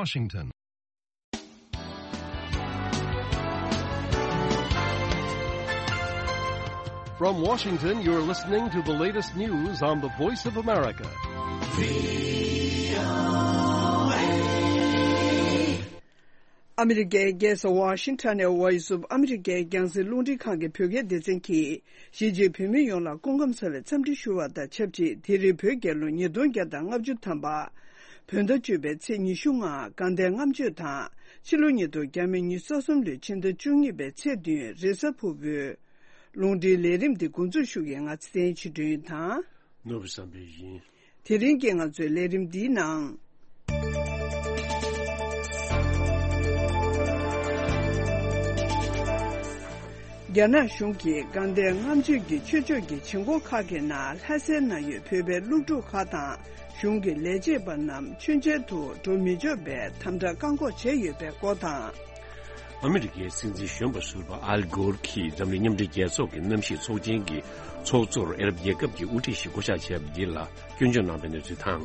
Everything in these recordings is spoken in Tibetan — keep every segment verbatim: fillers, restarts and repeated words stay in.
Washington. From Washington, you're listening to the latest news on the Voice of America. ཨ་མི་རི་ཀའི་རྒྱལ་ས་ཝ་ཤིང་ཊོན་ནས་Voice of America་རྒྱང་སྲིང་རླུང་འཕྲིན་ཁང་གི་བོད་སྐད་སྡེ་ཚན་གྱིས། གཞིས་བྱེས་བོད་མི་ཡོངས་ལ་སྐུ་ཁམས་བཟང་བའི་འཚམས་འདྲི་ཞུ་བ་དང་ཆབས་ཅིག་དེ་རིང་བོད་རྒྱལ་ལོ་ཉིས་སྟོང་བརྒྱ་དང་ལྔ་བཅུ་ཐམ་པ། བོད་ཟླ་བཅུ་པའི་ཚེས་ཉི་ཤུ་ལྔ་དགའ་ལྡན་ལྔ་མཆོད་དང་། ཕྱི་ལོ་ཉིས་སྟོང་ཉི་ཤུ་རྩ་གསུམ་ལོའི་ཕྱི་ཟླ་བཅུ་གཉིས་པའི་ཚེས་བདུན་རེས་གཟའ་ཕུར་བུ། རླུང་འཕྲིན་ལས་རིམ་འདི་འགོ་འཛུགས་ཞུ་མཁན་ང་ཚེ་བརྟན་ཆོས་སྒྲོན་དང་། ནོར་བུ་བསམ་འཕེལ་ཡིན། དེ་རིང་གི་ང་ཚོའི་ལས་རིམ་འདིའི་ནང་། རྒྱ་ནག་གཞུང་གིས་དགའ་ལྡན་ལྔ་མཆོད་ཀྱི་ཆོས་ཕྱོགས་ཀྱི་བྱེད་སྒོ་ཁག་གི་ནང་ལྷ་སའི་ནང་ཡོད་བོད་པའི་སློབ་ཕྲུག་ཁག་དང་གཞུང་གི་ལས་བྱེད་པ་རྣམས་མཆོད་མཇལ་དུ་འགྲོ་མི་ཆོག་པའི་དམ་དྲག་བཀག་འགོག་བྱས་ཡོད་པའི་སྐོར་དང་། ཨ་མི་རི་ཀའི་སྲིད་འཛིན་གཞོན་པ་ཟུར་པ་ཨལ་གྷོར་གྱིས་འཛམ་གླིང་མཉམ་འབྲེལ་རྒྱལ་ཚོགས་ཀྱི་གནམ་གཤིས་ཚོགས་ཆེན་གྱི་ཚོགས་གཙོར་ཨ་རབ་རྒྱལ་ཁབ་ཀྱི་དབུ་ཁྲིད་ཞིག་བསྐོ་བཞག་བྱས་པ་འདི་ལ་སྐྱོན་བརྗོད་གནང་བའི་གནས་ཚུལ་དང་།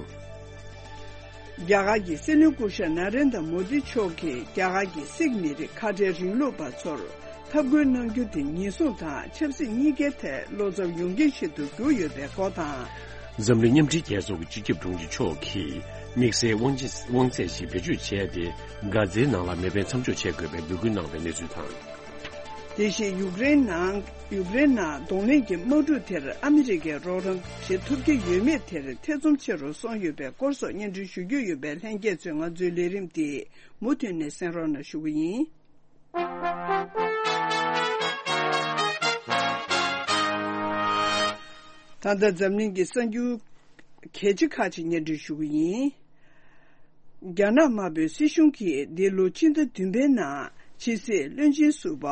རྒྱ་གར་གྱི་སྲིད་བློན་སྐུ་ཞབས་ན་རེན་དྲ་མོ་དི་མཆོག་གིས་རྒྱ་གར་གྱི་སིག་མི་རིགས་ཁ་བྲལ་རིང་ལུགས་པ་ཚོར་འཐབ་རྒོལ་གནང་རྒྱུ་དེ་ཉེན་སྲུང་དང་ཆབ་སྲིད་གཉིས་ཀའི་ཐད་བློ་འཚབ་ཡོང་རྐྱེན་ཞིག་ཏུ་གྱུར་ཡོད་པའི་སྐོར་དང་། འཛམ་གླིང་མཉམ་འབྲེལ་རྒྱལ་ཚོགས་ཀྱི་སྤྱི་ཁྱབ་དྲུང་ཆེ་མཆོག་གིས་དམིགས་བསལ་དབང་ཆ་དབང་ཚད་ཞིག་བེད་སྤྱོད་བྱས་ཏེ། གྷ་ཛའི་ནང་ལ་མེ་འཕེན་མཚམས་འཇོག་བྱེད་དགོས་པའི་འབོད་སྐུལ་གནང་བའི་གནས་ཚུལ་དང་། དེ་བཞིན་ཡུཀ་རེན་ནང་ཡུཀ་རེན་ནང་གདོང་ལེན་གྱི་དམག་འཁྲུག་དེར་ཨ་མི་རི་ཀས་རོགས་རམ་བྱེད་ཐུབ་ཀྱི་ཡོད་མེད་དེར་ཐེ་ཚོམ་ཆེ་རུ་སོང་ཡོད་པའི་སྐོར་སོགས་སྙན་སྒྲོན་ཞུ་རྒྱུ་ཡོད་པས། ལྷན་རྒྱས་ཚོས་ང་ཚོའི་ལས་རིམ་འདི་མུ་མཐུད་ནས་གསན་རོགས་གནང་ཞུ་གི་ཡིན། ད་ལྟ་འཛམ་གླིང་གི་གསར་འགྱུར་གལ་ཆེ་ཁག་ཅིག་སྙན་སྒྲོན་ཞུ་གི་ཡིན། རྒྱ་ནག་དམར་པོའི་སྲིད་གཞུང་གིས་འདི་ལོ་ཕྱི་ཟླ་བདུན་པའི་ནང་ཕྱི་སྲིད་བློན་ཆེན་ཟུར་པ་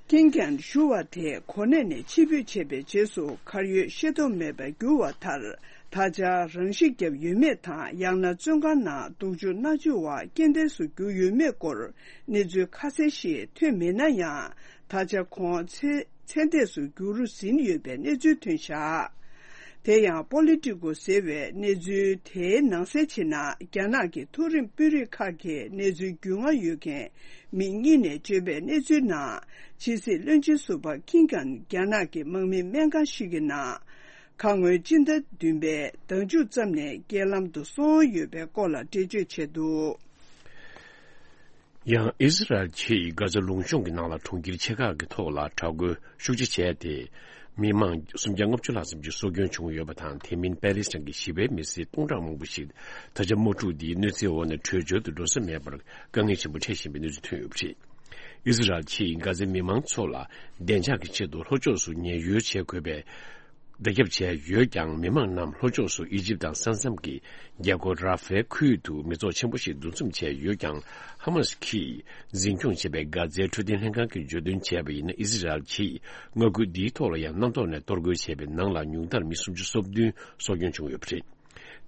ཀིན་ཀན་ཞུ་བ་དེ་གོ་གནས་ནས་ཕྱིར་འབུད་བྱས་པའི་རྗེས་སུ་གར་ཡོད་ཤེས་རྟོགས་མེད་པར་གྱུར་བ་མཐར། ད་ཆ་རང་ཤི་བརྒྱབ་ཡོད་མེད་དང་། ཡང་ན་བཙོན་ཁང་ནང་སྡུག་སྦྱོང་མནར་གཅོད་འོག་རྐྱེན་འདས་སུ་གྱུར་ཡོད་མེད་སྐོར་གནས་ཚུལ་ཁ་གསལ་ཞིག་ཐོན་མེད་ན་ཡང་། ད་ཆ་ཁོང་ཚེ་ཚེ་འདས་སུ་གྱུར་ཟིན་ཡོད་པའི་གནས་ཚུལ་ཐོན་བཞག་དེ་ཡང་པོ་ལི་ཊི་ཀོ་ཟེར་བའི་གནས་ཚུལ་དེའི་ནང་གསལ་བྱས་ན། རྒྱ་ནག་གི་མཐོ་རིམ་དཔོན་རིགས་ཁག་གིས་གནས་ཚུལ་རྒྱུས་མངའ་ཡོད་མཁན་མི་གཉིས་ནས་བརྗོད་པའི་གནས་ཚུལ་ནང་། ཕྱི་སྲིད་བློན་ཆེན་ཟུར་པ་ཀིན་ཀན་རྒྱ་ནག་གི་དམག་མི་སྨན་ཁང་ཞིག་གི་ནང་ཁ་སྔོན་སྤྱི་ཟླ་བདུན་པའི་ཟླ་མཇུག་ཙམ་ནས་རྐྱེན་ལམ་དུ་སོང་ཡོད་པའི་སྐོར་ལ་འགྲེལ་བརྗོད་བྱས་འདུག་ཡང་ཨི་ཟི་རལ་གྱིས་གྷ་ཛ་ལུང་གཤོང་གི་ནང་ལ་གྲོང་ཁྱེར་ཆེ་ཁག་གི་ཐོག་ལ་དྲག་རྒོལ་ཤུགས་ཆེ་བྱས་ཏེ། མི་མང་སུམ་བརྒྱ་ལྔ་བཅུ་ལྷག་ཙམ་གྱི་སྲོག་སྐྱོན་བྱུང་ཡོད་པ་དང་། དེ་མིན་པེ་ལི་སི་ཐན་གྱི་ཞི་བའི་མི་སེར་སྟོང་ཕྲག་མང་པོ་ཞིག་ད་ཆ་དམག་འཁྲུག་འདིའི་གནོད་འཚེའི་འོག་ནས་བྲོས་བྱོལ་དུ་འགྲོ་ས་མེད་པར་དཀའ་ངལ་ཆེན་པོ་འཕྲད་བཞིན་པའི་གནས་ཚུལ་ཐོན་ཡོད་པ་རེད། ཨི་ཟི་རལ་གྱིས་གྷ་ཛའི་མི་མང་ཚོ་ལ་བདེ་འཇགས་ཀྱི་ཆེད་དུ་ལྷོ་ཕྱོགས་སུ་ཉེན་གཡོལ་བྱེད་དགོས་པའི་བརྡ་ཁྱབ་བྱས་ཡོད་ཀྱང་། མི་མང་རྣམས་ལྷོ་ཕྱོགས་སུ་ཨི་ཇིབ་དང་ས་མཚམས་ཀྱི་རྒྱལ་སྒོ་ར་ཧྥེ་ཁུལ་དུ་མི་ཚོགས་ཆེན་པོ་ཞིག་འདུ་འཛོམས་བྱས་ཡོད་ཀྱང་། ཧ་མ་སི་ཀྱིས་འཛིན་སྐྱོང་བྱེད་པའི་གྷ་ཛའི་འཕྲོད་བསྟེན་ལྷན་ཁང་གིས་བརྗོད་དོན་བྱས་པ་ཡིན་ན། ཨི་ཟི་རལ་གྱིས་མངའ་ཁུལ་འདིའི་ཐོག་ལ་ཡང་གནམ་ཐོག་ནས་གཏོར་རྒོལ་བྱས་པའི་ནང་ལ་ཉུང་མཐར་མི་སུམ་ཅུ་སོ་བདུན་སྲོག་སྐྱོན་བྱུང་ཡོད་པ་རེད།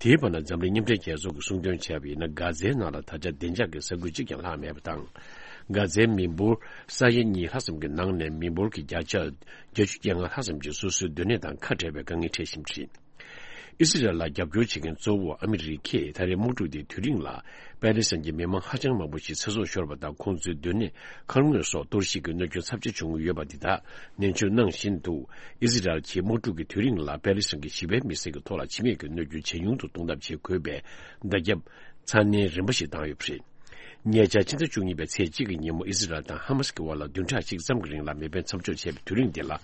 དེའི་བར་ན་འཛམ་གླིང་མཉམ་འབྲེལ་རྒྱལ་ཚོགས་ཀྱིས་གསུངས་དོན་བྱས་པ་ཡིན་ན། གྷ་ཛའི་ནང་ལ་ད་ཆ་བདེ་འཇགས་ཀྱི་ས་ཁུལ་གཅིག་ཀྱང་ལྷག་མེད་པ་དང་། གྷ་ཛའི་མི་འབོར་ས་ཡ་གཉིས་ལྷག་ཙམ་གྱི་ནང་ནས་མི་འབོར་གྱི་བརྒྱ་ཆ་བརྒྱད་ཅུ་གྱ་ལྔ་ལྷག་ཙམ་གྱིས་སོ་སོའི་སྡོད་གནས་དང་ཁ་བྲལ་བའི་དཀའ་ངལ་འཕྲད་བཞིན་པ་རེད། ཨི་སི་རལ་ལ་རྒྱབ་སྐྱོར་བྱེད་མཁན་གཙོ་བོ་ཨ་མི་རི་ཀས་ད་རེས་དམག་འཁྲུག་དེའི་དུས་རིང་ལ་པེ་ལི་སི་ཐན་གྱི་མི་མང་ཧ་ཅང་མང་པོ་ཞིག་ཚེ་སྲོག་ཤོར་བ་དང་། ཁོང་ཚོའི་སྡོད་གནས་མཁར་ངོས་སོགས་གཏོར་བཤིག་གི་གནོད་སྐྱོན་ཚབས་ཆེ་བྱུང་ཡོད་པ་འདི་དག་ནན་བརྗོད་གནང་བཞིན་དུ། ཨི་སི་རལ་གྱིས་དམག་འཁྲུག་གི་དུས་རིང་ལ་པེ་ལི་སི་ཐན་གྱི་ཞི་བའི་མི་སེར་གྱི་ཐོག་ལ་འཆི་རྨས་ཀྱི་གནོད་སྐྱོན་ཇེ་ཉུང་དུ་གཏོང་ཐབས་བྱེད་དགོས་པའི་བརྡ་ཁྱབ་ཚ་ནན་རིམ་པ་ཞིག་བཏང་ཡོད་པ་རེད། ཉེ་ཆར་ཕྱི་ཟླ་བཅུ་གཉིས་པའི་ཚེས་གཅིག་གི་ཉིན་མོ་ཨི་སི་རལ་དང་ཧ་མ་སི་ཀྱི་བར་ལ་བདུན་ཕྲག་གཅིག་ཙམ་གྱི་རིང་ལ་མེ་འཕེན་མཚམས་འཇོག་བྱས་པའི་དུས་རིང་འདི་ལ།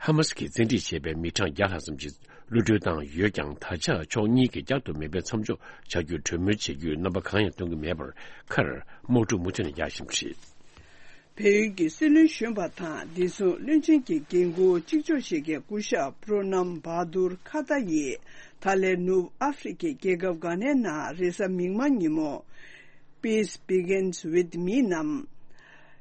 ཧ་མ་སི་ཀྱིས་བཙན་ཁྲིད་བྱས་པའི་མི་གྲངས་བརྒྱ་ལྷག་ཙམ་ཞིག་གློད་གྲོལ་བཏང་ཡོད་ཀྱང་། ད་ཆ་ཕྱོགས་གཉིས་ཀྱིས་བསྐྱར་དུ་མེ་འཕེན་མཚམས་འཇོག་བྱ་རྒྱུར་གྲོས་མོལ་བྱེད་རྒྱུའི་རྣམ་པ་གང་ཡང་སྟོན་གྱི་མེད་པར། མཁར་དམག་འཁྲུག་མུ་མཐུད་ནས་རྒྱག་བཞིན་པ་རེད། བལ་ཡུལ་གྱི་སྲིད་བློན་གཞོན་པ་དང་། བདེ་སྲུང་བློན་ཆེན་གྱི་འགན་འཁུར་གཅིག་ལྕོགས་བཞེས་མཁན་སྐུ་ཞབས་པྲོ་ནམ་བྷ་དུར་ཁ་ཏ་ཡིས། ད་ལན་ནུབ་ཨ་ཧྥེ་རི་ཁའི་རྒྱལ་ཁབ་གྷ་ནའི་ནང་རེས་གཟའ་མིག་དམར་ཉིན་མོ། Peace Begins with Me ནམ།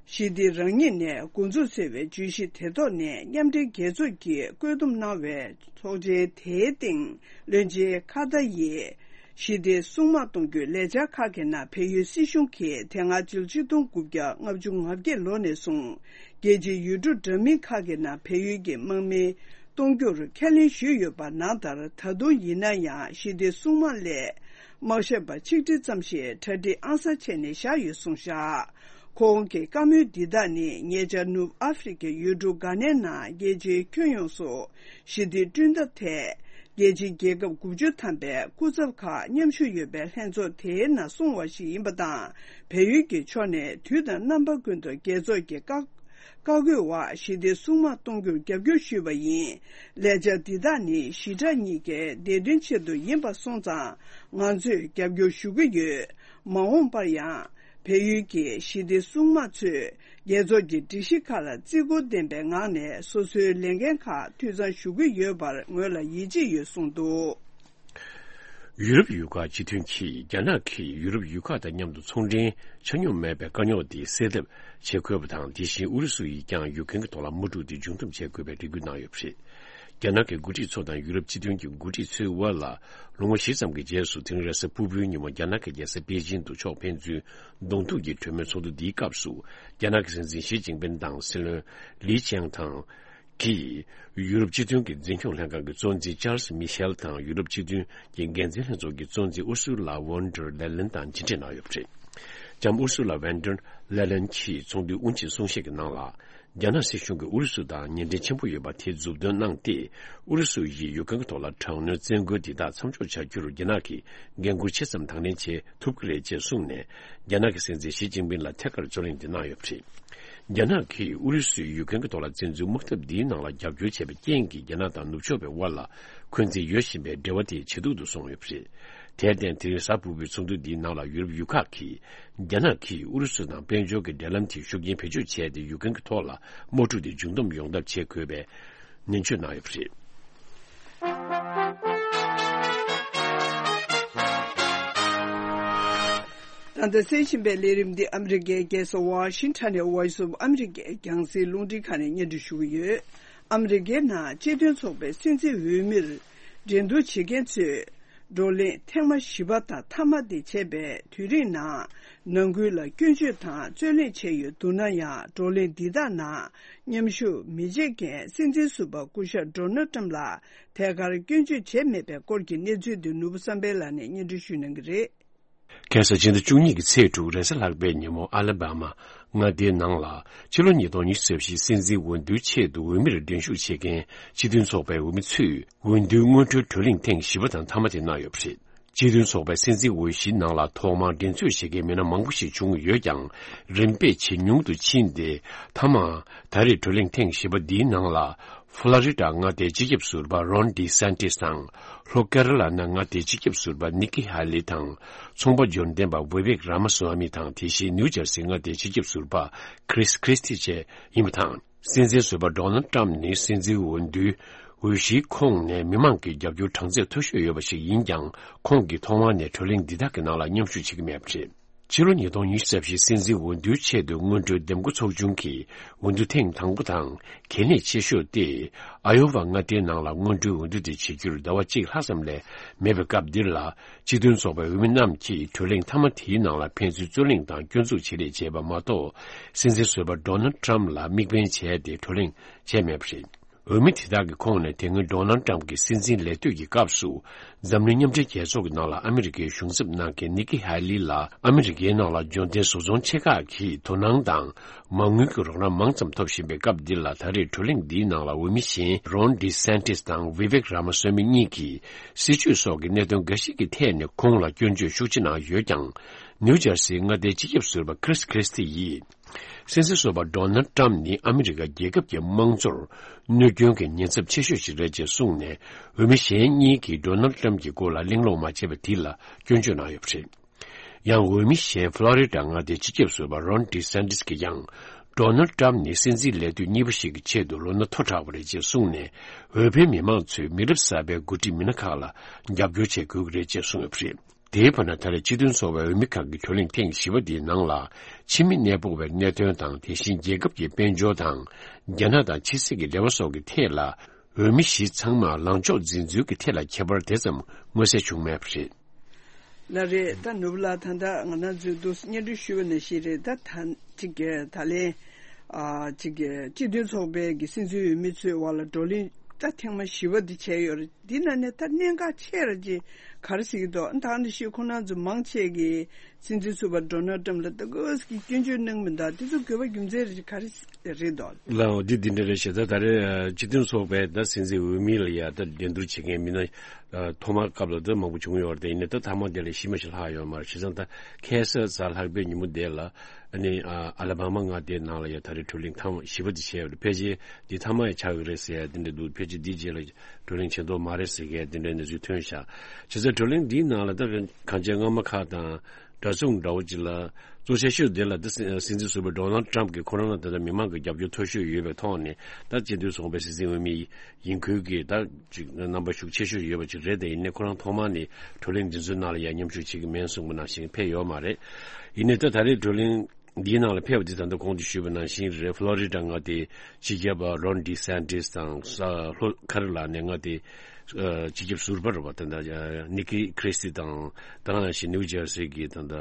ཞི་བདེ་རང་ཉིད་ནས་འགོ་འཛུགས་ཟེར་བའི་བརྗོད་གཞི་དེ་ཐོག་ནས། མཉམ་འབྲེལ་རྒྱལ་ཚོགས་ཀྱིས་བཀོད་འདོམས་གནང་བའི་ཚོགས་ཆེན་དེའི་སྟེང་། བློན་ཆེན་ཁ་ཏ་ཡིས། ཞི་བདེ་སྲུང་དམག་གཏོང་རྒྱུའི་ལས་འཆར་ཁག་གི་ནང་། བལ་ཡུལ་སྲིད་གཞུང་གིས་དེ་སྔ་ཕྱི་ལོ་ཆིག་སྟོང་དགུ་བརྒྱ་ལྔ་བཅུ་ང་བརྒྱད་ལོ་ནས་བཟུང་། རྒྱལ་སྤྱིའི་ཡུལ་གྲུ་འདྲ་མིན་ཁག་གི་ནང་བལ་ཡུལ་གྱི་དམག་མི་གཏོང་རྒྱུར་ཁས་ལེན་ཞུས་ཡོད་པ་ནང་ལྟར། ད་དུང་ཡིན་ན་ཡང་ཞི་བདེ་སྲུང་དམག་སླད་ དམག་ཞབས་པ་ཆིག་ཁྲི་ཙམ་ཞིག་གྲ་སྒྲིག་ཨང་གསར་བྱས་ནས་བཞག་ཡོད་གསུངས་བཞག་ཁོང་གི་བཀའ་མོལ་འདི་དག་ནི་ཉེ་ཆར་ནུབ་ཨ་ཧྥེ་རི་ཁའི་ཡུལ་གྲུ་གྷ་ནའི་ནང་རྒྱལ་སྤྱིའི་ཁྱོན་ཡོངས་སུ་ཞི་བདེ་བསྐྲུན་ཐབས་ཐད། རྒྱལ་སྤྱིའི་རྒྱལ་ཁབ་དགུ་བཅུ་ཐམ་པའི་སྐུ་ཚབ་ཁག་མཉམ་ཞུགས་ཡོད་པའི་ལྷན་ཚོགས་དེའི་ནང་གསུངས་པ་ཞིག་ཡིན་པ་དང་། བལ་ཡུལ་གྱི་ཕྱོགས་ནས་དུས་དང་རྣམ་པ་ཀུན་ཏུ་རྒྱལ་ཚོགས་ཀྱི་བཀའ་བཀའ་བཀོད་འོག་ཞི་བདེ་སྲུང་དམག་གཏོང་རྒྱུར་རྒྱབ་སྐྱོར་ཞུས་པ་ཡིན། ལས་འཆར་འདི་དག་ནི་ཞི་དྲག་གཉིས་ཀའི་བདེ་དོན་ཆེད་དུ་ཡིན་པ་སོང་ཙང་ང་ཚོས་རྒྱབ་སྐྱོར་ཞུ་གི་ཡོད། མ་འོངས་པར་ཡང་། བལ་ཡུལ་གྱི་ཞི་བདེ་སྲུང་དམག་ཚོས་རྒྱལ་ཚོགས་ཀྱི་སྒྲིག་གཞི་ཁག་ལ་བརྩི་བཀུར་ལྡན་པའི་ངང་ནས་སོ་སོའི་ལས་འགན་ཁག་འཐུས་ཚང་ཞུ་གི་ཡོད་པར་ངོས་ལ་ཡིད་ཆེས་ཡོད་གསུངས་འདུག་ཡུ་རོབ་ཡུལ་ཁག་སྤྱི་མཐུན་གྱིས་རྒྱ་ནག་གིས་ཡུ་རོབ་ཡུལ་ཁག་དང་མཉམ་དུ་ཚོང་འབྲེལ་ཆ་སྙོམས་མེད་པའི་དཀའ་རྙོག་དེ་སེལ་ཐབས་བྱེད་དགོས་པ་དང་། དེ་བཞིན་ཨུ་རུ་སུ་ཡིས་ཀྱང་ཡུཀ་རེན་གྱི་ཐོག་ལ་དམག་འཁྲུག་དེ་མཇུག་བསྡོམས་བྱེད་དགོས་པའི་རེ་སྐུལ་གནང་ཡོད་པ་རེད། རྒྱ་ནག་གི་འགོ་ཁྲིད་ཚོ་དང་ཡུ་རོབ་སྤྱི་མཐུན་གྱི་འགོ་ཁྲིད་ཚོའི་དབར་ལ་ལོ་ངོ་བཞི་ཙམ་གྱི་རྗེས་སུ་དེ་རིང་རེས་གཟའ་ཕུར་བུའི་ཉིན་མོ་རྒྱ་ནག་གི་རྒྱལ་ས་པེ་ཅིན་དུ་ཕྱོགས་ཕན་ཚུན་གདོང་ཐུག་གི་གྲོས་མོལ་ཚོགས་འདུ་འདིའི་སྐབས་སུ། རྒྱ་ནག་གི་སྲིད་འཛིན་ཞི་ཅིན་ཕིན་དང་སྲིད་བློན་ལི་ཆང་ཐང་གིས་ཡུ་རོབ་སྤྱི་མཐུན་གྱི་འཛིན་སྐྱོང་ལྷན་ཁང་གི་གཙོ་འཛིན་ཅཱལ་སི་མི་ཤེལ་དང་ཡུ་རོབ་སྤྱི་མཐུན་གྱི་འགན་འཛིན་ལྷན་ཚོགས་ཀྱི་གཙོ་འཛིན་ཨུར་སུ་ལ་ཝོན་ཏེར་ལེ་ལན་དང་མཇལ་འཕྲད་གནང་ཡོད་པ་རེད། ལྕམ་ཨུར་སུ་ལ་ཝོན་ཏེར་ལེ་ལན་གྱིས་ཚོགས་འདུའི་དབུ་འབྱེད་གསུང་བཤད་ཀྱི་ནང་ལ། རྒྱ་ནག་སྲིད་གཞུང་གིས་ཨུ་རུ་སུ་དང་ཉེ་འབྲེལ་ཆེན་པོ་ཡོད་པ་དེ་མཛུབ་སྟོན་གནང་སྟེ། ཨུ་རུ་སུ་ཡིས་ཡུཀ་རེན་གྱི་ཐོག་ལ་དྲག་གནོན་བཙན་རྒོལ་འདི་དག་མཚམས་འཇོག་བྱ་རྒྱུར་རྒྱ་ནག་གིས་འགན་འཁུར་ཆེ་ཙམ་དང་ལེན་བྱེད་ཐུབ་ཀྱི་རེད་ཅེས་གསུངས་ནས། རྒྱ་ནག་གི་སྲིད་འཛིན་ཞི་ཅིན་ཕིན་ལ་ཐད་ཀར་རྩོད་གླེང་འདི་གནང་ཡོད་པ་རེད། རྒྱ་ནག་གིས་ཨུ་རུ་སུས་ཡུཀ་རེན་གྱི་ཐོག་ལ་བཙན་འཛུལ་དམག་འཐབ་འདིའི་ནང་ལ་རྒྱབ་སྐྱོར་བྱས་པའི་རྐྱེན་གྱིས་རྒྱ་ནག་དང་ནུབ་ཕྱོགས་པའི་དབར་ལ་འཁོན་འཛིན་ཡོད་བཞིན་པའི་འབྲེལ་བ་དེ་ཇེ་སྡུག་ཏུ་སོང་ཡོད་པ་རེད། དེར་བརྟེན། དེ་རིང་གཟའ་ཕུར་བུའི་ཚོགས་འདུ་འདིའི་ནང་ལ་ཡུ་རོབ་ཡུལ་ཁག་གིས་རྒྱ་ནག་གིས་ཨུ་རུ་སུ་དང་དཔལ་འབྱོར་གྱི་འབྲེལ་ལམ་དེ་ཤུགས་རྐྱེན་བེད་སྤྱོད་བྱས་ཏེ་ཡུཀ་རེན་གྱི་ཐོག་ལ་དམག་འཁྲུག་དེ་མཇུག་བསྡོམས་ཡོང་ཐབས་བྱེད་དགོས་པའི་ནན་བརྗོད་གནང་ཡོད་པ་རེད། ད་ལྟ་གསན་བཞིན་པའི་ལས་རིམ་འདི་ཨ་མི་རི་ཀའི་རྒྱལ་ས་ཝ་ཤིང་ཊོན་ནས་Voice of America རྒྱང་སྲིང་རླུང་འཕྲིན་ཁང་ནས་སྙན་སྒྲོན་ཞུ་གི་ཡོད། ཨ་མི་རི་ཀའི་ནང་སྤྱི་མཐུན་ཚོགས་པའི་སྲིད་འཛིན་འོས་མིར་འགྲན་བསྡུར་བྱེད་མཁན་ཚོས། བགྲོ་གླེང་ཐེངས་མ་བཞི་པ་དང་མཐའ་མ་དེ་བྱས་པའི་དུས་རིང་ནང་། ནང་ཁུལ་ལ་སྐྱོན་བརྗོད་དང་རྩོད་གླེང་བྱས་ཡོད་འདུག་ན་ཡང་། བགྲོ་གླེང་འདི་དག་ནང་མཉམ་ཞུགས་མི་བྱེད་མཁན་སྲིད་འཛིན་ཟུར་པ་སྐུ་ཞབས་ཌོ་ནལ་ཊམ་ལ་ཐད་ཀར་སྐྱོན་བརྗོད་བྱས་མེད་པའི་སྐོར་གྱི་གནས་ཚུལ་དེ་ནོར་བུ་བསམ་འཕེལ་ལགས་ནས་སྙན་སྒྲོན་ཞུ་གནང་གི་རེད། ཁ་སང་ཕྱི་ཟླ་བཅུ་གཉིས་ཀྱི་ཚེས་དྲུག་རེས་གཟའ་ལྷག་པའི་ཉིན་མོ། ཨ་ལ་བྷ་མ་མངའ་སྡེའི་ནང་ལ་ཕྱི་ལོ་ཉིས་སྟོང་ཉི་ཤུ་རྩ་བཞིའི་སྲིད་འཛིན་འོས་བསྡུའི་ཆེད་དུ་འོས་མིར་འགྲན་ཞུགས་བྱེད་མཁན་སྤྱི་མཐུན་ཚོགས་པའི་འོས་མི་ཚོས་འོས་བསྡུའི་སྔོན་འགྲོའི་བགྲོ་གླེང་ཐེངས་བཞི་པ་དང་མཐའ་མ་དེ་གནང་ཡོད་པ་རེད། སྤྱི་མཐུན་ཚོགས་པའི་སྲིད་འཛིན་འོས་གཞིའི་ནང་ལ་ཐོག་མར་འགྲན་རྩོད་བྱེད་མཁན་མི་སྣ་མང་པོ་ཞིག་བྱུང་ཡོད་ཀྱང་། རིམ་པས་ཇེ་ཉུང་དུ་ཕྱིན་ཏེ། མཐའ་མ། ད་རེས་བགྲོ་གླེང་ཐེངས་བཞི་པ་འདིའི་ནང་ལ། ཧྥ་ལོ་རི་ཌ་མངའ་སྡེའི་སྤྱི་ཁྱབ་ཟུར་པ་རོན་ཌི་སན་ཏིས་དང་། ལྷོ་ཀེ་ར་ལ་ན་མངའ་སྡེའི་སྤྱི་ཁྱབ་ཟུར་པ་ནི་ཀི་ཧ་ལི་དང་། ཚོང་པ་འབྱོར་ལྡན་པ་ཝི་ཝེག་ར་མ་སུ་ཝ་མི་དང་། དེ་བཞིན་ནིའུ་ཇར་སི་མངའ་སྡེའི་སྤྱི་ཁྱབ་ཟུར་པ་ཁྲིས་ཁྲིས་ཏི་བཅས་ཡིན་པ་དང་། སྲིད་འཛིན་ཟུར་པ་ཌོ་ནལ་ཏྲམ་ནི་སྲིད་འཛིན་འོས་བསྡུའི་འོས་གཞིའི་ཁོངས་ནས་མི་མང་གི་རྒྱབ་སྐྱོར་གྲངས་ཚད་མཐོ་ཤོས་ཡོད་པ་ཞིག་ཡིན་ཀྱང་། ཁོང་གིས་ཐོག་མར་ནས་བགྲོ་གླེང་འདི་དག་གི་ནང་ལ་མཉམ་ཞུགས་བྱེད་ཀྱི་མེད་པ་རེད། ཕྱི་ལོ་ཉིས་སྟོང་ཉི་ཤུ་རྩ་བཞིའི་སྲིད་འཛིན་འོས་བསྡུའི་ཆེད་དུ་སྔོན་འགྲོའི་འདེམས་བསྐོ་ཚོགས་ཆུང་གིས་འོས་བསྡུ་ཐེངས་དང་པོ་དང་གལ་གནད་ཆེ་ཤོས་ཏེ། ཨ་ཡོ་ཝ་མངའ་སྡེའི་ནང་ལ་སྔོན་འགྲོའི་འོས་བསྡུ་དེ་བྱེད་རྒྱུར་ཟླ་བ་གཅིག་ལྷག་ཙམ་ལས་མེད་པའི་སྐབས་འདིར་ལ། སྤྱི་མཐུན་ཚོགས་པའི་འོས་མི་རྣམས་ཀྱིས་བགྲོ་གླེང་མཐའ་མ་དེའི་ནང་ལ་ཕན་ཚུན་རྩོད་གླེང་དང་སྐྱོན་འཛུགས་བྱེད་རེས་བྱས་པ་མ་གཏོགས། སྲིད་འཛིན་ཟུར་པ་ཌོ་ནལ་ཏྲམ་ལ་དམིགས་འབེན་བྱས་ཏེ་བགྲོ་གླེང་བྱས་མེད་པ་རེད། འོས་མི་དེ་དག་གི་ཁོངས་ནས་དེ་སྔོན་ཌོ་ནལ་ཏྲམ་གྱི་སྲིད་འཛིན་ལས་དུས་ཀྱི་སྐབས་སུ། འཛམ་གླིང་མཉམ་འབྲེལ་རྒྱལ་ཚོགས་ཀྱི་ནང་ལ་ཨ་མི་རི་ཀའི་གཞུང་ཚབ་གནང་མཁན་ནི་ཀི་ཧ་ལི་ལ། ཨ་མི་རི་ཀའི་ནང་ལ་འབྱོར་ལྡན་བཟོ་ཚོང་ཆེ་ཁག་གིས་དོ་སྣང་དང་མ་དངུལ་གྱི་རོགས་རམ་མང་ཙམ་ཐོབ་བཞིན་པའི་སྐབས་འདི་ལ། ད་རེས་བགྲོ་གླེང་འདིའི་ནང་ལ་འོས་མི་གཞན་རོན་ཌི་སན་ཏིས་དང་ཝི་ཝེག་ར་མ་སོ་མི་གཉིས་ཀྱིས་སྲིད་བྱུས་སོགས་ཀྱི་གནད་དོན་འགའ་ཞིག་གི་ཐད་ནས་ཁོང་ལ་སྐྱོན་བརྗོད་ཤུགས་ཆེ་གནང་ཡོད་ཀྱང་། ནིའུ་ཇར་སིའི་མངའ་སྡེའི་སྤྱི་ཁྱབ་ཟུར་པ་ཁྲིས་ཁྲིས་ཏི་ཡིས། སྲིད་འཛིན་ཟུར་པ་ཌོ་ནལ་ཏྲམ་ནི་ཨ་མི་རི་ཀ་རྒྱལ་ཁབ་ཀྱི་དམངས་གཙོར་གནོད་སྐྱོན་གྱི་ཉེན་ཚབས་ཆེ་ཤོས་ཤིག་རེད་ཅེས་གསུངས་ནས། འོས་མི་གཞན་གཉིས་ཀྱིས་ཌོ་ནལ་ཏྲམ་གྱི་སྐོར་ལ་གླེང་སློང་མ་བྱས་པ་དེ་ལ་སྐྱོན་བརྗོད་གནང་ཡོད་པ་རེད། ཡང་འོས་མི་གཞན་ཕློ་རི་ཌ་མངའ་སྡེའི་སྤྱི་ཁྱབ་ཟུར་པ་རོན་ཌི་སན་ཏིས་ཀྱིས་ཀྱང་། ཌོ་ནལ་ཏྲམ་ནི་སྲིད་འཛིན་ལས་དུས་གཉིས་པ་ཞིག་གི་ཆེད་དུ་ལོ་ན་མཐོ་དྲགས་པ་རེད་ཅེས་གསུངས་ནས། འོས་འཕེན་མི་མང་ཚོས་མི་རབས་གསར་པའི་འགོ་ཁྲིད་མི་སྣ་ཁག་ལ་རྒྱབ་སྐྱོར་བྱེད་དགོས་ཀྱི་རེད་ཅེས་གསུངས་ཡོད་པ་རེད། དེའི་བར་ན། ད་རེས་སྤྱི་མཐུན་ཚོགས་པའི་འོས་མི་ཁག་གི་བགྲོ་གླེང་ཐེངས་བཞི་པ་འདིའི་ནང་ལ། ཕྱི་མི་གནས་སྤོ་བའི་གནད་དོན་དང་། དེ་བཞིན་རྒྱལ་ཁབ་ཀྱི་དཔལ་འབྱོར་དང་། རྒྱ་ནག་དང་ཕྱི་སྲིད་ཀྱི་འབྲེལ་བ་སོགས་ཀྱི་ཐད་ལ། འོས་མི་བཞི་ཚང་མར་ལངས་ཕྱོགས་འཛིན་ཚུལ་གྱི་ཐད་ལ་ཁྱད་པར་དེ་ཙམ་མངོན་གསལ་བྱུང་མེད་པ་རེད། ལགས་རེད། ད་ནོར་བུ་ལགས། ད་ལྟ་ང་རང་ཚོས་འདུག་སེ་སྙན་སྒྲོན་ཞུས་པ་ནང་བཞིན་རེད། ད་ད་ཅིག་ད་ལན། ཨ། ཅིག་སྤྱི་མཐུན་ཚོགས་པའི་གི་སྲིད་འཛིན་འོས་མི་ཚོའི་བར་ལ་བགྲོ་གླེང་ད་ཐེངས་མ་བཞི་པ་འདི་བྱས་ཡོད་རེད། འདི་ནང་ནས་ད་གནད་འགག་ཆེ་ར་ཅིག་ག་རེ་ཟེར་གྱི་འདུག་ད་ནི་ཤི་ཁོང་རྣམ་ཚོ་མང་ཆེ་གིས་སྲིད་འཛིན་ཟུར་པ་ཌོ་ནལ་ཊམ་ལ་ད་གོས་ཀྱི་སྐྱོན་བརྗོད་གནང་མི་འདུག་དེ་ཚོ་དགོས་པ་རྒྱུ་མཚན་རེ་ག་རེ་རེད་འདུག་ལའོ་འདི་འདི་འདྲ་རེད་ཤག་ད་ད་རེས་སྤྱི་མཐུན་ཚོགས་པའི་ད་སྲིད་འཛིན་འོས་མི་ལ་ཡ་ད་འགྲན་བསྡུར་བྱེད་མཁན་མི་སྣ་ཐོག་མ་སྐབས་ལ་ད་མང་པོ་བྱུང་ཡོད་རེད། ཡིན་ནའི་ད་ཐ་མ་དེ་ལ་ཤི་མ་ཤི་ལྷག་ཡོད་མ་རེད། བྱས་ཙང་ད་ཁ་སང་གཟའ་ལྷག་པའི་ཉིན་མོ་དེ་ལ་ཨ་ནི་ཨ་ལ་བྷ་མ་མངའ་སྡེའི་ནང་ལ་ཡ་ད་རེས་བགྲོ་གླེང་ཐེངས་བཞི་པ་དེ་བྱས་ཡོད་རེད། ཕལ་ཆེར་འདི་ཐ་མ་ཡ་ཆགས་ཀྱི་རེད་ཟེར་ཡ་དེ་འདྲ་འདུག་ཕལ་ཆེར་འདིའི་རྗེས་ལ་བགྲོ་གླེང་བྱེད་མདོག་མ་རེད་ཟེར་མཁན་དེ་འདྲའི་གནས་ཚུལ་ཐོན་ཤག་བྱས་ཙང་བགྲོ་གླེང་འདིའི་ནང་ལ་ད་གང་ཅི་སྔ་མ་ཁག་དང་འདྲ་མཚུངས་འདྲ་བོ་ཅིག་ལ་གཙོ་ཆེ་ཤོས་དེ་ལ་ད་སྲིད་སྲིད་འཛིན་ཟུར་པ་ཌོ་ནལ་ཊམ་གྱིས་ཁོ་རང་ལ་ད་ལྟ་མི་མང་གི་རྒྱབ་སྐྱོར་མཐོ་ཤོས་ཡོད་པའི་ཐོག་ནས་ད་སྤྱི་མཐུན་ཚོགས་པའི་སྲིད་འཛིན་འོས་མི་ཡིན་ཁུལ་གྱིས་ད་ཅིག་རྣམ་པ་ཤུགས་ཆེ་ཤོས་ཡོད་པ་ཅིག་རེད། དེ་ཡིན་ནའི་ཁོ་རང་ཐོག་མ་ནས་བགྲོ་གླེང་འདི་ཚོའི་ནང་ལ་ཡང་མཉམ་ཞུགས་བྱེད་ཀྱི་མེད་གསུངས་པ་ནང་བཞིན་ཕེབས་ཡོད་མ་རེད། ཡིན་ནའི་ད་ད་རེས་བགྲོ་གླེང་འདིའི་ནང་ལ་ཕེབས་པ་འདི་ད་ལྟ་གོང་དུ་ཞུས་པ་ནང་བཞིན་རེད། ཕློ་རི་ཌ་མངའ་སྡེའི་སྤྱི་ཁྱབ་རོན་ཌི་སན་ཊིས་དང་ས་ལྷོ་ཁ་རི་ལ་ནའི་མངའ་སྡེའི་སྤྱི་ཁྱབ་ཟུར་པ་རེད་པ། ད་ལྟ་ནི་ཀི་ཁི་རི་སི་ཊི་དང་ད་ག་ནང་བཞིན་ནིའུ་ཇར་སི་གི་ད་ལྟ་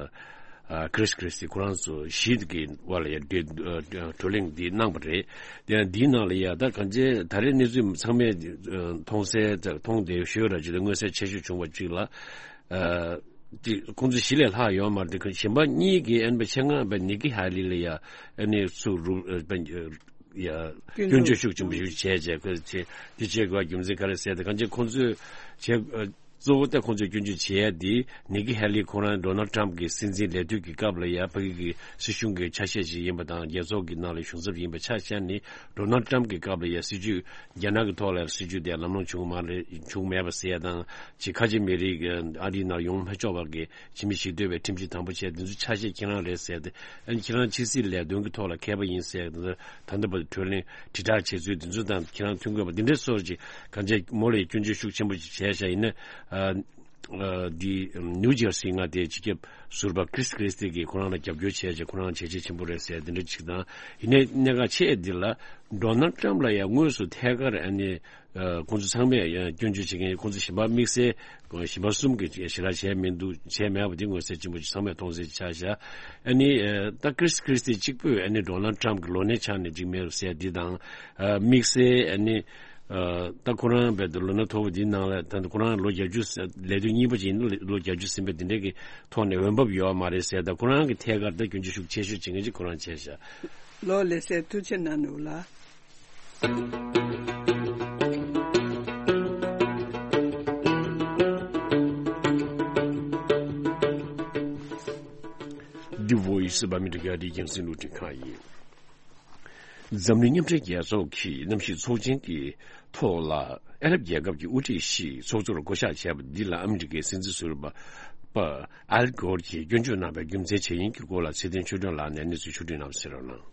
ཨ་ཀི་རིས་ཀི་རིས་ཊི་ཁོ་རང་ཚོ་བཞི་གི་དབར་ལ་ཡང་འབྲེལ་ཨ་བགྲོ་གླེང་འདི་གནང་བ་རེད། དེ་ཡང་འདིའི་ནང་ལ་ཡང་ད་གང་ཅི་ད་རེས་གནས་ཚུལ་ཚང་མས་ཨ་མཐོང་གསལ་མཐོང་བསྡད་ཤོད་ར་ཅིག་ལ་མངོན་གསལ་ཆེ་ཤོས་བྱུང་བ་ཅིག་ལ་ཨ་དེ་ཁོང་ཚོ་བཞི་ལས་ལྷག་ཡོད་མ་རེད། དེ་གཞན་པ་གཉིས་ཀྱིས་ཨ་ནི་ཆེད་མངགས་པའི་ནི་ཀི་ཧེ་ལི་ལ་ཡང་ཨ་ནི་སུ་རུ་ཨ་ཡ་སྐྱོན་བརྗོད་ཤུགས་ཆེན་པོ་ཞིག་བྱས་བྱས་ཁོས་ཆེ་འདི་བྱེད་དགོས་རྒྱུ་མཚན་ག་རེ་ཟེར་ཏེ་གང་ཅི་ཁོང་ཚོས་བྱས་ཨ་གཙོ་བོ་ད་ཁོང་ཚོས་སྐྱོན་བརྗོད་བྱས་ཡ་འདི་ནི་ཀི་ཧེ་ལི་ཁོ་རང་ཌོ་ནལ་ཊམ་གྱི་སྲིད་འཛིན་ལས་དུས་ཀྱི་སྐབས་ལ་ཡ་ཕ་གི་གི་སྲིད་གཞུང་གི་ཆ་ཤས་ཤིག་ཡིན་པ་དང་རྒྱལ་ཚོགས་ཀྱི་ནང་ལ་གཞུང་ཚབ་ཡིན་པ་ཆ་བཞག་ནི་ཌོ་ནལ་ཊམ་གྱི་སྐབས་ལ་ཡ་སྲིད་ཇུས་རྒྱ་ནག་གི་ཐོག་ལ་སྲིད་ཇུས་དེ་ལམ་ལྷོང་བྱུང་མ་རེད་བྱུང་མེད་པ་ཟེར་ཡ་དང་ཅིག་ཁ་ཆེ་མི་རིགས་ཨ་རིའི་ནང་ཡོང་མ་ཆོག་པ་གི་ཕྱི་མི་ཞིག་སྡོད་པའི་ཁྲིམས་གཞི་དམ་པོ་བྱས་འདི་ཚོ་ཆ་ཤས་ཁྱེད་རང་རེད་ཟེར་ཏེ་ཨ་ནི་ཁྱེད་རང་ཕྱི་སྲིད་ལས་དོན་གྱི་ཐོག་ལ་མཁས་པ་ཡིན་ཟེར་ཏེ་ད་ལྟ་བར་གྲོས་གླེང་དྲིལ་བསྒྲགས་བྱས་ཚུལ་འདི་ཚོ་དང་ཁྱེད་རང་མཐུན་དགོས་པ་འདི་འདྲའི་སོགས་ཀྱི་གང་ཅི་མོ་ལ་སྐྱོན་བརྗོད་ཤུགས་ཆེན་པོ་ཅིག་བྱས་ཤག་ཡིན་ན་ཨ་ཨ་འདི་ནིའུ་ཇར་སི་མངའ་སྡེའི་སྤྱི་ཁྱབ་ཟུར་པ་ཀི་རིས་ཀི་རིས་ཊི་གིས་ཁོ་རང་ལ་རྒྱབ་སྐྱོར་བྱས་བྱས་ཁོ་རང་བྱས་རྗེས་ཆེན་པོ་རེད་ཟེར་འདི་འདྲ་ཅིག་དང་ཡིན་ནའི་གནད་འགག་ཆེ་འདི་ལ་ཌོ་ནལ་ཊམ་ལ་ཡང་དངོས་སུ་ཐད་ཀར་ཨ་ནི། ཁོང་ཚོ་ཚང་མས་སྐྱོན་བརྗོད་བྱེད་མཁན་ཁོང་ཚོ་གཞན་པ་དམིགས་བསལ་གཞན་པ་གསུམ་གྱིས་ཞེ་དྲག་བྱས་མི་འདུག་བྱས་མེད་པ་དེ་མངོན་གསལ་ཆེན་པོ་ཅིག་ཚང་མས་མཐོང་གསལ་ཆགས་བཞག་ཨ་ནི་ད་ཀི་རིས་ཀི་རིས་ཊི་གཅིག་པུས་ཨ་ནི་ཌོ་ནལ་ཊམ་གྱི་ལོ་ན་ཆགས་ནས་ཅིག་མེད་པ་ཟེར་འདི་དང་དམིགས་བསལ་ཨ་ནི་ད་ཁོ་རང་བས་ལོ་ན་མཐོ་པོ་འདིའི་ནང་ལ་ད་ཁོ་རང་ལོ་བརྒྱད་ཅུ་ལས་དུས་གཉིས་པ་ཅིག་ཡིན་ན་ལོ་བརྒྱད་ཅུ་ཟིན་པའི་འདི་འདྲའི་གི་ཐོག་ནས་འོས་འབབ་ཡོད་མ་རེད་ཟེར། ད་ཁོ་རང་གི་ཐད་ཀར་ད་སྐྱོན་བརྗོད་ཤུགས་ཆེ་ཤོས་བྱེད་མཁན་ཅིག་ཁོ་རང་བྱས་བཞག་ལོ་ལེགས་སེ་ཐུགས་རྗེ་གནང་ནུག་ལ། The Voice of America འདི་རྒྱང་སྲིང་རླུང་འཕྲིན་ཁང་ཡིན། འཛམ་གླིང་མཉམ་འབྲེལ་རྒྱལ་ཚོགས་ཀྱི་གནམ་གཤིས་ཚོགས་ཆེན་གྱི་ཐོག་ལ་ཨ་རབ་རྒྱལ་ཁབ་ཀྱི་དབུ་ཁྲིད་ཞིག་ཚོགས་གཙོར་བསྐོ་གཞག་བྱས་པ་འདི་ལ་ཨ་མི་རི་ཀའི་སྲིད་འཛིན་ཟུར་པ་པ་ཨལ་གོར་གྱིས་སྐྱོན་བརྗོད་གནང་བའི་རྒྱུ་མཚན་ཇི་ཡིན་གྱི་སྐོར་ལ་ཚེ་བརྟན་ཆོས་སྒྲོན་ལགས་ནས་གནས་ཚུལ་ཕྱོགས་བསྒྲིགས་གནང་ཟེར་རོགས་གནང་།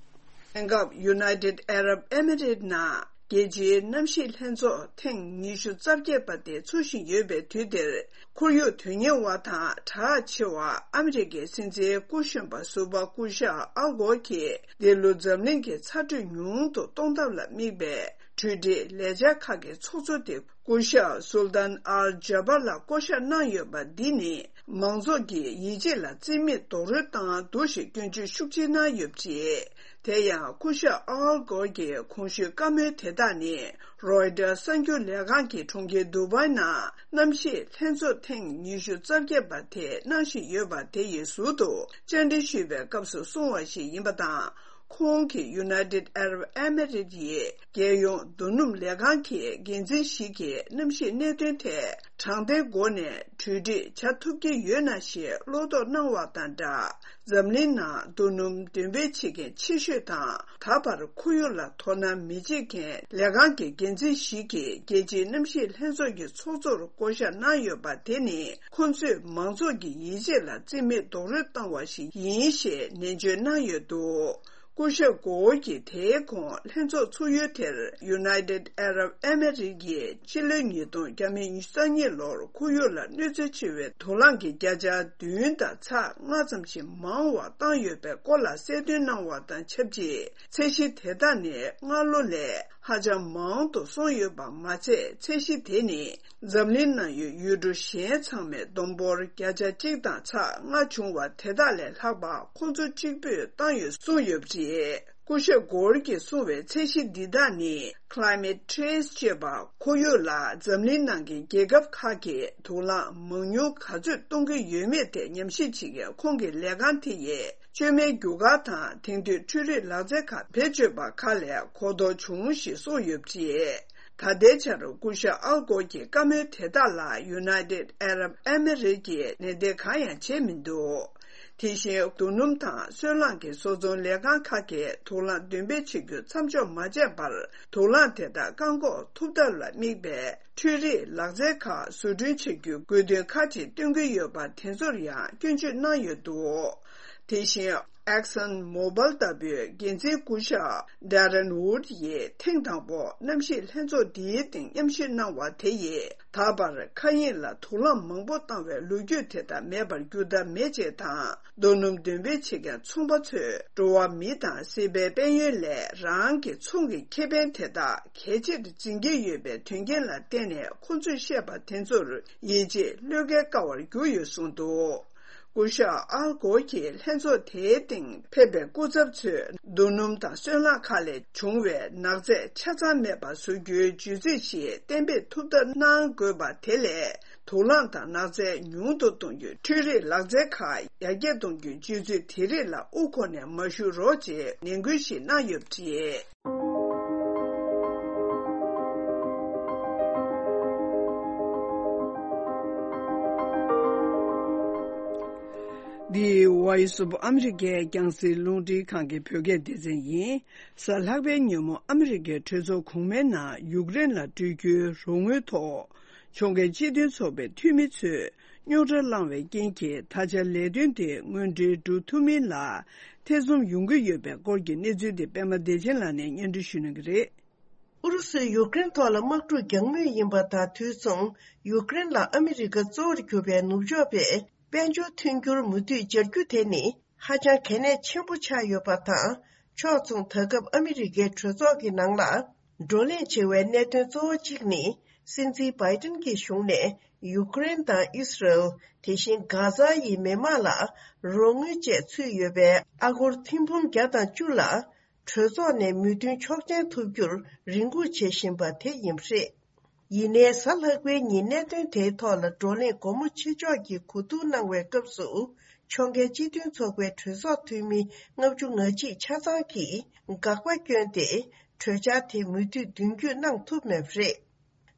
དེང་སྐབས་United Arab Emirates ནང་རྒྱལ་སྤྱིའི་གནམ་གཤིས་ལྷན་ཚོགས་ཐེངས་ཉི་ཤུ་རྩ་བརྒྱད་པ་དེ་འཚོགས་བཞིན་ཡོད་པའི་དུས་འདིར། ཁོར་ཡུག་དོན་གཉེར་བ་དང་གྲགས་ཆེ་བ་ཨ་མི་རི་ཀའི་སྲིད་འཛིན་སྐུ་གཞོན་པ་ཟུར་པ་སྐུ་ཞབས་ཨལ་གོར་གྱིས་འདི་ལོ་འཛམ་གླིང་གི་ཚ་དྲོད་ཉུང་དུ་གཏོང་ཐབས་ལ་དམིགས་པའི་གྲོས་འགྲིག་ལས་འཆར་ཁག་གི་ཚོགས་གཙོ་དེ་སྐུ་ཞབས་སུལ་ཏཱན་ཨལ་ཇཱ་བར་ལ་བསྐོ་གཞག་གནང་ཡོད་པ་འདི་ནི་མང་ཚོགས་ཀྱི་ཡིད་ཆེས་ལ་རྩིས་མེད་རྡོག་རོལ་བཏང་འདུག་ཞེས་སྐྱོན་བརྗོད་ཤུགས་ཆེ་གནང་ཡོད་པ་རེད། དེ་ཡང་སྐུ་ཞབས་ཨལ་གོར་གྱི་གོང་ཞུས་བཀའ་མོལ་དེ་དག་ནི་རོའི་ཊར་གསར་འགྱུར་ལས་ཁང་གིས་གྲོང་ཁྱེར་དུ་བའི་ནང་གནམ་གཤིས་ལྷན་ཚོགས་ཐེངས་ཉི་ཤུ་རྩ་བརྒྱད་པ་དེ་གནང་བཞིན་ཡོད་པ་དེ་ཡི་ཟུར་དུ་བཅར་འདྲི་ཞུས་པའི་སྐབས་སུ་གསུངས་པ་ཞིག་ཡིན་པ་དང་། ཁོང་གིས་United Arab Emirates ཡི་རྒྱལ་ཡོངས་རྡོ་སྣུམ་ལས་ཁང་གི་འགན་འཛིན་ཞིག་གིས་གནམ་གཤིས་གནད་དོན་ཐད་དྲང་བདེན་སྒོ་ནས་གྲོས་འགྲིག་བྱ་ཐུབ་ཀྱི་ཡོད་ན་ཞེས་བློ་དོགས་གནང་བ་དང་སྦྲགས། འཛམ་གླིང་ནང་རྡོ་སྣུམ་འདོན་སྤེལ་བྱེད་མཁན་ཆེ་ཤོས་དང་ད་བར་ཁོར་ཡུག་ལ་དོ་སྣང་མི་བྱེད་མཁན་ལས་ཁང་གི་འགན་འཛིན་ཞིག་གིས་རྒྱལ་སྤྱིའི་གནམ་གཤིས་ལྷན་ཚོགས་ཀྱི་ཚོགས་གཙོར་བསྐོ་གཞག་གནང་ཡོད་པ་དེ་ནི་ཁོ་ཚོས་མང་ཚོགས་ཀྱི་ཡིད་ཆེས་ལ་རྩིས་མེད་རྡོག་རོལ་བཏང་བ་ཞིག་ཡིན་ཞེས་ནན་བརྗོད་གནང་ཡོད་འདུག་སྐུ་ཞབས་གོ་ཝོ་གྱིས་དེའི་གོང་ལྷན་ཚོགས་ཚུགས་ཡུལ་དེར་United Arab Emirates ཡིས་ཕྱི་ལོ་ཉིས་སྟོང་ཉི་ཤུ་རྩ་གཉིས་ལོར་ཁོར་ཡུག་ལ་གནོད་འཚེ་ཆེ་བའི་དུག་རླངས་ཀྱི་བརྒྱ་ཆ་བདུན་དང་ཚེག་ལྔ་ཙམ་ཞིག་མང་བ་བཏང་ཡོད་པའི་སྐོར་ལ་གསལ་སྟོན་གནང་བ་དང་ཆབས་ཅིག་ཚད་གཞི་དེ་དག་ནི་སྔ་ལོ་ལས་ཧ་ཅང་མང་དུ་སོང་ཡོད་པ་མ་ཚད། ཚད་གཞི་དེ་ནི་འཛམ་གླིང་ནང་ཡོད་ཡུལ་གྲུ་གཞན་ཚང་མའི་བསྡོམས་འབོར་བརྒྱ་ཆ་གཅིག་དང་ཚེག་ལྔ་བྱུང་བ་དེ་དག་ལས་ལྷག་པ་ཁོ་ཚོ་གཅིག་པུས་བཏང་ཡོད་གསུངས་ཡོད་པ་རེད། སྐུ་ཞབས་གོར་གྱིས་གསུངས་པའི་ཚད་གཞི་འདི་དག་ནི་Climate Change ཅེས་པ་ཁོར་ཡུག་ལ་འཛམ་གླིང་ནང་གི་རྒྱལ་ཁབ་ཁག་གིས་དུག་རླངས་མང་ཉུང་ག་ཚོད་གཏོང་གི་ཡོད་མེད་དེ་ཉམས་ཞིབ་བྱེད་མཁན་ཁོང་གི་ལས་ཁང་དེ་ཡིས་བཅོས་མའི་རྒྱུ་སྐར་དང་དེང་དུས་འཕྲུལ་རིག་ལག་རྩལ་ཁག་བེད་སྤྱོད་པ་ཁག་ལས་གོ་རྟོགས་བྱུང་ཞེས་གསུངས་ཡོད་པ་རེད། ད་ལྟའི་ཆར་སྐུ་ཞབས་ཨལ་གོར་གྱི་བཀའ་མོལ་དེ་དག་ལ་United Arab Emirates ཀྱིས་ལན་འདེབས་གང་ཡང་བྱས་མི་འདུག་དེ་བཞིན་རྡོ་སྣུམ་དང་སོལ་རླངས་ཀྱི་བཟོ་ཚོང་ལས་ཁང་ཁག་གིས་དུག་རླངས་འདོན་སྤེལ་བྱེད་རྒྱུ་མཚམས་འཇོག་མ་བྱས་པར་དུག་རླངས་དེ་དག་བཀག་འགོག་ཐུབ་ཐབས་ལ་དམིགས་པའི་འཕྲུལ་རིག་ལག་རྩལ་ཁག་བཟོ་སྐྲུན་བྱེད་རྒྱུའི་དགོས་འདུན་ཁག་ཅིག་བཏོན་གྱི་ཡོད་པ་དེ་ཚོར་ཡང་སྐྱོན་བརྗོད་གནང་ཡོད་འདུག་དེ་བཞིན་Exxon Mobil ལྟ་བུའི་འགན་འཛིན་སྐུ་ཞབས་Darren Wood ཡིས་ཐེངས་དང་པོ་གནམ་གཤིས་ལྷན་ཚོགས་འདིའི་སྟེང་མཉམ་ཞུགས་གནང་བ་དེ་ཡིས་ད་བར་མཁའ་དབྱིངས་ལ་དུག་རླངས་མང་པོ་བཏང་བའི་ལོ་རྒྱུས་དེ་དག་མེད་པར་འགྱུར་ཐབས་མེད་ཅེས་དང་། རྡོ་སྣུམ་འདོན་སྤེལ་བྱེད་མཁན་ཚོང་པ་ཚོས་འགྲོ་བ་མི་དང་སྲིད་པའི་དཔལ་ཡོན་ལས་རང་གི་ཚོང་གི་ཁེ་ཕན་དེ་དག་གལ་ཆེར་འཛིན་གྱི་ཡོད་པའི་དོན་རྐྱེན་ལ་བརྟེན་ནས་ཁོང་ཚོས་བཤད་པ་དེ་ཚོར་ཡིད་ཆེས་བློས་འགེལ་དཀའ་བར་གྱུར་ཡོད་གསུངས་འདུག་སྐུ་ཞབས་ཨལ་གོར་གྱིས་ལྷན་ཚོགས་དེའི་སྟེང་ཕེབས་པའི་སྐུ་ཚབ་ཚོས་རྡོ་སྣུམ་དང་སོལ་རླངས་ཁག་ལས་བྱུང་བའི་ནག་རྫས་ཆ་ཚང་མེད་པ་བཟོ་རྒྱུའི་བརྗོད་ཚིག་ཞིག་གཏན་འབེབས་ཐུབ་ཐབས་གནང་དགོས་པ་དེ་ལས། དུག་རླངས་དང་ནག་རྫས་ཉུང་དུ་གཏོང་རྒྱུའི་འཕྲུལ་རིག་ལག་རྩལ་ཁག་ཡར་རྒྱས་གཏོང་རྒྱུའི་སྤྱོད་ཚུལ་དེ་རིགས་ལ་དབུ་འཁོར་ནས་མ་ཞུགས་རོགས་ཅེས་ནན་སྐུལ་ཞིག་གནང་ཡོད་པ་རེད། འདི་Voice of America རྒྱང་སྲིང་རླུང་འཕྲིན་ཁང་གི་བོད་སྐད་སྡེ་ཚན་ཡིན། གཟའ་ལྷག་པའི་ཉིན་མོ་ཨ་མི་རི་ཀའི་གྲོས་ཚོགས་གོང་མའི་ནང་ཡུཀ་རེན་ལ་སྤྲོད་རྒྱུའི་རོགས་དངུལ་ཐོག་ཕྱོགས་འགལ་སྤྱི་མཐུན་ཚོགས་པའི་འཐུས་མི་ཚོས་རྙོག་དྲ་བསླངས་བའི་རྐྱེན་གྱིས་ད་ཆ་ལས་དོན་དེ་དངོས་འབྲེལ་འགྲུབ་ཐུབ་མིན་ལ་ཐེ་ཚོམ་ཡོང་གི་ཡོད་པའི་སྐོར་གྱི་གནས་ཚུལ་དེ་པད་མ་བདེ་ཆེན་ལགས་ནས་སྙན་སྒྲོན་ཞུ་གནང་གི་རེད། ཨུ་རུ་སུས་ཡུཀ་རེན་ཐོག་ལ་དམག་འཁྲུག་རྒྱག་མུས་ཡིན་པ་དང་དུས་མཚུངས་ཡུཀ་རེན་ལ་ཨ་མི་རི་ཀ་གཙོ་བོར་གྱུར་པའི་ནུབ་ཕྱོགས་པས་དཔལ་འབྱོར་མཐུན་འགྱུར་མུ་མཐུད་སྦྱར་རྒྱུ་དེ་ནི་ཧ་ཅང་གལ་གནད་ཆེན་པོ་ཆགས་ཡོད་པ་དང་། ཕྱོགས་མཚུངས་ད་སྐབས་ཨ་མི་རི་ཀའི་གྲོས་ཚོགས་ཀྱི་ནང་ལ་བགྲོ་གླེང་བྱེད་པའི་གནད་དོན་གཙོ་བོ་གཅིག་ནི་སྲིད་འཛིན་བྷའི་ཏིན་གྱི་གཞུང་ནས་ཡུཀ་རེན་དང་ཨིས་རལ། དེ་བཞིན་གྷ་ཛ་ཡི་མི་དམངས་ལ་རོགས་དངུལ་བཅས་ཚུད་ཡོད་པའི་ཨ་སྒོར་ཐེར་འབུམ་བརྒྱ་དང་བཅུ་ལ། གྲོས་ཚོགས་ནས་མོས་མཐུན་ཆོག་མཆན་ཐོབ་རྒྱུར་རེ་སྒུག་བྱེད་བཞིན་པ་དེ་ཡིན་པ་རེད། ཡིན་ནའི་གཟའ་ལྷག་པའི་ཉིན་གནད་དོན་དེའི་ཐོག་ལ་བགྲོ་གླེང་སྒོ་མོ་ཕྱེ་ཕྱོགས་ཀྱིས་གོ་བསྡུར་གནང་བའི་སྐབས་སུ། ཕྱོགས་འགལ་སྤྱི་མཐུན་ཚོགས་པའི་གྲོས་ཚོགས་འཐུས་མི་ལྔ་བཅུ་ང་གཅིག་ཆ་ཚང་གིས་དགག་པ་བསྐྱོན་ཏེ། གྲོས་འཆར་དེ་མུ་མཐུད་མདུན་སྐྱོད་གནང་ཐུབ་མེད་པ་རེད།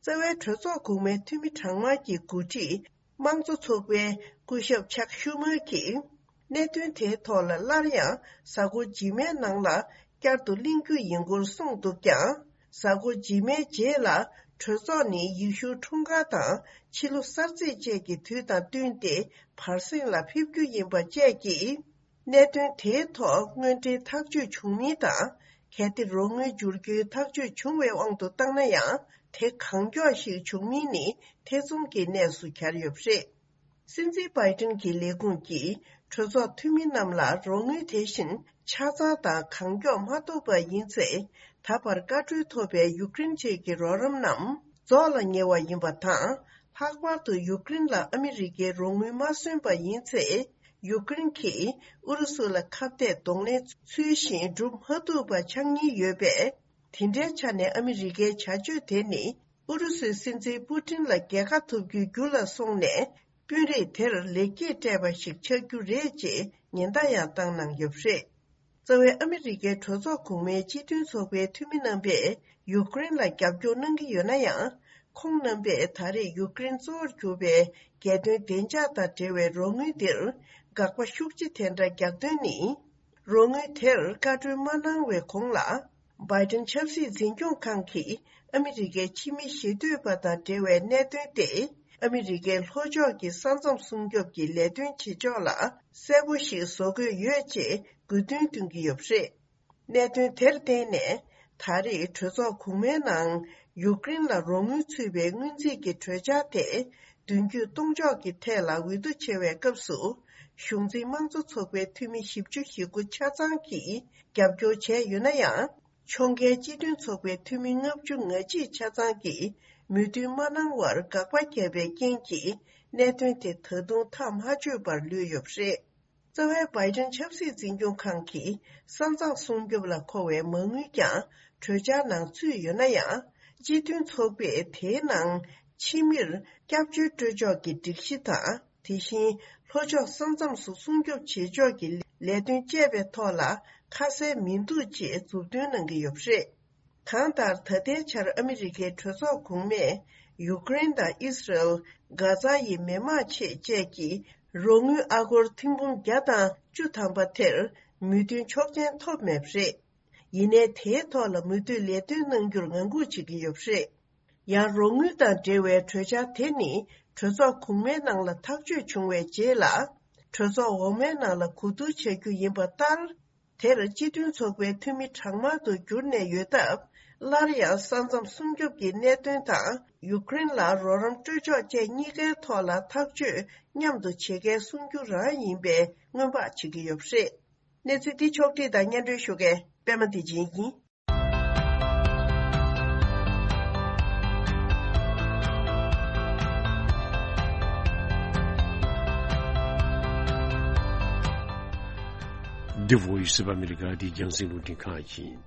རྩ་བའི་གྲོས་ཚོགས་གོང་མའི་འཐུས་མི་གྲངས་མང་གི་འགོ་ཁྲིད། དམངས་གཙོ་ཚོགས་པའི་སྐུ་ཞབས་ཆག་ཤུ་མར་གྱིས། གནད་དོན་དེའི་ཐོག་ལ་སླར་ཡང་གཟའ་འཁོར་རྗེས་མའི་ནང་ལ་བསྐྱར་དུ་གླེང་རྒྱུ་ཡིན་སྐོར་གསུངས་འདུག་ཀྱང་། གཟའ་འཁོར་རྗེས་མའི་རྗེས་ལ་གྲོས་ཚོགས་ནི་ཡེ་ཤུའི་འཁྲུངས་སྐར་དང་ཕྱི་ལོ་གསར་ཚེས་བཅས་ཀྱི་དུས་དང་བསྟུན་ཏེ་བར་གསེང་ལ་ཕེབས་རྒྱུ་ཡིན་པ་བཅས་ཀྱིས། གནད་དོན་དེའི་ཐོག་དངོས་འབྲེལ་ཐག་གཅོད་བྱུང་མིན་དང་། གལ་ཏེ་རོགས་དངུལ་འབྱོར་རྒྱུའི་ཐག་གཅོད་བྱུང་བའི་དབང་དུ་བཏང་ན་ཡང་། དེ་གང་མགྱོགས་ཤིག་བྱུང་མིན་ནི་ཐེ་ཚོམ་གྱི་གནས་སུ་གྱར་ཡོད་པ་རེད། སྲིད་འཛིན་བྷའི་ཏིན་གྱི་ལས་ཁུངས་ཀྱིས་གྲོས་ཚོགས་འཐུས་མི་རྣམས་ལ་རོགས་དངུལ་དེ་བཞིན་ཆ་ཚང་དང་གང་མགྱོགས་མ་ཐོབ་པ་ཡིན་ཚེ། ད་བར་བཀའ་འཁྲོལ་ཐོབ་པའི་ཡུཀ་རེན་བཅས་ཀྱི་རོགས་རམ་རྣམས་རྫོགས་ལ་ཉེ་བ་ཡིན་པ་དང་། ལྷག་པར་དུ་ཡུཀ་རེན་ལ་ཨ་མི་རི་ཀའི་རོགས་དངུལ་མ་སོན་པ་ཡིན་ཚེ། ཡུཀ་རེན་གྱིས་ཨུ་རུ་སུ་ལ་ཁ་གཏད་གདོང་ལེན་ཚུལ་བཞིན་སྒྲུབ་མ་ཐུབ་པ་ཆགས་ཉེན་ཡོད་པས། དེ་འདྲའི་ཆ་ནས་ཨ་མི་རི་ཀའི་བྱ་སྤྱོད་དེ་ནི་ཨུ་རུ་སུའི་སྲིད་འཛིན་པུ་ཏིན་ལ་རྒྱལ་ཁ་ཐོབ་རྒྱུའི་རྒྱུ་ལ་སོང་ནས། དཔོན་རིགས་དེར་ལེགས་སྐྱེས་སྤྲད་པ་ཞིག་ཆགས་རྒྱུ་རེད་ཅེས་ཉེན་བརྡ་ཡང་བཏང་གནང་ཡོད་པ་རེད། རྩ་བའི་ཨ་མི་རི་ཀའི་གྲོས་ཚོགས་གོང་མའི་སྤྱི་མཐུན་ཚོགས་པའི་འཐུས་མི་རྣམ་པས་ཡུཀ་རེན་ལ་རྒྱབ་སྐྱོར་གནང་གི་ཡོད་ན་ཡང་། ཁོང་རྣམ་པས་ད་རེས་ཡུཀ་རེན་གཙོ་བོར་གྱུར་པའི་རྒྱལ་དོན་བདེ་འཇགས་དང་འབྲེལ་བའི་རོགས་དངུལ་འདིར་དགག་པ་ཤུགས་ཆེ་དེ་འདྲ་རྒྱག་དོན་ནི། རོགས་དངུལ་དེར་བཀའ་འཁྲོལ་མ་གནང་བའི་གོང་ལ། བྷའི་ཏིན་ཆབ་སྲིད་འཛིན་སྐྱོང་ཁང་གིས་ཨ་མི་རི་ཀའི་ཕྱི་མི་ཞེ་འདོད་པ་དང་འབྲེལ་བའི་གནད་དོན་ཏེ། ཨ་མི་རི་ཀའི་ལྷོ་ཕྱོགས་ཀྱི་ས་མཚམས་སྲུང་སྐྱོབ་ཀྱི་ལས་དོན་བྱེད་ཕྱོགས་ལ་གསལ་པོ་ཞིག་བཟོ་དགོས་ཡོད་ཅེས་དགོས་འདུན་བཏོན་གྱི་ཡོད་པ་རེད། གནད་དོན་དེར་བརྟེན་ནས། ད་རེས་གྲོས་ཚོགས་གོང་མའི་ནང་ཡུཀ་རེན་ལ་རོགས་དངུལ་ཚུད་པའི་སྔོན་རྩིས་ཀྱི་གྲོས་འཆར་དེ། མདུན་སྐྱོད་གཏོང་ཕྱོགས་ཀྱི་ཐད་ལ་འོས་བསྡུ་བྱེད་པའི་སྐབས་སུ། གཞུང་འཛིན་དམངས་གཙོ་ཚོགས་པའི་འཐུས་མི་བཞི་བཅུ་ཞེ་དགུ་ཆ་ཚང་གིས་རྒྱབ་སྐྱོར་བྱས་ཡོད་ན་ཡང་། ཕྱོགས་འགལ་སྤྱི་མཐུན་ཚོགས་པའི་འཐུས་མི་ལྔ་བཅུ་ང་གཅིག་ཆ་ཚང་གིས་མོས་མཐུན་མ་གནང་བར་དགག་པ་བརྒྱབ་པའི་རྐྱེན་གྱིས། གནད་དོན་དེ་ད་དུང་ཐག་མ་ཆོད་པར་ལུས་ཡོད་པ་རེད། རྩ་བའི་བྷའི་ཌེན་ཆབ་སྲིད་འཛིན་སྐྱོང་ཁང་གིས་ས་མཚམས་སྲུང་སྐྱོབ་ལ་མཁོ་བའི་མ་དངུལ་ཀྱང་གྲོས་འཆར་ནང་ཚུད་ཡོད་ན་ཡང་། སྤྱི་མཐུན་ཚོགས་པས་དེའི་ནང་ཕྱི་མིར་སྐྱབས་བཅོལ་སྤྲོད་ཕྱོགས་ཀྱི་སྒྲིག་གཞི་དང་། དེ་བཞིན་ལྷོ་ཕྱོགས་ས་མཚམས་སུ་སྲུང་སྐྱོབ་བྱེད་ཕྱོགས་ཀྱི་ལས་དོན་བཅས་པའི་ཐོག་ལ་ཁ་གསལ་མི་འདུག་ཅེས་མཛུབ་སྟོན་གནང་གི་ཡོད་པ་རེད། གང་ལྟར། ད་ལྟའི་ཆར་ཨ་མི་རི་ཀའི་གྲོས་ཚོགས་གོང་མས་ཡུཀ་རེན་དང་ཨི་སི་རལ། གྷ་ཛ་ཡི་མི་མང་ཆེད་བཅས་ཀྱི་རོགས་དངུལ་ཨ་སྒོར་ཐེར་འབུམ་བརྒྱ་དང་བཅུ་ཐམ་པ་དེར་མོས་མཐུན་ཆོག་མཆན་ཐོབ་མེད་པ་རེད། ཡིན་ནའི་དེའི་ཐོག་ལ་མུ་མཐུད་ལས་དོན་གནང་རྒྱུར་ངང་སྒུག་བྱེད་ཀྱི་ཡོད་པ་རེད། ཡང་རོགས་དངུལ་དང་འབྲེལ་བའི་གྲོས་འཆར་དེ་ནི་གྲོས་ཚོགས་གོང་མའི་ནང་ལ་ཐག་གཅོད་བྱུང་བའི་རྗེས་ལ། གྲོས་ཚོགས་འོག་མའི་ནང་ལ་གོ་བསྡུར་བྱ་རྒྱུ་ཡིན་པ་ལྟར། དེར་སྤྱི་མཐུན་ཚོགས་པའི་འཐུས་མི་གྲངས་མང་དུ་གྱུར་ནས་ཡོད་སྟབས། སླར་ཡང་ས་མཚམས་སྲུང་སྐྱོབ་ཀྱི་གནད་དོན་དང་། ཡུཀ་རེན་ལ་རོགས་རམ་སྤྲོད་ཕྱོགས་བཅས་གཉིས་ཀའི་ཐོག་ལ་ཐག་གཅོད་མཉམ་དུ་བྱེད་མཁན་གསུང་རྒྱུ་རང་ཡིན་པའི་སྔོན་དཔག་བྱེད་ཀྱི་ཡོད་པ་རེད། གནས་ཚུལ་འདི་ཕྱོགས་བསྒྲིགས་དང་སྙན་སྒྲོན་ཞུ་མཁན་པད་མ་བདེ་ཆེན་ཡིན། འདི་Voice of America འདི་རྒྱང་སྲིང་རླུང་འཕྲིན་ཁང་ཡིན།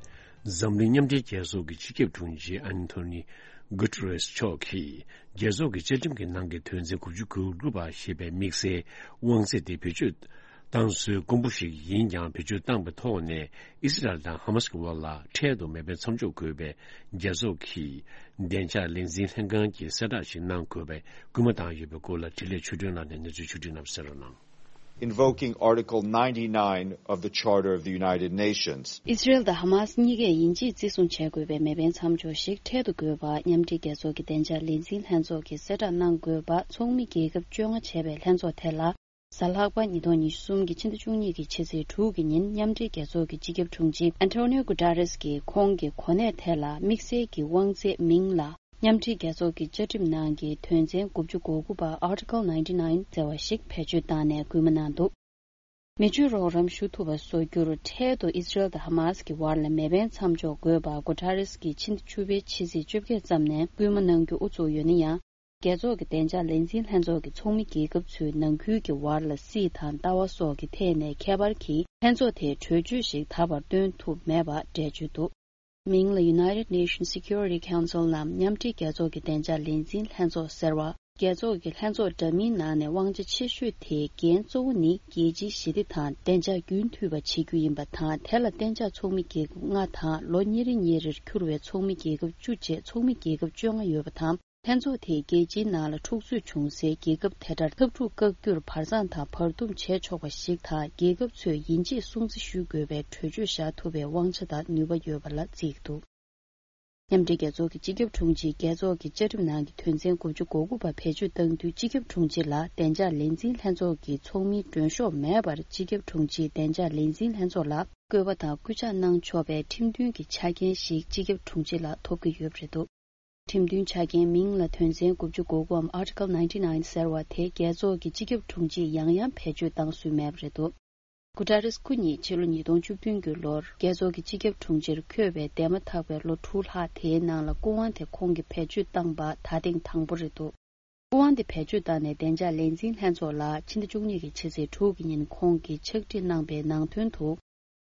འཛམ་གླིང་མཉམ་འབྲེལ་རྒྱལ་ཚོགས་ཀྱི་སྤྱི་ཁྱབ་དྲུང་ཆེ་ཨན་ཐོ་ནི་གུ་ཏེ་རེས་མཆོག་གིས། རྒྱལ་ཚོགས་ཀྱི་བཅའ་ཁྲིམས་ཀྱི་ནང་གི་དོན་ཚན་དགུ་བཅུ་གོ་དགུ་པ་ཞེས་པའི་དམིགས་བསལ་དབང་ཚད་དེ་བེད་སྤྱོད་བཏང་སྲོལ་དཀོན་པོ་ཞིག་ཡིན་ཀྱང་། བེད་སྤྱོད་བཏང་པའི་ཐོག་ནས་ཨི་སི་རལ་དང་ཧ་མ་སི་ཀྱི་དབར་ལ་འཕྲལ་དུ་མེ་འཕེན་མཚམས་འཇོག་དགོས་པའི་རྒྱལ་ཚོགས་ཀྱི་བདེ་འཇགས་ལས་འཛིན་ལྷན་ཁང་གིས་གསལ་བསྒྲགས་ཤིག་གནང་དགོས་པའི་སྐུལ་མ་བཏང་ཡོད་པའི་སྐོར་ལ། འཕྲིན་ལས་ཆོས་སྒྲོན་ལགས་ནས་གནས་ཚུལ་ཕྱོགས་སྒྲིག་གནང་བ་གསན་རོགས་གནང་། Invoking Article ninety-nine of the Charter of the United Nations. ཨི་སི་རལ་དང་ཧ་མ་སི་གཉིས་ཀས་ཡིན་གཅིག་བརྩི་སྲུང་བྱེད་དགོས་པའི་མེ་འཕེན་མཚམས་འཇོག་ཞིག་འཕྲལ་དུ་དགོས་པ་མཉམ་འབྲེལ་རྒྱལ་ཚོགས་ཀྱི་བདེ་འཇགས་ལས་འཛིན་ལྷན་ཚོགས་ཀྱིས་གསལ་བསྒྲགས་གནང་དགོས་པ་ཚོགས་མི་རྒྱལ་ཁབ་བཅོ་ལྔ་བྱས་པའི་ལྷན་ཚོགས་དེ་ལ། གཟའ་ལྷག་པ་ཉིས་སྟོང་ཉི་ཤུ་གསུམ་གྱི་ཕྱི་ཟླ་བཅུ་གཉིས་ཀྱི་ཕྱི་ཚེས་དྲུག་གི་ཉིན་མཉམ་འབྲེལ་རྒྱལ་ཚོགས་ཀྱི་སྤྱི་ཁྱབ་དྲུང་ཆེ་ཨན་ཐོ་ནིའོ་གུ་ཏ་རེས་ཀྱིས་ཁོང་གི་གོ་གནས་དེ་ལ་དམིགས་བསལ་གྱི་དབང་ཚད་མིང་ལ། མཉམ་འབྲེལ་རྒྱལ་ཚོགས་ཀྱི་བཅའ་ཁྲིམས་ནང་གི་དོན་ཚན་དགུ་བཅུ་གོ་དགུ་པ་Article ninety-nine ཟེར་བ་ཞིག་བེད་སྤྱོད་བཏང་ནས་སྐུལ་མ་གནང་འདུག་མི་སྤྱོད་རོགས་རམ་ཞུ་ཐུབ་པ་བཟོ་རྒྱུར་འཕྲལ་དུ་ཨི་སི་རལ་དང་ཧ་མ་སི་ཀྱི་དབར་ལ་མེ་འཕེན་མཚམས་འཇོག་དགོས་པ་གུ་ཏ་རེས་ཀྱིས་ཕྱི་ཟླ་བཅུ་པའི་ཕྱི་ཚེས་བཅོ་བརྒྱད་ཙམ་ནས་སྐུལ་མ་གནང་རྒྱུ་དབུ་ཚུགས་ཡོད་ན་ཡང་། རྒྱལ་ཚོགས་ཀྱི་བདེ་འཇགས་ལས་འཛིན་ལྷན་ཚོགས་ཀྱི་ཚོགས་མི་རྒྱལ་ཁབ་ཚོའི་ནང་ཁུལ་གྱི་བར་ལ་སྲིད་དང་ལྟ་བ་སོགས་ཀྱི་ཐད་ནས་ཁྱད་པར་གྱིས། ལྷན་ཚོགས་དེས་གྲོས་ཆོད་ཞིག་ད་བར་བཏོན་ཐུབ་མེད་པ་འགྲེལ་བརྗོད་འདུག་མིང་ལ་United Nations Security Council ནམ་མཉམ་འབྲེལ་རྒྱལ་ཚོགས་ཀྱི་བདེ་འཇགས་ལས་འཛིན་ལྷན་ཚོགས་ཟེར་བ། རྒྱལ་ཚོགས་ཀྱི་ལྷན་ཚོགས་འདྲ་མིན་ནང་ནས་དབང་ཆ་ཆེ་ཤོས་དེའི་འགན་གཙོ་བོ་ནི་རྒྱལ་སྤྱིའི་ཞི་བདེ་དང་བདེ་འཇགས་རྒྱུན་མཐུད་པ་བྱེད་རྒྱུ་ཡིན་པ་དང་། དེ་ལ་གཏན་འཇགས་ཚོགས་མི་རྒྱལ་ཁབ་ལྔ་དང་ལོ་ཉིས་རེ་ཉིས་རེར་འཁྱུར་བའི་ཚོགས་མི་རྒྱལ་ཁབ་བཅུ་བཅས་ཚོགས་མི་རྒྱལ་ཁབ་བཅོ་ལྔ་ཡོད་པ་དང་། ལྷན་ཚོགས་དེས་རྒྱལ་སྤྱིའི་ནང་ལ་འཁྲུག་རྩོད་བྱུང་སའི་རྒྱལ་ཁབ་དེ་འདྲར་འཐབ་འཁྲུག་བཀག་རྒྱུར་བར་མཚམས་དང་བར་འདུམ་བྱེད་ཆོག་པ་ཞིག་དང་། རྒྱལ་ཁབ་ཚོས་ཡིན་གཅིག་སྲུང་བརྩི་ཞུ་དགོས་པའི་གྲོས་ཆོད་བཞག་ཐུབ་པའི་དབང་ཆ་དང་ནུས་པ་ཡོད་པ་ལ་བརྩིས་འདུག་མཉམ་འབྲེལ་རྒྱལ་ཚོགས་ཀྱི་སྤྱི་ཁྱབ་དྲུང་ཆེས་རྒྱལ་ཚོགས་ཀྱི་བཅའ་ཁྲིམས་ནང་གི་དོན་ཚན་དགུ་བཅུ་གོ་དགུ་པ་བེད་སྤྱོད་གཏང་དུས། སྤྱི་ཁྱབ་དྲུང་ཆེ་ལ་བདེ་འཇགས་ལས་འཛིན་ལྷན་ཚོགས་ཀྱི་ཚོགས་མིའི་མགྲོན་ཤོག་མེད་པར། སྤྱི་ཁྱབ་དྲུང་ཆེས་བདེ་འཇགས་ལས་འཛིན་ལྷན་ཚོགས་ལ་བསྐོས་པ་དང་སྐུ་ཕྱག་གནང་ཆོག་པའི་ཁྲིམས་མཐུན་གྱི་ཆ་རྐྱེན་ཞིག་སྤྱི་ཁྱབ་དྲུང་ཆེ་ལ་ཐོབ་ཀྱི་ཡོད་པ་རེད་འདུག་ཁྲིམས་མཐུན་ཆ་རྐྱེན་མིང་ལ་དོན་ཚན་དགུ་བཅུ་གོ་དགུའམ་Article ninety-nine ཟེར་བ་དེ་རྒྱལ་ཚོགས་ཀྱི་སྤྱི་ཁྱབ་དྲུང་ཆེས་ཡང་ཡང་བེད་སྤྱོད་བཏང་སྲོལ་མེད་པ་རེད་འདུག་གུ་ཏ་རེས་སྐུ་ཉིད་ཕྱི་ལོ་ཉིས་སྟོང་བཅུ་བདུན་གྱི་ལོར་རྒྱལ་ཚོགས་ཀྱི་སྤྱི་ཁྱབ་དྲུང་ཆེར་འཁོད་པའི་འདས་མ་ཐག་པའི་ལོ་དྲུག་ལྷག་དེའི་ནང་ལ་སྐུ་དབང་དེ་ཁོང་གིས་བེད་སྤྱོད་བཏང་པ་ད་ཐེངས་དང་པོ་རེད་འདུག་སྐུ་དབང་དེ་བེད་སྤྱོད་བཏང་ནས་བདེ་འཇགས་ལས་འཛིན་ལྷན་ཚོགས་ལ་ཕྱི་ཟླ་བཅུ་གཉིས་ཀྱི་ཕྱི་ཚེས་དྲུག་གི་ཉིན་ཁོང་གིས་ཕྱག་བྲིས་གནང་པའི་ནང་དོན་དུ།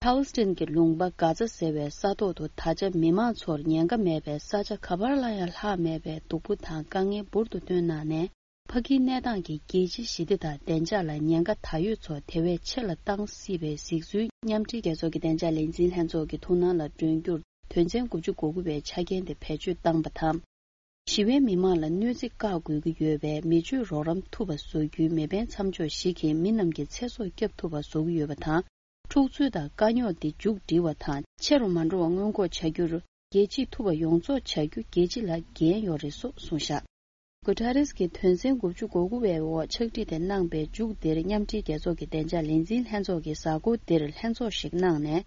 ཕཱ་ལེ་སི་ཐན་གྱི་ལུང་པ་གྷ་ཛ་ཟེར་བའི་ས་ཐོག་ཏུ་ད་ཆ་མི་མང་ཚོར་ཉེན་ཁ་མེད་པའི་ས་ཆ་ག་པར་ལ་ཡང་ལྷག་མེད་པའི་སྡུག་པོ་དང་དཀའ་ངལ་འབུར་དུ་བཏོན་གནང་ནས། ཕ་གིའི་གནས་སྟངས་ཀྱིས་རྒྱལ་སྤྱིའི་ཞི་བདེ་དང་བདེ་འཇགས་ལ་ཉེན་ཁ་ད་ཡོད་ཚོ་དེ་བས་ཆེ་ལ་བཏང་སྲིད་པའི་གཟིགས་ཚུལ། མཉམ་འབྲེལ་རྒྱལ་ཚོགས་ཀྱི་བདེ་འཇགས་ལས་འཛིན་ལྷན་ཚོགས་ཀྱི་ཐུགས་སྣང་ལ་སྒྲོན་རྒྱུར། དོན་ཚན་དགུ་བཅུ་གོ་དགུ་པའི་ཆ་རྐྱེན་དེ་བེད་སྤྱོད་བཏང་པ་དང་། ཞི་བའི་མི་མང་ལ་གནོད་འཚེ་བཀག་དགོས་ཀྱི་ཡོད་པས། མི་སྤྱོད་རོགས་རམ་ཐུབ་པ་བཟོ་རྒྱུའི་མེ་འཕེན་མཚམས་འཇོག་ཞིག་གིས་མི་རྣམས་ཀྱི་ཚེ་སྲོག་སྐྱབས་ཐུབ་པ་བཟོ་གི་ཡོད་པ་དང་། འཁྲུག་རྩོད་དང་དཀའ་རྙོག་འདི་མཇུག་སྒྲིལ་བ་དང་། ཆེ་རུ་མ་འགྲོ་བ་སྔོན་འགོག་བྱ་རྒྱུར། རྒྱལ་སྤྱིའི་ཐུབ་པ་ཡོངས་རྫོགས་བྱ་རྒྱུ་རྒྱལ་སྤྱི་ལ་འགན་ཡོད་རེད་སོགས་གསུངས་བཞག་གུ་ཏ་རེས་ཀྱིས་དོན་ཚན་དགུ་བཅུ་གོ་དགུ་པའི་འོག་ཕྱག་བྲིས་དེ་གནང་པའི་མཇུག་འདིར། མཉམ་འབྲེལ་རྒྱལ་ཚོགས་ཀྱི་བདེ་འཇགས་ལས་འཛིན་ལྷན་ཚོགས་ཀྱིས་གཟའ་འཁོར་འདིར་ལྷན་ཚོགས་ཤིག་གནང་ནས།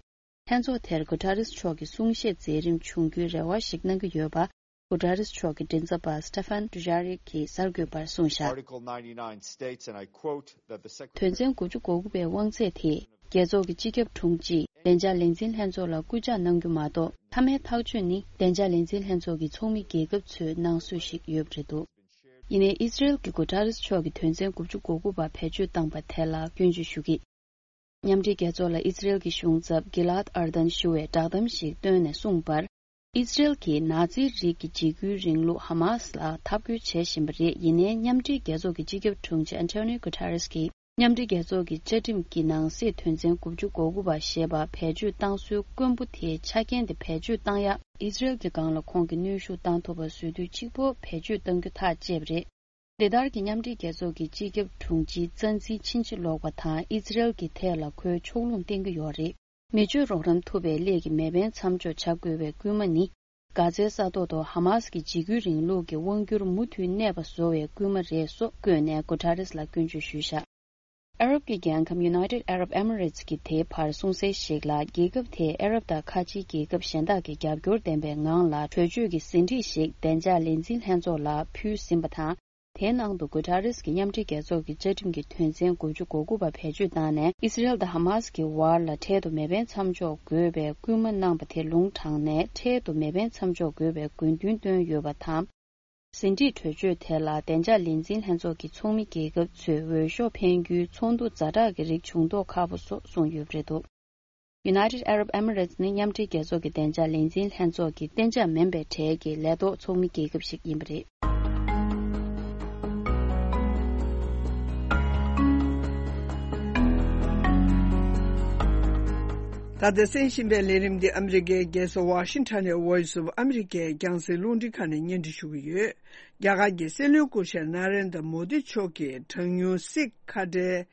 ལྷན་ཚོགས་དེར་གུ་ཏ་རེས་མཆོག་གི་གསུང་བཤད་མཛད་རིམ་བྱུང་རྒྱུའི་རེ་བ་ཞིག་གནང་གི་ཡོད་པ། གུ་ཏ་རེས་མཆོག་གི་མགྲིན་ཚབ་པ་སི་ཏེ་ཕན་ཏུ་ཇཱ་རིག་གིས་གསར་འགོད་པར་གསུངས་བཞག Article ninety-nine states, and I quote, that the Secretary དོན་ཚན་དགུ་བཅུ་གོ་དགུ་པའི་དབང་ཚད་དེས། རྒྱལ་ཚོགས་ཀྱི་སྤྱི་ཁྱབ་དྲུང་ཆེས་བདེ་འཇགས་ལས་འཛིན་ལྷན་ཚོགས་ལ་སྐུལ་ལྕག་གནང་རྒྱུ་མ་གཏོགས། མཐའ་མའི་ཐག་གཅོད་ནི་བདེ་འཇགས་ལས་འཛིན་ལྷན་ཚོགས་ཀྱི་ཚོགས་མི་རྒྱལ་ཁབ་ཚོས་གནང་སྲོལ་ཞིག་ཡོད་པ་རེད་འདུག་ཡིན་ནའི། ཨི་སི་རེལ་གྱིས་གུ་ཏ་རེས་མཆོག་གིས་དོན་ཚན་དགུ་བཅུ་གོ་དགུ་པ་བེད་སྤྱོད་བཏང་པ་དེ་ལ་སྐྱོན་བརྗོད་ཞུ་གི། མཉམ་འབྲེལ་རྒྱལ་ཚོགས་ལ་ཨི་ཛི་རེལ་གྱི་གཞུང་ཚབ་གི་ལཱད་ཨར་དན་ཞུ་བས་བསྒྲགས་གཏམ་ཞིག་བཏོན་ནས་གསུངས་པར། ཨི་ཛི་རེལ་གྱིས་ནཱ་ཛི་རིགས་ཀྱི་འཇིགས་སྐུལ་རིང་ལུགས་ཧ་མཱ་སི་ལ་འཐབ་རྒོལ་བྱེད་བཞིན་པ་རེད། ཡིན་ནའི་མཉམ་འབྲེལ་རྒྱལ་ཚོགས་ཀྱི་སྤྱི་ཁྱབ་དྲུང་ཆེ་ཨན་ཊོ་ནིའོ་གུ་ཏ་རེས་ཀྱིས། མཉམ་འབྲེལ་རྒྱལ་ཚོགས་ཀྱི་བཅའ་ཁྲིམས་ཀྱི་ནང་གསེས་དོན་ཚན་དགུ་བཅུ་གོ་དགུ་པ་ཞེས་པ་བེད་སྤྱོད་བཏང་སྲོལ་དཀོན་པོ་དེའི་ཆ་རྐྱེན་དེ་བེད་སྤྱོད་བཏང་ཡག་ཨི་ཛི་རེལ་གྱི་སྒང་ལ་ཁོང་གིས་གནོན་ཤུགས་བཏང་ཐུབ་པ་བཟོ་དུས་གཅིག་པོ་བེད་སྤྱོད་གཏང་རྒྱུ་ཐག་བཅད་པ་རེད། འདི་ལྟར་གྱི་མཉམ་འབྲེལ་རྒྱལ་ཚོགས་ཀྱི་སྤྱི་ཁྱབ་དྲུང་ཆེའི་རྩ་འཛིན་ཕྱིན་ཅི་ལོག་པ་དང་ཨི་ཛི་རེལ་གྱི་ཐད་ལ་ཁོས་ཕྱོགས་ལྷུང་བསྟན་གྱི་ཡོད་རེད། མི་སྤྱོད་རོགས་རམ་ཐུབ་པའི་སླད་ཀྱི་མེ་འཕེན་མཚམས་འཇོག་བྱ་དགོས་པའི་སྐུལ་མ་ནི། གྷ་ཛའི་ས་ཐོག་ཏུ་ཧ་མཱ་སི་ཀྱི་འཇིགས་སྐུལ་རིང་ལུགས་ཀྱི་དབང་སྒྱུར་མུ་མཐུད་གནས་པ་བཟོ་བའི་སྐུལ་མ་རེད་སོགས་བཀོད་ནས་གུ་ཏ་རེས་ལ་སྐྱོན་བརྗོད་ཞུས་བཞག་ཨ་རབ་ཀྱི་རྒྱལ་ཁམས་United Arab Emirates གྱིས་དེའི་བར་གསུངས་གསལ་ཞིག་ལ། རྒྱལ་ཁབ་དེས་ཨ་རབ་དང་ཁ་ཆེའི་རྒྱལ་ཁབ་གཞན་དག་གི་རྒྱབ་སྐྱོར་ལྡན་པའི་ངང་ལ་གྲོས་ཆོད་ཀྱི་ཟིན་བྲིས་ཤིག་བདེ་འཇགས་ལས་འཛིན་ལྷན་ཚོགས་ལ་ཕུལ་ཟིན་པ་དང་། དེའི་ནང་དུ་གུ་ཏ་རེས་ཀྱིས་མཉམ་འབྲེལ་རྒྱལ་ཚོགས་ཀྱི་བཅའ་ཁྲིམས་ཀྱི་དོན་ཚན་དགུ་བཅུ་གོ་དགུ་པ་བེད་སྤྱོད་བཏང་ནས། ཨི་སི་རེལ་དང་ཧ་མཱ་སི་ཀྱི་བར་ལ་འཕྲལ་དུ་མེ་འཕེན་མཚམས་འཇོག་དགོས་པའི་སྐུལ་མ་གནང་པ་དེ་ལུང་དྲངས་ནས། འཕྲལ་དུ་མེ་འཕེན་མཚམས་འཇོག་དགོས་པའི་དགོས་འདུན་བཏོན་ཡོད་པ་དང་། ཟིན་བྲིས་གྲོས་ཆོད་དེ་ལ་བདེ་འཇགས་ལས་འཛིན་ལྷན་ཚོགས་ཀྱི་ཚོགས་མི་རྒྱལ་ཁབ་ཚོས་འོས་ཤོག་འཕེན་རྒྱུའི་ཚོགས་འདུ་ཛ་དྲག་གི་རིགས་བྱུང་མདོག་ཁ་པོ་སོགས་གསུངས་ཡོད་པ་རེད་འདུག United Arab Emirates ནི་མཉམ་འབྲེལ་རྒྱལ་ཚོགས་ཀྱི་བདེ་འཇགས་ལས་འཛིན་ལྷན་ཚོགས་ཀྱི་གཏན་འཇགས་མིན་པའི་གྲས་ཀྱི་ལས་ཐོག་ཚོགས་མི་རྒྱལ་ཁབ་ཞིག་ཡིན་པ་རེད། ད་ལྟ་གསན་བཞིན་པའི་ལས་རིམ་འདི་ཨ་མི་རི་ཀའི་རྒྱལ་ས་ཝ་ཤིང་ཊོན་ནས་Voice of America རྒྱང་སྲིང་རླུང་འཕྲིན་ཁང་ནས་སྙན་སྒྲོན་ཞུ་གི་ཡོད། རྒྱ་གར་གྱི་སྲིད་བློན་སྐུ་ཞབས་ན་རེན་དྲ་མོ་དི་མཆོག་གིས་གྲངས་ཉུང་སིག་ཁ་བྲལ་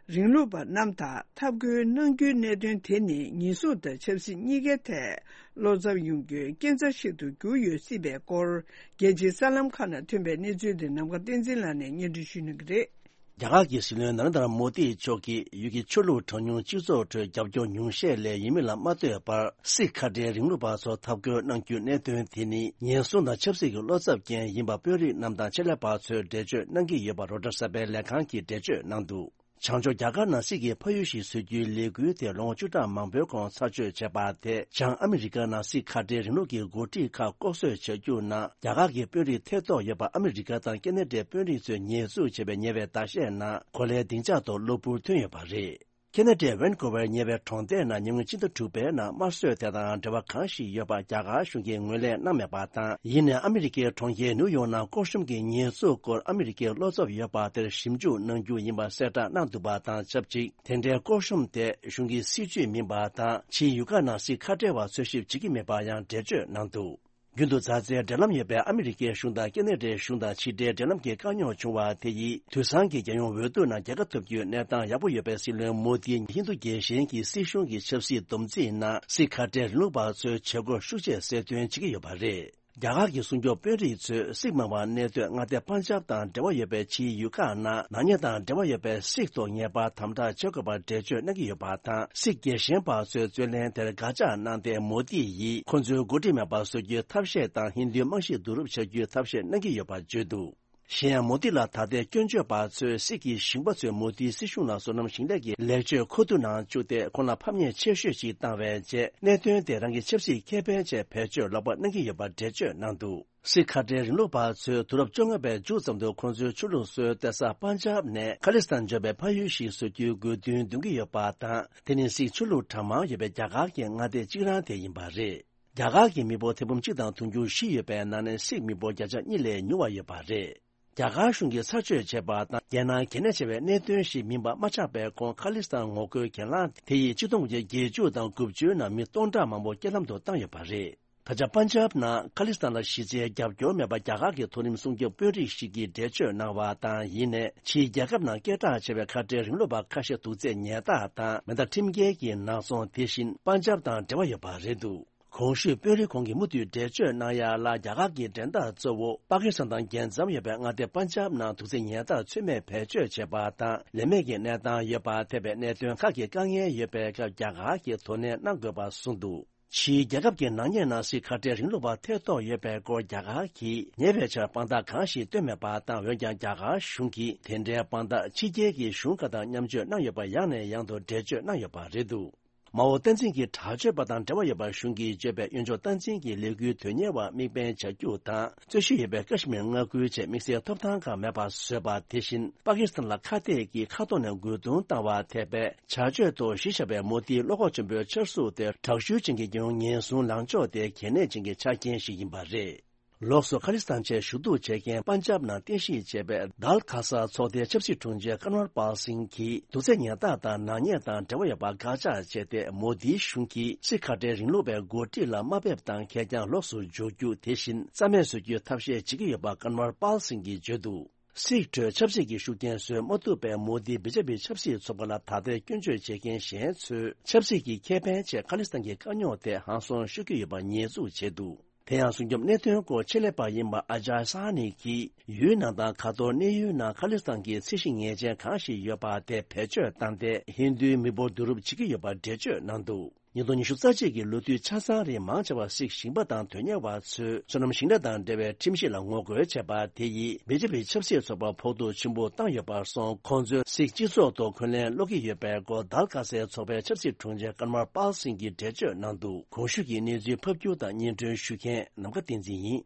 རིང་ལུགས་པ་རྣམས་དང་འཐབ་རྒོལ་གནང་རྒྱུའི་གནད་དོན་དེ་ནི་ཉེན་སྲུང་དང་ཆབ་སྲིད་གཉིས་ཀའི་ཐད་བློ་འཚབ་ཡོང་རྒྱུའི་རྐྱེན་རྩ་ཞིག་ཏུ་གྱུར་ཡོད་སྲིད་པའི་སྐོར། རྒྱལ་སྤྱིའི་གསར་ལམ་ཁག་ནང་ཐོན་པའི་གནས་ཚུལ་དེ་ནམ་མཁའ་བསྟན་འཛིན་ལགས་ནས་སྙན་སྒྲོན་ཞུ་གནང་གི་རེད། རྒྱ་གར་གྱི་སྲིད་བློན་ན་རེན་དྲ་མོ་དི་མཆོག་གིས་ཡུལ་གྱི་ཆོས་ལུགས་གྲངས་ཉུང་སྤྱི་ཚོགས་ཁྲོད་རྒྱབ་སྐྱོར་ཉུང་ཤས་ལས་ཡིན་མིན་ལ་མ་ལྟོས་པར། སིག་ཁ་བྲལ་རིང་ལུགས་པ་ཚོ་འཐབ་རྒོལ་གནང་རྒྱུའི་གནད་དོན་དེ་ནི་ཉེན་སྲུང་དང་ཆབ་སྲིད་ཀྱི་བློ་འཚབ་རྐྱེན་ཡིན་པ་དཔོན་རིགས་རྣམས་དང་ཆེད་ལས་པ་ཚོས་འགྲེལ་བརྗོད་གནང་གི་ཡོད་པ་རོའི་ཊར་གསར་པའི་ལས་ཁང་གིས་འགྲེལ་བརྗོད་གནང་འདུག་བྱང་ཕྱོགས་རྒྱ་གར་ནང་སིག་གི་ཕ་ཡུལ་ཞིག་བཟོ་རྒྱུའི་ལས་འགུལ་དེ་ལོ་ངོ་བཅུ་ཕྲག་མང་པོའི་གོང་ཚར་གཅོད་བྱས་པ་དེ། བྱང་ཨ་མི་རི་ཀ་ནང་སིག་ཁ་བྲལ་རིང་ལུགས་ཀྱི་འགོ་ཁྲིད་ཁག་ལྐོག་གསོད་བྱ་རྒྱུ་ནང་རྒྱ་གར་གྱི་དཔོན་རིགས་ཐེ་གཏོགས་ཡོད་པ་ཨ་མི་རི་ཀ་དང་ཁེ་ན་ཌའི་དཔོན་རིགས་ཚོས་ཉེས་འཛུགས་བྱས་པའི་ཉེ་བའི་ཟླ་ཤས་ནང་གོ་ལའི་སྡིངས་ཆ་ཐོག་གློ་བུར་ཐོན་ཡོད་པ་རེད། ཁེ་ན་ཌའི་ཝན་ཀོ་ཝར་ཉེ་བའི་གྲོང་སྡེ་ནང་ཉིན་གུང་ཕྱི་ཟླ་དྲུག་པའི་ནང་དམར་གསོད་དེ་དང་འབྲེལ་བ་གང་ཞིག་ཡོད་པ་རྒྱ་གར་གཞུང་གིས་ངོས་ལེན་གནང་མེད་པ་དང་། ཡིན་ནའི་ཨ་མི་རི་ཀའི་གྲོང་ཁྱེར་ནིའུ་ཡོག་ནང་སྐོར་ཤོམ་གྱི་ཉེས་འཛུགས་སྐོར་ཨ་མི་རི་ཀའི་བློ་འཚབ་ཡོད་པ་དེར་ཞིབ་འཇུག་གནང་རྒྱུ་ཡིན་པ་གསལ་བསྒྲགས་གནང་འདུག་པ་དང་ཆབས་ཅིག་དེ་འདྲའི་སྐོར་ཤོམ་དེ་གཞུང་གི་སྲིད་ཇུས་མིན་པ་དང་། ཕྱིའི་ཡུལ་ཁག་ནང་སིག་ཁ་བྲལ་བ་འཚོལ་ཞིབ་བྱེད་ཀྱི་མེད་པ་ཡང་འགྲེལ་བརྗོད་གནང་འདུག་རྒྱུན་དུ་མཛའ་བརྩེའི་འབྲེལ་ལམ་ཡོད་པའི་ཨ་མི་རི་ཀའི་གཞུང་དང་ཁེ་ན་ཌའི་གཞུང་དང་ཕྱི་འབྲེལ་འབྲེལ་ལམ་གྱི་དཀའ་རྙོག་བྱུང་བ་དེ་ཡིས། དུས་སང་གི་རྒྱལ་ཡོངས་འོས་བསྡུ་ནང་རྒྱལ་ཁ་ཐོབ་རྒྱུའི་གནས་སྟངས་ཡག་པོ་ཡོད་པའི་སྲིད་བློན་མོ་དིས་ཧིན་རྡུ་རྒྱལ་ཞེན་གྱི་སྲིད་གཞུང་གི་ཆབ་སྲིད་བསྡོམས་རྩིས་ནང་སིག་ཁ་བྲལ་རིང་ལུགས་པ་ཚོའི་བྱེད་སྒོར་ཤུགས་ཆེ་གསལ་སྟོན་བྱེད་ཀྱི་ཡོད་པ་རེད། རྒྱ་གར་གྱི་སྲུང་སྐྱོབ་དཔོན་རིགས་ཚོས་སིག་མང་བ་གནས་སྡོད་མངའ་སྡེ་པན་ཇབ་དང་འབྲེལ་བ་ཡོད་པའི་ཕྱིའི་ཡུལ་ཁག་ནང་ནག་ཉེས་དང་འབྲེལ་བ་ཡོད་པའི་སིག་ཐོག་ངེས་པར་དམ་དྲག་བྱེད་དགོས་པར་འགྲེལ་བརྗོད་གནང་གི་ཡོད་པ་དང་། སིག་རྒྱལ་ཞེན་པ་ཚོའི་རྩོད་ལེན་དེར་དགག་བྱ་གནང་སྟེ། མོ་དི་ཡིས་ཁོ་ཚོའི་འགོ་ཁྲིད་མེད་པར་བཟོ་རྒྱུའི་ཐབས་ཤེས་དང་། ཧིན་རྡུའི་རྨང་གཞི་བསྡུ་རུབ་བྱ་རྒྱུའི་ཐབས་ཤེས་གནང་གི་ཡོད་པར་བརྗོད་འདུག་གཞན་ཡང་། མོ་དི་ལ་ད་ལྟའི་སྐྱོན་བརྗོད་པ་ཚོས་སིག་གི་ཞིང་པ་ཚོས་མོ་དིའི་སྲིད་གཞུང་ལ་སོ་ནམ་ཞིང་ལས་ཀྱི་ལེགས་བཅོས་མཁོ་བསྡུ་ནང་བཅུག་སྟེ། ཁོང་ལ་ཕམ་ཉེས་ཆེ་ཤོས་ཤིག་བཏང་བའི་རྗེས། གནད་དོན་དེ་རང་གི་ཆབ་སྲིད་ཁེ་ཕན་ཆེད་བེད་སྤྱོད་ལོག་པ་གནང་གི་ཡོད་པར་འགྲེལ་བརྗོད་གནང་འདུག་སིག་ཁ་བྲལ་རིང་ལུགས་པ་ཚོས་དུས་རབས་བཅོ་ལྔ་པའི་མཇུག་ཙམ་དུ་ཁོང་ཚོའི་ཆོས་ལུགས་སྲོལ་གཏད་ས་པན་ཇབ་ནས་ཁ་ལི་སི་ཐན་འབྱོར་བའི་ཕ་ཡུལ་ཞིག་བཟོ་རྒྱུའི་དགོས་འདུན་འདོན་གྱི་ཡོད་པ་དང་། དེ་ནི་སིག་ཆོས་ལུགས་གྲངས་མང་ཡོད་པའི་རྒྱ་གར་གྱི་མངའ་སྡེ་གཅིག་རང་དེ་ཡིན་པ་རེད། རྒྱ་གར་གྱི་མི་འབོར་ཐེར་འབུམ་གཅིག་དང་དུང་ཕྱུར་བཞི་ཡོད་པའི་ནང་ནས་སིག་མི་འབོར་བརྒྱ་ཆ་གཉིས་ལས་ཉུང་བ་ཡོད་པ་རེད། རྒྱ་གར་གཞུང་གིས་ཚར་གཅོད་བྱས་པ་དང་། རྒྱལ་ནང་གལ་གནད་ཆེ་བའི་གནད་དོན་ཞིག་མིན་པ་མ་ཆགས་པའི་གོང་། ཁ་ལི་སི་ཐན་ངོ་རྒོལ་གྱེན་ལངས་དེ་ཡིས་ཆིག་སྟོང་དགུ་བརྒྱ་བརྒྱད་ཅུ་དང་དགུ་བཅུའི་ནང་མི་སྟོང་ཕྲག་མང་པོ་རྐྱེན་ལམ་དུ་བཏང་ཡོད་པ་རེད། ད་ཆ་པན་ཇབ་ནང་ཁ་ལི་སི་ཐན་ལ་གཞི་རྩའི་རྒྱབ་སྐྱོར་མེད་པ། རྒྱ་གར་གྱི་མཐོ་རིམ་སྲུང་སྐྱོབ་དཔོན་རིགས་ཤིག་གིས་འགྲེལ་བརྗོད་གནང་བ་དང་། ཡིན་ནའི་ཕྱིའི་རྒྱལ་ཁབ་ནང་སྐད་གྲགས་ཆེ་བའི་ཁ་བྲལ་རིང་ལུགས་པ་ཁ་ཤས་དུག་རྫས་ཉལ་ཐག་དང་མེ་མདའ་ཁྲིམས་འགལ་གྱི་ནག་ཚོང་། དེ་བཞིན་པན་ཇབ་དང་འབྲེལ་བ་ཡོད་པ་རེད་འདུག་གོང་ཞུས་དཔོན་རིགས་ཁོང་གིས་མུ་མཐུད་འགྲེལ་བརྗོད་གནང་ཡ་ལ། རྒྱ་གར་གྱི་འགྲན་ཟླ་གཙོ་བོ་པ་ཀི་སི་ཐན་དང་རྒྱལ་མཚམས་ཡོད་པའི་མངའ་སྡེ་པན་ཇབ་ནང་དུག་རྫས་ཉལ་ཐག་ཚུད་མེད་བེད་སྤྱོད་བྱས་པ་དང་། ལས་མེད་ཀྱི་གནས་སྟངས་ཡོད་པ་ཐེ་བའི་གནད་དོན་ཁག་གི་དཀའ་ངལ་ཡོད་པའི་སྐབས། རྒྱ་གར་གྱིས་དོ་ནན་གནང་དགོས་པ་གསུངས་འདུག་ཕྱིའི་རྒྱལ་ཁབ་ཀྱི་ནག་ཉེས་ནང་སྲིད་ཁ་བྲལ་རིང་ལུགས་པ་ཐེ་གཏོགས་ཡོད་པའི་སྐོར་རྒྱ་གར་གྱིས་ཉེ་བའི་ཆར་དཔང་རྟགས་གང་ཞིག་བཏོན་མེད་པ་དང་། འོན་ཀྱང་རྒྱ་གར་གཞུང་གིས་དེ་འདྲའི་དཔང་རྟགས་ཕྱི་རྒྱལ་གྱི་གཞུང་ཁག་དང་མཉམ་སྤྱོད་གནང་ཡོད་པ་ཡང་ནས་ཡང་དུ་འགྲེལ་བརྗོད་གནང་ཡོད་པ་རེད་འདུག་མའོ་བསྟན་འཛིན་གྱི་དྲག་སྤྱོད་པ་དང་འབྲེལ་བ་ཡོད་པ་གཞུང་གིས་བརྗོད་པའི་གཡོན་ཕྱོགས་བསྟན་འཛིན་གྱི་ལས་འགུལ་དོན་གཉེར་བར་དམིགས་འབེན་བྱ་རྒྱུ་དང་། རྩོད་གཞི་ཡོད་པའི་ཀ་ཤི་མིར་མངའ་ཁུལ་ཆེད་དམིགས་བསལ་ཐོབ་ཐང་ཁག་མེད་པ་བཟོས་པ། དེ་བཞིན་པ་ཀི་སི་ཐན་ལ་ཁ་གཏད་ཀྱིས་མཁའ་ཐོག་ནས་རྒོལ་རྡུང་བཏང་བ་ཐེ་བའི་བྱ་སྤྱོད་ཐོག་གཞི་བཞག་པའི་མོ་དིའི་བློ་ཁོག་ཆེན་པོའི་ཕྱིར་ཚུགས་དེ་དྲག་ཤུལ་ཅན་གྱི་རྒྱལ་ཡོངས་ཉེན་སྲུང་ལངས་ཕྱོགས་དེ་གལ་གནད་ཅན་གྱི་ཆ་རྐྱེན་ཞིག་ཡིན་པ་རེད། ལོགས་སུ་ཁ་ལི་སི་ཐན་ཆེད་ཞུ་གཏུག་བྱེད་མཁན་པན་ཇབ་ནང་རྟེན་གཞི་བྱས་པའི་དཱལ་ཁ་ས་ཚོགས་སྡེའི་ཆབ་སྲིད་དྲུང་ཆེ་ཀན་ཝར་པཱལ་སིང་གིས་དུག་རྫས་ཉར་སྟངས་དང་ནག་ཉེས་དང་འབྲེལ་བ་ཡོད་པ་དགག་བྱ་བྱས་ཏེ། མོ་དིའི་གཞུང་གིས་སིག་ཁ་བྲལ་རིང་ལུགས་པའི་འགོ་ཁྲིད་ལ་དམའ་འབེབས་དང་ཁེར་རྐྱང་ལོགས་སུ་འཇོག་རྒྱུ། དེ་བཞིན་རྩ་མེད་བཟོ་རྒྱུའི་ཐབས་ཤེས་བྱེད་ཀྱི་ཡོད་པ་ཀན་ཝར་པཱལ་སིང་གིས་བརྗོད་འདུག་སིག་ཁྲོད་ཆབ་སྲིད་ཀྱི་ཤུགས་རྐྱེན་བཟོས་མ་ཐུབ་པའི་མོ་དི་བི་ཇེ་པི་ཆབ་སྲིད་ཚོགས་པ་ལ་ད་ལྟའི་སྐྱོན་བརྗོད་བྱེད་མཁན་གཞན་ཚོས་ཆབ་སྲིད་ཀྱི་ཁེ་ཕན་ཆེད་ཁ་ལི་སི་ཐན་གྱི་དཀའ་རྙོག་དེ་ཧང་སང་ཤོར་གྱི་ཡོད་པ་ཉེས་འཛུགས་བྱས་འདུག་དེ་ཡང་སྲུང་སྐྱོབ་གནད་དོན་སྐོར་ཆེད་ལས་པ་ཡིན་པ་ཨ་ཇཱ་ས་ཧ་ནི་གིས་ཡུལ་ནང་དང་གར་ཐོག་གནས་ཡུལ་ནང་ཁ་ལི་སི་ཐན་གྱི་ཚད་གཞི་ངེས་ཅན་གང་ཞིག་ཡོད་པ་དེ་བེད་སྤྱོད་བཏང་སྟེ་ཧིན་རྡུའི་མི་འབོར་བསྡུ་རུབ་བྱེད་ཀྱི་ཡོད་པ་འགྲེལ་བརྗོད་གནང་འདུག་ཉིས་སྟོང་ཉི་ཤུ་རྩ་གཅིག་གི་ལོ་དུས་ཆ་ཚང་རིང་མང་ཆེ་བ་སིག་ཞིང་པ་དང་དོན་གཉེར་བ་ཚོས་སོ་ནམ་ཞིང་ལས་དང་འབྲེལ་བའི་ཁྲིམས་གཞི་ལ་ངོ་རྒོལ་བྱས་པ་དེ་ཡིས་བི་ཇེ་པི་ཆབ་སྲིད་ཚོགས་པར་ཕོག་ཐུག་ཆེན་པོ་བཏང་ཡོད་པར་སོང་། ཁོང་ཚོས་སིག་སྤྱི་ཚོགས་ཐོག་འཁོན་ལན་སློག་གི་ཡོད་པའི་སྐོར་དཱལ་ཁ་སའི་ཚོགས་པའི་ཆབ་སྲིད་དྲུང་ཆེ་ཀན་ཝར་པཱལ་སིང་གིས་འགྲེལ་བརྗོད་གནང་འདུག་གོང་ཞུས་ཀྱི་གནས་ཚུལ་ཕབ་སྒྱུར་དང་སྙན་སྒྲོན་ཞུ་མཁན་ནམ་མཁའ་བསྟན་འཛིན་ཡིན།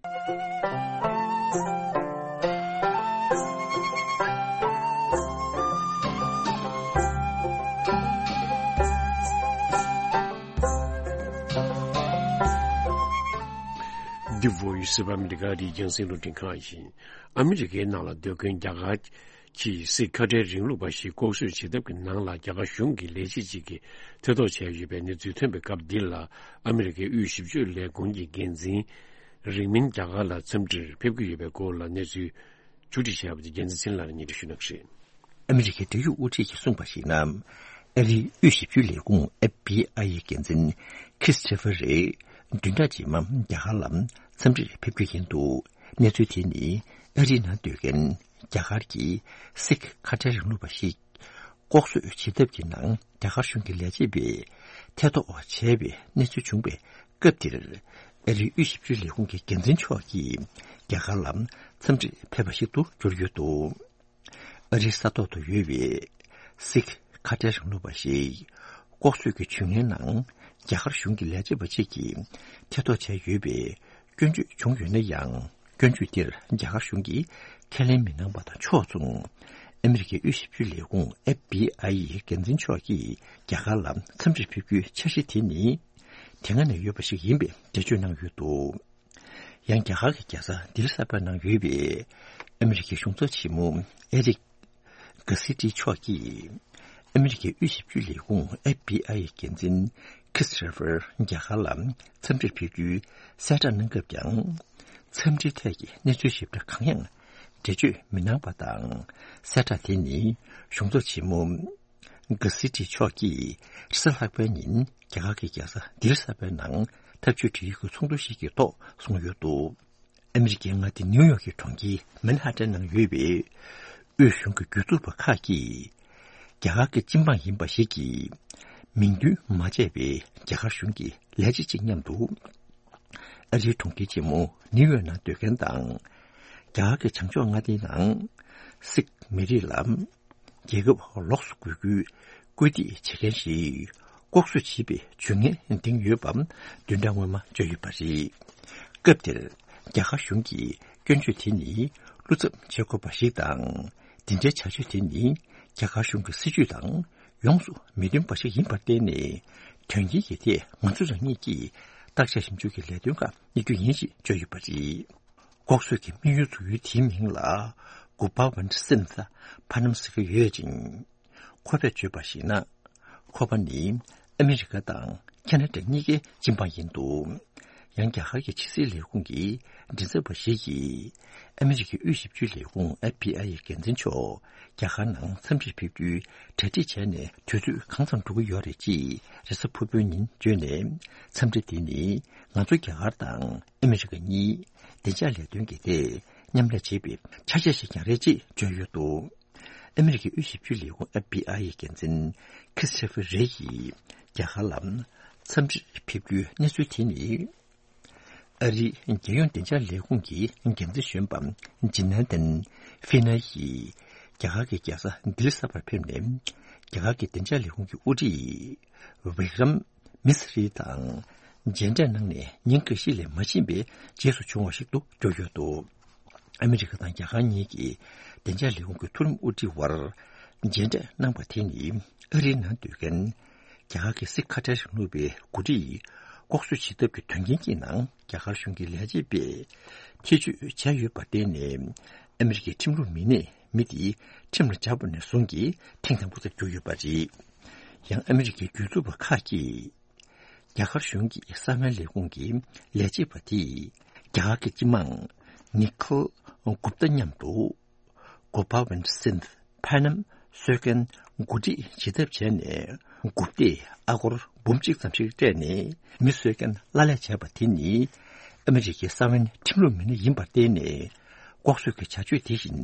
འདི་བོ་ཡི་སི་བ་ཨ་མི་རི་ཀ་རིགས་རྒྱང་སྲིང་རླུང་འཕྲིན་ཁང་ཡིན། ཨ་མི་རི་ཀའི་ནང་ལ་སྡོད་མཁན་རྒྱ་གར་གྱིས་སིག་ཁ་བྲལ་རིང་ལུགས་པ་ཞིག་ལྐོག་གསོད་བྱེད་ཐབས་ཀྱི་ནང་ལ་རྒྱ་གར་གཞུང་གི་ལས་བྱེད་ཅིག་གིས་ཐེ་གཏོགས་བྱས་ཡོད་པའི་གནས་ཚུལ་ཐོན་པའི་སྐབས་འདི་ལ། ཨ་མི་རི་ཀའི་དབུས་ཞིབ་དཔྱོད་ལས་ཁུངས་ཀྱི་འགན་འཛིན་རིང་མིན་རྒྱ་གར་ལ་འཚམས་འདྲིར་ཕེབས་ཀྱི་ཡོད་པའི་སྐོར་ལ་གནས་ཚུལ་ཕྱོགས་སྒྲིག་བྱས་པ་དེ་རྒྱལ་མཚན་ཚེ་རིང་ལགས་ནས་སྙན་སྒྲོན་ཞུ་གནང་གི་རེད། ཨ་མི་རི་ཀའི་འབྲེལ་ཡོད་དབུ་ཁྲིད་ཀྱིས་གསུངས་པར་གཞིགས་ན། ཨ་རིའི་དབུས་ཞིབ་དཔྱོད་ལས་ཁུངས་ཨེཕ་བི་ཨའི་ཡི་འགན་འཛིན་ཁྲིས་ཁྲི་ཕེར་རེ་བདུན་ཕྲག་རྗེས་མ་རྒྱ་གར་ལ་འཚམས་འདྲིར་ཕེབས་རྒྱུ་ཡིན་འདུག་གནས་ཚུལ་དེ་ནི་ཨ་རིའི་ནང་སྡོད་མཁན་རྒྱ་གར་གྱི་སིག་ཁ་བྲལ་རིང་ལུགས་པ་ཞིག་ལྐོག་གསོད་བྱེད་ཐབས་ཀྱི་ནང་རྒྱ་གར་གཞུང་གི་ལས་བྱེད་པས་ཐེ་གཏོགས་བྱས་པའི་གནས་ཚུལ་བྱུང་བའི་སྐབས་དེར། ཨ་རིའི་དབུས་ཞིབ་དཔྱོད་ལས་ཁུངས་ཀྱི་འགན་འཛིན་མཆོག་གིས་རྒྱ་གར་ལ་འཚམས་འདྲིར་ཕེབས་པ་ཞིག་ཏུ་གྱུར་ཡོད་འདུག་ཨ་རིའི་ས་ཐོག་ཏུ་ཡོད་པའི་སིག་ཁ་བྲལ་རིང་ལུགས་པ་ཞིག་ལྐོག་གསོད་ཀྱི་ཇུས་ངན་ནང་རྒྱ་གར་གཞུང་གི་ལས་བྱེད་པ་གཅིག་གིས་ཐེ་གཏོགས་བྱས་ཡོད་པའི་སྐྱོན་བརྗོད་བྱུང་ཡོད་ན་ཡང་། སྐྱོན་བརྗོད་དེར་རྒྱ་གར་གཞུང་གིས་ཁས་ལེན་མི་གནང་པ་དང་ཕྱོགས་མཚུངས། ཨ་མི་རི་ཀའི་དབུས་ཞིབ་དཔྱོད་ལས་ཁུངས་ཨེཕ་བི་ཨའི་ཡི་འགན་འཛིན་མཆོག་གིས་རྒྱ་གར་ལ་འཚམས་འདྲིར་ཕེབས་རྒྱུའི་འཆར་གཞི་དེ་ནི་དེ་སྔ་ནས་ཡོད་པ་ཞིག་ཡིན་པའི་འགྲེལ་བརྗོད་གནང་ཡོད་འདུག་ཡང་རྒྱ་གར་གྱི་རྒྱལ་ས་ལྡི་ལི་གསར་པའི་ནང་ཡོད་པའི་ཨ་མི་རི་ཀའི་གཞུང་ཚབ་ཆེན་མོ་ཨེ་རིག་གྷ་སི་ཏི་མཆོག་གིས་ཨ་མི་རི་ཀའི་དབུས་ཞིབ་དཔྱོད་ལས་ཁུངས་ཨེཕ་བི་ཨའི་ཡི་འགན་འཛིན་ཁྲིས་ཁྲི་ཕེར་རྒྱ་གར་ལ་འཚམས་འདྲིར་ཕེབས་རྒྱུའི་གསལ་བསྒྲགས་གནང་སྐབས་ཀྱང་། འཚམས་འདྲིའི་ཐད་ཀྱི་གནས་ཚུལ་ཞིབ་ཕྲ་གང་ཡང་འགྲེལ་བརྗོད་མི་གནང་པ་དང་། གསལ་བསྒྲགས་དེ་ནི་གཞུང་ཚབ་ཆེན་མོ་གྷ་སི་ཏི་མཆོག་གིས་རེས་གཟའ་ལྷག་པའི་ཉིན་རྒྱ་གར་གྱི་རྒྱལ་ས་ལྡི་ལི་གསར་པའི་ནང་འཐབ་ཇུས་སྒྲིག་ཡིག་གི་ཚོགས་འདུ་ཞིག་གི་ཐོག་གསུངས་ཡོད་འདུག་ཨ་མི་རི་ཀའི་མངའ་སྡེ་ནིའུ་ཡོག་གི་གྲོང་ཁྱེར་མན་ཧ་ཏན་ནང་ཡོད་པའི་དབུས་གཞུང་གི་རྒྱུ་ཚབ་པ་ཁག་གིས་རྒྱ་གར་གྱི་སྤྱི་འབངས་ཡིན་པ་ཞིག་གིས་མིང་འདོན་མ་བྱས་པའི་རྒྱ་གར་གཞུང་གི་ལས་བྱེད་ཅིག་མཉམ་དུ། ཨ་རིའི་གྲོང་ཁྱེར་ཆེན་མོ་ནིའུ་ཡོག་ནང་སྡོད་མཁན་དང་། རྒྱ་གར་གྱི་བྱང་ཕྱོགས་མངའ་སྡེའི་ནང་སིག་མི་རིགས་ལ་རྒྱལ་ཁབ་ལོགས་སུ་བསྐྱོད་རྒྱུའི་སྐུལ་འདེད་བྱེད་མཁན་ཞིག་ལྐོག་གསོད་བྱས་པའི་ཇུས་ངན་འདིང་ཡོད་པ་བདུན་ཕྲག་སྔོན་མ་བརྗོད་ཡོད་པ་རེད། སྐབས་དེར་རྒྱ་གར་གཞུང་གིས་སྐྱོན་བརྗོད་དེ་ནི་བློ་འཚབ་བྱེད་དགོས་པ་ཞིག་དང་། འདི་འདྲའི་བྱ་སྤྱོད་དེ་ནི་རྒྱ་གར་གཞུང་གི་སྲིད་ཇུས་དང་ཡོངས་སུ་མི་མཐུན་པ་ཞིག་ཡིན་པར་བརྟེན་ནས། དོན་རྐྱེན་གྱི་ཐད་ང་ཚོ་རང་ཉིད་ཀྱིས་བརྟག་དཔྱད་ཞིབ་འཇུག་གི་ལས་དོན་ཁག་གཉེར་རྒྱུ་ཡིན་ཞེས་བརྗོད་ཡོད་པ་རེད། ལྐོག་གསོད་ཀྱི་དམིགས་ཡུལ་འཛུགས་ཡུལ་དེའི་མིང་ལ་གུ་པ་ཝན་སིན་ས་ཕ་ནམ་ཟེར་གྱི་ཡོད་ཅིང་། ཁོ་པས་བརྗོད་པར་གཞིགས་ན། ཁོ་པ་ནི་ཨ་མི་རི་ཀ་དང་ཁེ་ན་ཌ་གཉིས་ཀའི་སྤྱི་འབངས་ཡིན་འདུག་ཡང་རྒྱ་གར་གྱི་ཕྱི་སྲིད་ལས་ཁུངས་ཀྱི་མགྲིན་ཚབ་པ་ཞིག་གིས། ཨ་མི་རི་ཀའི་དབུས་ཞིབ་དཔྱོད་ལས་ཁུངས་ཨེཕ་བི་ཨའི་ཡི་འགན་འཛིན་མཆོག་རྒྱ་གར་ནང་འཚམས་འདྲིར་ཕེབས་རྒྱུའི་གྲ་སྒྲིག་བྱས་ནས་དུས་ཚོད་གང་ཙམ་འགྲོ་གི་ཡོད་རེད་ཅེས་རེས་གཟའ་ཕུར་བུའི་ཉིན་བརྗོད་ནས། འཚམས་འདྲི་འདི་ནི་ང་ཚོ་རྒྱ་གར་དང་ཨ་མི་རི་ཀ་གཉིས་བདེ་འཇགས་ལས་དོན་གྱི་ཐད་མཉམ་ལས་བྱེད་པའི་ཆ་ཤས་ཤིག་ཀྱང་རེད་ཅེས་བརྗོད་ཡོད་འདུག་ཨ་མི་རི་ཀའི་དབུས་ཞིབ་དཔྱོད་ལས་ཁུངས་ཨེཕ་བི་ཨའི་ཡི་འགན་འཛིན་ཁི་སི་ཊོ་ཕར་རེ་ཡིས་རྒྱ་གར་ལ་འཚམས་འདྲིར་ཕེབས་རྒྱུའི་གནས་ཚུལ་དེ་ནི། ཨ་རིའི་རྒྱལ་ཡོངས་བདེ་འཇགས་ལས་ཁུངས་ཀྱི་འགན་འཛིན་གཞོན་པ་ཇི་ན་དན་ཧྥི་ན་ཡིས་ རྒྱ་གར་གྱི་རྒྱལ་ས་ལྡི་ལི་གསར་པར་ཕེབས་ནས། རྒྱ་གར་གྱི་བདེ་འཇགས་ལས་ཁུངས་ཀྱི་དབུ་ཁྲིད་བི་ཀྲམ་མི་སི་རི་དང་མཇལ་འཕྲད་གནང་ནས། ཉིན་འགའ་ཤས་ལས་མ་ཕྱིན་པའི་རྗེས་སུ་བྱུང་བ་ཞིག་ཏུ་གྱུར་ཡོད་འདུག་ཨ་མི་རི་ཀ་དང་རྒྱ་གར་གཉིས་ཀྱི་བདེ་འཇགས་ལས་ཁུངས་ཀྱི་མཐོ་རིམ་དབུ་ཁྲིད་དབར་མཇལ་འཕྲད་གནང་པ་དེ་ནི། ཨ་རིའི་ནང་སྡོད་མཁན་རྒྱ་གར་གྱི་སི་ཁ་ཏྲེ་ནོར་བུའི་འགོ་ཁྲིད་ལྐོག་གསོད་བྱེད་ཐབས་ཀྱི་དོན་རྐྱེན་གྱི་ནང་རྒྱ་གར་གཞུང་གི་ལས་བྱེད་པས་ཐེ་བྱུས་བྱས་ཡོད་པར་བརྟེན་ནས། ཨ་མི་རི་ཀའི་ཁྲིམས་ལུགས་མི་སྣས་མི་དེ་ཁྲིམས་ལ་སྦྱར་བ་ནས་བཟུང་གིས་ཐེངས་དང་པོ་ཙམ་གྱུར་ཡོད་པ་རེད། ཡང་ཨ་མི་རི་ཀའི་སྒེར་ཚུགས་པ་ཁག་གིས། རྒྱ་གར་གཞུང་གི་གསང་བའི་ལས་ཁུངས་ཀྱི་ལས་བྱེད་པ་དེས་རྒྱ་གར་གྱི་སྤྱི་དམངས་ནི་ཁལ་གུབ་ཏ་མཉམ་དུ་གོ་པ་ཝིན་སིན་ཕ་ནམ་གསོད་མཁན་འགོ་ཁྲིད་བྱེད་ཐབས་བྱས་ནས། གུབ་ཏས་ཨ་སྒོར་འབུམ་གཅིག་ཙམ་ཞིག་སྤྲད་ནས་མི་གསོད་མཁན་གླ་ལེན་བྱས་པ་དེ་ནི་ཨ་མི་རི་ཀའི་གསང་བའི་ཁྲིམས་ལུགས་མི་སྣ་ཡིན་པར་བརྟེན་ནས། ལྐོག་གསོད་ཀྱི་བྱ་སྤྱོད་དེ་བཞིན་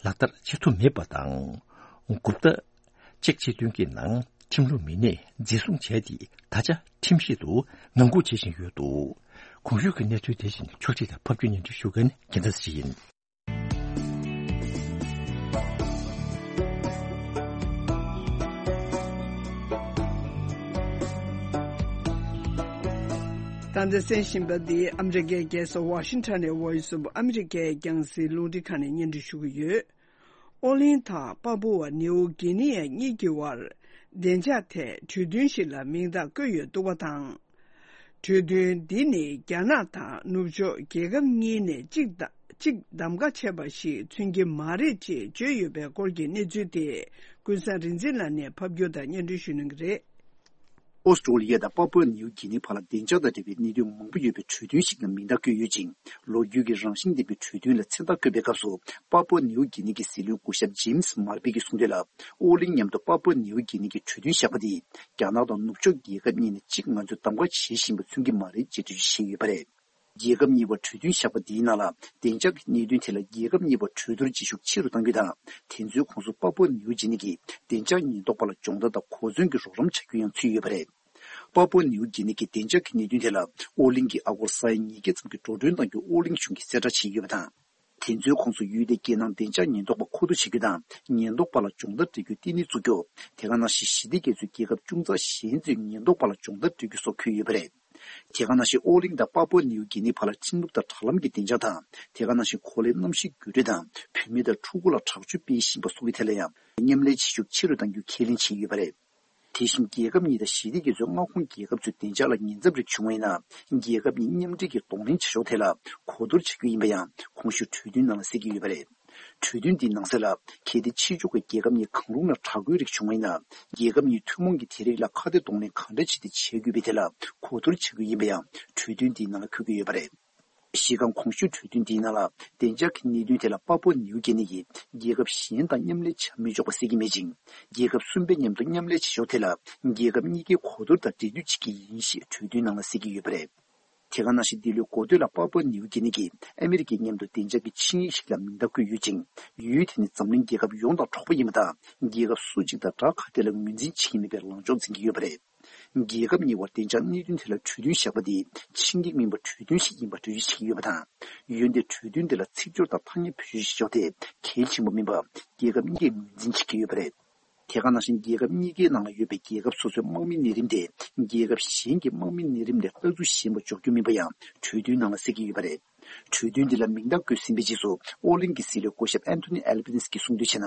ལག་བསྟར་བྱེད་ཐུབ་མེད་པ་དང་། གུབ་ཏ་ཅེག་སྤྱི་མཐུན་གྱི་ནང་ཁྲིམས་ལུགས་མི་སྣས་འཛིན་བཟུང་བྱས་ཏེ། ད་ཆ་ཁྲིམས་ཤིག་ཏུ་ངང་སྒུག་བྱེད་བཞིན་ཡོད་འདུག་གོང་ཞུས་ཀྱི་གནས་ཚུལ་དེ་བཞིན་ཕྱོགས་སྒྲིག་དང་ཕབ་སྒྱུར་སྙན་སྒྲོན་ཞུ་མཁན་རྒྱལ་མཚན་ཡིན། ད་ལྟ་གསན་བཞིན་པ་འདི་ཨ་མི་རི་ཀའི་རྒྱལ་ས་ཝ་ཤིང་ཊོན་ནས་Voice of America རྒྱང་སྲིང་རླུང་འཕྲིན་ཁང་ནས་སྙན་སྒྲོན་ཞུ་གི་ཡོད། ཨོ་གླིང་དང་པ་པུ་ཝ་ནིའུ་གྷི་ནི་ཡ་གཉིས་ཀྱི་དབར་བདེ་འཇགས་ཐད་གྲོས་མཐུན་ཞིག་ལ་མིང་རྟགས་བཀོད་ཡོད་འདུག་པ་དང་། གྲོས་མཐུན་འདི་ནི་རྒྱ་ནག་དང་ནུབ་ཕྱོགས་རྒྱལ་ཁབ་གཉིས་ནས་གཅིག་གཅིག་གདམ་ག་བྱས་པ་ཞིག་མཚོན་གྱི་མ་རེད་ཅེས་བརྗོད་ཡོད་པའི་སྐོར་གྱི་གནས་ཚུལ་དེ། ཀུན་བཟང་རིག་འཛིན་ལགས་ནས་ཕབ་སྒྱུར་དང་སྙན་སྒྲོན་ཞུ་གནང་གི་རེད། ཨོ་སི་ཀྲོ་ལི་ཡ་དང་པ་པུའ་ནིའུ་གྷི་ནི་བར་ལ་བདེ་འཇགས་དང་འབྲེལ་བའི་གནད་དོན་མང་པོ་ཡོད་པའི་གྲོས་མཐུན་ཞིག་ལ་མིང་རྟགས་བཀོད་ཡོད་ཅིང་། ལོ་རྒྱུས་ཀྱི་རང་བཞིན་ལྡན་པའི་གྲོས་མཐུན་ལ་མཚན་རྟགས་བཀོད་པའི་སྐབས་སུ། པ་པུའ་ནིའུ་གྷི་ནི་གི་སྲིད་བློན་སྐུ་ཞབས་ཇེམ་སི་མར་པི་གིས་གསུངས་དོན་ལ། ཨོ་གླིང་མཉམ་དུ་པ་པུའ་ནིའུ་གྷི་ནི་གི་གྲོས་མཐུན་བཞག་པ་འདིས། རྒྱ་ནག་དང་ནུབ་ཕྱོགས་རྒྱལ་ཁབ་གཉིས་ནས་གཅིག་ང་ཚོས་གདམ་ག་བྱེད་བཞིན་པ་མཚོན་གྱི་མ་རེད་ཅེས་འགྲེལ་བརྗོད་བྱས་ཡོད་པ་རེད། རྒྱལ་ཁབ་གཉིས་བར་གྲོས་མཐུན་བཞག་པ་འདིའི་ནང་ལ། བདེ་འཇགས་ཀྱི་གནད་དོན་ཐད་ལ་རྒྱལ་ཁབ་གཉིས་བར་གྲོས་བསྡུར་བྱེད་ཤུགས་ཆེ་རུ་གཏང་རྒྱུ་དང་། དེ་ཚོའི་ཁོངས་སུ་པ་པུའ་ནིའུ་གྷི་ནི་གི་བདེ་འཇགས་ཉེན་རྟོག་པ་ལ་སྦྱོང་བརྡར་དང་གོ་མཚོན་གྱི་རོགས་རམ་བྱ་རྒྱུ་ཡང་ཚུད་ཡོད་པ་རེད། པ་པུའ་ནིའུ་གྷི་ནི་གི་བདེ་འཇགས་ཀྱི་གནད་དོན་ཐད་ལ། ཨོ་གླིང་གིས་ཨ་སྒོར་ས་ཡ་ཉིས་བརྒྱ་ཙམ་གྱི་འགྲོ་གྲོན་གཏང་རྒྱུ་ཨོ་གླིང་གཞུང་གིས་གསལ་བསྒྲགས་བྱས་ཡོད་པ་དང་། དེ་ཚོའི་ཁོངས་སུ་ཡུལ་དེའི་རྒྱལ་ནང་བདེ་འཇགས་ཉེན་རྟོག་པ་མཁོ་བསྡུ་བྱེད་རྒྱུ་དང་། ཉེན་རྟོག་པ་ལ་སྦྱོང་བརྡར་སྤྲད་རྒྱུའི་ལྟེ་གནས་བཙུགས་རྒྱུ། དེ་ག་ནང་བཞིན་ཞི་བདེ་རྒྱ་མཚོའི་རྒྱལ་ཁབ་ཅུང་ཙག་གཞན་ཚོས་ཉེན་རྟོག་པ་ལ་སྦྱོང་བརྡར་སྤྲད་རྒྱུ་སོགས་འཁོད་ཡོད་པ་རེད། དེ་ག་ནང་བཞིན་ཨོ་གླིང་དང་པ་པུའ་ནིའུ་གྷི་ནི་བར་ལ་ཁྲིམས་ལུགས་དང་དྲ་ལམ་གྱི་བདེ་འཇགས་དང་། དེ་ག་ནང་བཞིན་གོ་ལའི་གནམ་གཤིས་འགྱུར་འགྲོས་དང་། བུད་མེད་དང་ཕྲུ་གུ་ལ་དྲག་སྤྱོད་སྤེལ་བཞིན་པ་སོགས་ཀྱི་ཐད་ལ་ཡང་མཉམ་ལས་བྱེད་ཤུགས་ཆེ་རུ་གཏང་རྒྱུའི་ཁས་ལེན་བྱས་ཡོད་པ་རེད། དེ་བཞིན་རྒྱལ་ཁབ་གཉིས་དང་ཞི་བདེ་རྒྱ་མཚོའི་མངའ་ཁོངས་རྒྱལ་ཁབ་ཚོའི་བདེ་འཇགས་ལ་ཉེན་ཚབས་རིགས་བྱུང་བ་ཡིན་ན། རྒྱལ་ཁབ་གཉིས་མཉམ་འབྲེལ་གྱིས་གདོང་ལེན་བྱ་ཕྱོགས་ཐད་ལ་གོ་བསྡུར་བྱ་རྒྱུ་ཡིན་པ་ཡང་གོང་ཞུས་གྲོས་མཐུན་ནང་ལ་གསལ་གྱི་ཡོད་པ་རེད། གྲོས་མཐུན་འདིའི་ནང་གསལ་ལ། གལ་ཏེ་ཕྱི་ཕྱོགས་ཀྱི་རྒྱལ་ཁབ་གཉིས་གང་རུང་ལ་དྲག་རྒོལ་རིགས་བྱུང་བ་ཡིན་ན། རྒྱལ་ཁབ་གཉིས་ཐུན་མོང་གིས་དེ་རིགས་ལ་ཁ་གཏད་གདོང་ལེན་གང་འདྲ་བྱས་ཏེ་བྱེད་དགོས་པའི་ཐད་ལ་གོ་བསྡུར་བྱ་རྒྱུ་ཡིན་པ་ཡང་གྲོས་མཐུན་འདིའི་ནང་ལ་འཁོད་ཀྱི་ཡོད་པ་རེད། གཞི་རྐང་གོང་ཞུས་གྲོས་མཐུན་འདིའི་ནང་ལ། བདེ་འཇགས་ཀྱི་གནད་དོན་ཐད་ལ་པ་པུའ་ནིའུ་གྷི་ནི་ཡིས་རྒྱལ་ཁབ་གཞན་དང་མཉམ་ལས་བྱ་མི་ཆོག་པ་གསལ་གྱི་མེད་ཅིང་། རྒྱལ་ཁབ་གསུམ་པའི་མཉམ་དུ་མཉམ་ལས་བྱེད་ཕྱོགས་ཐད་ལ། རྒྱལ་ཁབ་གཉིས་ཀས་གོ་བསྡུར་དང་འབྲེལ་མཐུད་བྱེད་ཀྱི་ཡིན་ཞེས་གྲོས་མཐུན་ནང་ལ་གསལ་གྱི་ཡོད་པ་རེད། དེ་ག་ནང་བཞིན་འདི་ལོའི་འགོ་སྟོད་ལ་པ་པུའ་ནིའུ་གྷི་ནི་གིས་ཨ་མི་རི་ཀའི་མཉམ་དུ་བདེ་འཇགས་ཀྱི་ཆིངས་ཡིག་ཞིག་ལ་མིང་རྟགས་བཀོད་ཡོད་ཅིང་། ཡུལ་དེ་ནི་འཛམ་གླིང་རྒྱལ་ཁབ་ཡོངས་དང་གྲོགས་པོ་ཡིན་པ་དང་། རྒྱལ་ཁབ་སུ་གཅིག་དང་དགྲ་ཁ་གཏད་ལ་ངོས་འཛིན་བྱེད་ཀྱི་མེད་པའི་ལངས་ཕྱོགས་འཛིན་གྱི་ཡོད་པ་རེད། རྒྱལ་ཁབ་གཉིས་བར་བདེ་འཇགས་གནད་དོན་ཐད་ལ་གྲོས་མཐུན་བཞག་པ་དེ་ཆིངས་ཡིག་མིན་པར་གྲོས་མཐུན་ཞིག་ཡིན་པར་འགྲེལ་བརྗོད་བྱེད་ཀྱི་ཡོད་པ་དང་། འོན་ཏེ་གྲོས་མཐུན་དེ་ལ་ཚིག་སྦྱོར་དང་ཐ་སྙད་བེད་སྤྱོད་བྱེད་ཕྱོགས་དེ་གལ་ཆེན་པོ་མིན་པ་རྒྱལ་ཁབ་གཉིས་ཀས་ངོས་འཛིན་བྱེད་ཀྱི་ཡོད་པ་རེད། དེ་ག་ནང་བཞིན་རྒྱལ་ཁབ་གཉིས་ཀའི་ནང་ལ་ཡོད་པའི་རྒྱལ་ཁབ་སོ་སོའི་དམག་མིའི་གནས་རིམ་དེ་རྒྱལ་ཁབ་གཞན་གྱི་དམག་མིའི་གནས་རིམ་ལས་ལྟ་ཚུལ་གཞན་པ་འཇོག་རྒྱུ་མིན་པ་ཡང་གྲོས་མཐུན་ནང་ལ་གསལ་གྱི་ཡོད་པ་རེད། གྲོས་མཐུན་འདི་ལ་མིང་རྟགས་བཀོད་ཟིན་པའི་རྗེས་སུ་ཨོ་གླིང་གི་སྲིད་བློན་སྐུ་ཞབས་ཨན་ཐོ་ནི་ཨལ་བྷ་ནིས་ཀྱིས་གསུངས་དོན་བྱས་ན།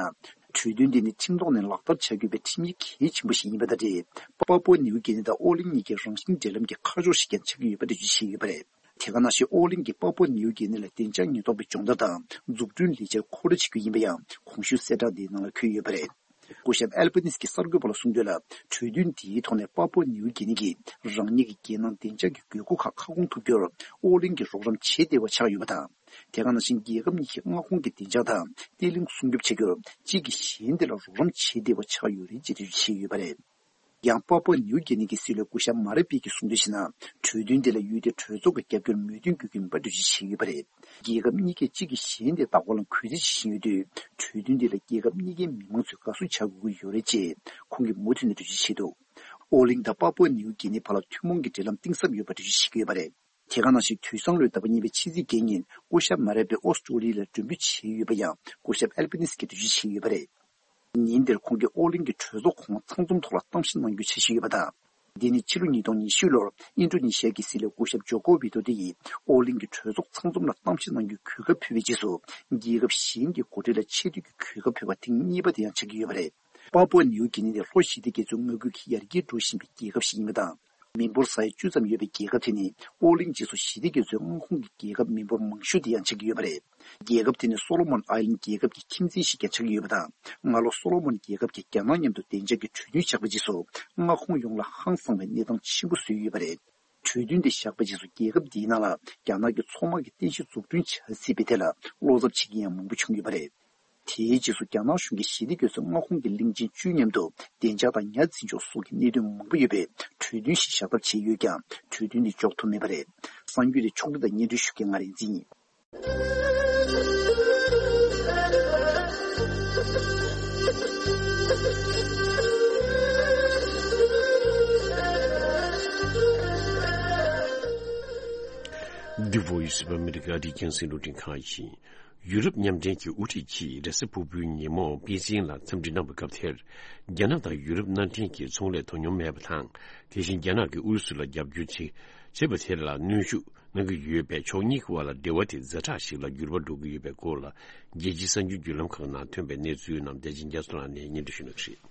གྲོས་མཐུན་འདི་ནི་ཁྲིམས་ཐོག་ནས་ལག་བསྟར་བྱ་དགོས་པའི་ཁྲིམས་ཡིག་གལ་ཆེན་པོ་ཞིག་ཡིན་པ་དང་འབྲེལ། པ་པུའ་ནིའུ་གྷི་ནི་དང་ཨོ་གླིང་གཉིས་ཀྱི་རང་བཞིན་འབྲེལ་ལམ་གྱི་ཁ་ཕྱོགས་ཤིག་ཀྱང་ཆགས་ཀྱི་ཡོད་པ་འགྲེལ་བརྗོད་བྱས་ཡོད་པ་རེད། དེ་ག་ནང་བཞིན་ཨོ་གླིང་གིས་པ་པུའ་ནིའུ་གྷི་ནི་ལ་བདེ་འཇགས་ཉེན་རྟོག་པའི་སྦྱོང་བརྡར་དང་འཛུགས་སྐྲུན་ལས་འཆར་མཁོ་སྤྲོད་བྱེད་རྒྱུ་ཡིན་པ་ཡང་གོང་ཞུས་གསལ་བསྒྲགས་འདིའི་ནང་ལ་འཁོད་ཡོད་པ་རེད། སྐུ་ཞབས་ཨལ་བྷ་ནིས་ཀྱིས་གསར་འགོད་པ་ལ་གསུངས་དོན་ལ། གྲོས་མཐུན་འདིའི་ཐོག་ནས་པ་པུའ་ནིའུ་གྷི་ནི་གིས་རང་ཉིད་ཀྱི་རྒྱལ་ནང་བདེ་འཇགས་ཀྱི་དགོས་མཁོ་ཁག་ཁ་སྐོང་ཐུབ་རྒྱུར་ཨོ་གླིང་གིས་རོགས་རམ་བྱེད་བདེ་བ་ཆགས་ཡོད་པ་དང་། དེ་ག་ནང་བཞིན་རྒྱལ་ཁབ་གཉིས་ཀྱི་མངའ་ཁོངས་ཀྱི་བདེ་འཇགས་དང་བརྟན་ལྷིང་སྲུང་སྐྱོབ་བྱ་རྒྱུར་གཅིག་གིས་གཞན་དེ་ལ་རོགས་རམ་བྱེད་བདེ་བ་ཆགས་ཡོད་རེད་ཅེས་འགྲེལ་བརྗོད་བྱས་ཡོད་པ་རེད། ཡང་པ་པུའ་ནིའུ་གྷི་ནི་གི་སྲིད་བློན་སྐུ་ཞབས་མ་ར་པི་གིས་གསུངས་དོན་བྱས་ན། གྲོས་མཐུན་དེ་ལ་ཡུལ་དེའི་གྲོས་ཚོགས་ཀྱི་རྒྱབ་སྐྱོར་མོས་མཐུན་དགོས་ཀྱི་མིན་པ་འགྲེལ་བརྗོད་བྱས་ཡོད་པ་རེད། རྒྱལ་ཁབ་གཉིས་ཀས་གཅིག་གིས་གཞན་དེ་ལྟ་སྐོར་ལ་གུས་བརྩི་བྱེད་བཞིན་ཡོད་དུས། གྲོས་མཐུན་དེ་ལ་རྒྱལ་ཁབ་གཉིས་ཀའི་མི་མང་ཚོས་དགའ་བསུ་བྱ་དགོས་ཀྱི་ཡོད་རེད་ཅེས་ཁོང་གིས་མུ་མཐུད་ནས་འགྲེལ་བརྗོད་བྱས་འདུག་ཨོ་གླིང་དང་པ་པུའ་ནིའུ་གྷི་ནི་བར་ལ་ཐུན་མོང་གི་འབྲེལ་ལམ་གཏིང་ཟབ་ཡོད་པ་འགྲེལ་བརྗོད་བྱེད་ཀྱི་ཡོད་པ་རེད། དེ་ག་ནང་བཞིན་དུས་སང་ལོའི་ཟླ་བ་གཉིས་པའི་ཕྱི་ཚེས་བརྒྱད་ཉིན་སྐུ་ཞབས་མ་རེ་པེ་ཨོ་སི་ཀྲོ་ལི་ལ་མགྲོན་འབོད་བྱས་ཡོད་པ་ཡང་སྐུ་ཞབས་ཨལ་པ་ནི་སི་གིས་འགྲེལ་བརྗོད་བྱས་ཡོད་པ་རེད། ཉིན་དེར་ཁོང་གིས་ཨོ་གླིང་གི་གྲོས་ཚོགས་ཁོངས་ཚང་འཛོམས་ཐོག་ལ་གཏམ་བཤད་གནང་རྒྱུའི་འཆར་གཞི་ཡོད་པ་དང་། འདི་ནི་ཕྱི་ལོ་ཉིས་སྟོང་ཉི་ཤུ་ལོར་ཨིན་ཌོ་ནེ་ཤི་ཡ་གི་སྲིད་བློན་སྐུ་ཞབས་ཇོ་ཀོ་ཝི་དོ་དེ་ཡིས་ཨོ་གླིང་གི་གྲོས་ཚོགས་ཚང་འཛོམས་ལ་གཏམ་བཤད་གནང་རྒྱུའི་གོ་སྐབས་ཕུལ་བའི་རྗེས་སུ། རྒྱལ་ཁབ་གཞན་གྱི་འགོ་ཁྲིད་ལ་ཆེ་བསྟོད་ཀྱི་གོ་སྐབས་ཕུལ་བ་ཐེངས་གཉིས་པ་དེ་ཡང་ཆགས་ཀྱི་ཡོད་པ་རེད། པཱ་པུའ་ནིའུ་གི་ནི་ནི་ལྷོ་ཞི་བདེ་རྒྱ་མཚོའི་མངའ་ཁུལ་གྱི་ཡར་རྒྱས་འགྲོ་བཞིན་པའི་རྒྱལ་ཁབ་ཞིག་ཡིན་པ་དང་། མི་འབོར་ས་ཡ་བཅུ་ཙམ་ཡོད་པའི་རྒྱལ་ཁབ་དེ་ནི་ཨོ་གླིང་རྗེས་སུ་ཞི་བདེ་རྒྱ་མཚོའི་མངའ་ཁོངས་ཀྱི་རྒྱལ་ཁབ་མི་འབོར་མང་ཤོས་དེ་ཡང་ཆགས་ཀྱི་ཡོད་པ་རེད། རྒྱལ་ཁབ་དེ་ནི་སོ་ལོ་མོན་ཨའི་ལན་རྒྱལ་ཁབ་ཀྱི་ཁྱིམ་མཚེས་ཤིག་ཀྱང་ཆགས་ཀྱི་ཡོད་པ་དང་། སྔ་ལོ་སོ་ལོ་མོན་རྒྱལ་ཁབ་ཀྱིས་རྒྱ་ནག་མཉམ་དུ་བདེ་འཇགས་ཀྱི་གྲོས་མཐུན་བཞག་པའི་རྗེས་སུ། མངའ་ཁོངས་ཡོངས་ལ་ཧང་སངས་པའི་གནས་སྟངས་ཆེན་པོ་བཟོས་ཡོད་པ་རེད། གྲོས་མཐུན་དེ་བཞག་པའི་རྗེས་སུ་རྒྱལ་ཁབ་འདིའི་ནང་ལ་རྒྱ་ནག་གི་མཚོ་དམག་གི་རྟེན་གཞི་འཛུགས་སྐྲུན་བྱ་སྲིད་པའི་ཐད་ལ་བློ་འཚབ་བྱེད་མཁན་ཡང་མང་པོ་བྱུང་ཡོད་པ་རེད། དེའི་རྗེས་སུ་རྒྱ་ནག་གཞུང་གིས་ཞི་བདེ་རྒྱ་མཚོའི་མངའ་ཁོངས་ཀྱི་གླིང་ཆེན་བཅུའི་མཉམ་དུ་བདེ་འཇགས་དང་ཉ་འཛིན་སྐྱོང་སོགས་ཀྱི་གནད་དོན་མང་པོ་ཡོད་པའི་གྲོས་མཐུན་ཞིག་བཞག་ཐབས་བྱས་ཡོད་ཀྱང་། གྲོས་མཐུན་དེ་འཇོག་ཐུབ་མེད་པ་རེད། གསར་འགྱུར་དེ་ཕྱོགས་སྒྲིག་དང་སྙན་སྒྲོན་ཞུ་མཁན་ང་རིག་འཛིན་ཡིན། The Voice of America། འདི་རྒྱང་སྲིང་རླུང་འཕྲིན་ཁང་ཡིན། ཡུ་རོབ་མཉམ་འབྲེལ་གྱི་དབུ་ཁྲིད་ཀྱིས་རེས་གཟའ་ཕུར་བུའི་ཉིན་མོ་པེ་ཅིང་ལ་འཚམས་འདྲི་གནང་བའི་སྐབས་དེར། རྒྱ་ནག་དང་ཡུ་རོབ་མནའ་འབྲེལ་གྱི་ཚོང་ལས་དོ་སྙོམས་མེད་པ་དང་། དེ་བཞིན་རྒྱ་ནག་གིས་ཨུ་རུ་སུ་ལ་རྒྱབ་སྐྱོར་བྱེད་བྱེད་པ་དེ་ལ་གནོན་ཤུགས་གནང་གི་ཡོད་པས། ཕྱོགས་གཉིས་ཀྱི་དབར་ལ་འབྲེལ་བ་དེ་ཛ་དྲག་ཞིག་ལ་འགྱུར་བ་འགྲོ་གི་ཡོད་པའི་སྐོར་ལ། རྒྱལ་སྤྱིའི་གསར་འགྱུར་བརྒྱུད་ལམ་ཁག་ནང་ཐོན་པའི་གནས་ཚུལ་རྣམས་བདེ་ཆེན་རྒྱ་མཚོ་ལགས་ནས་སྙན་སྒྲོན་ཞུ་གནང་གི་རེད།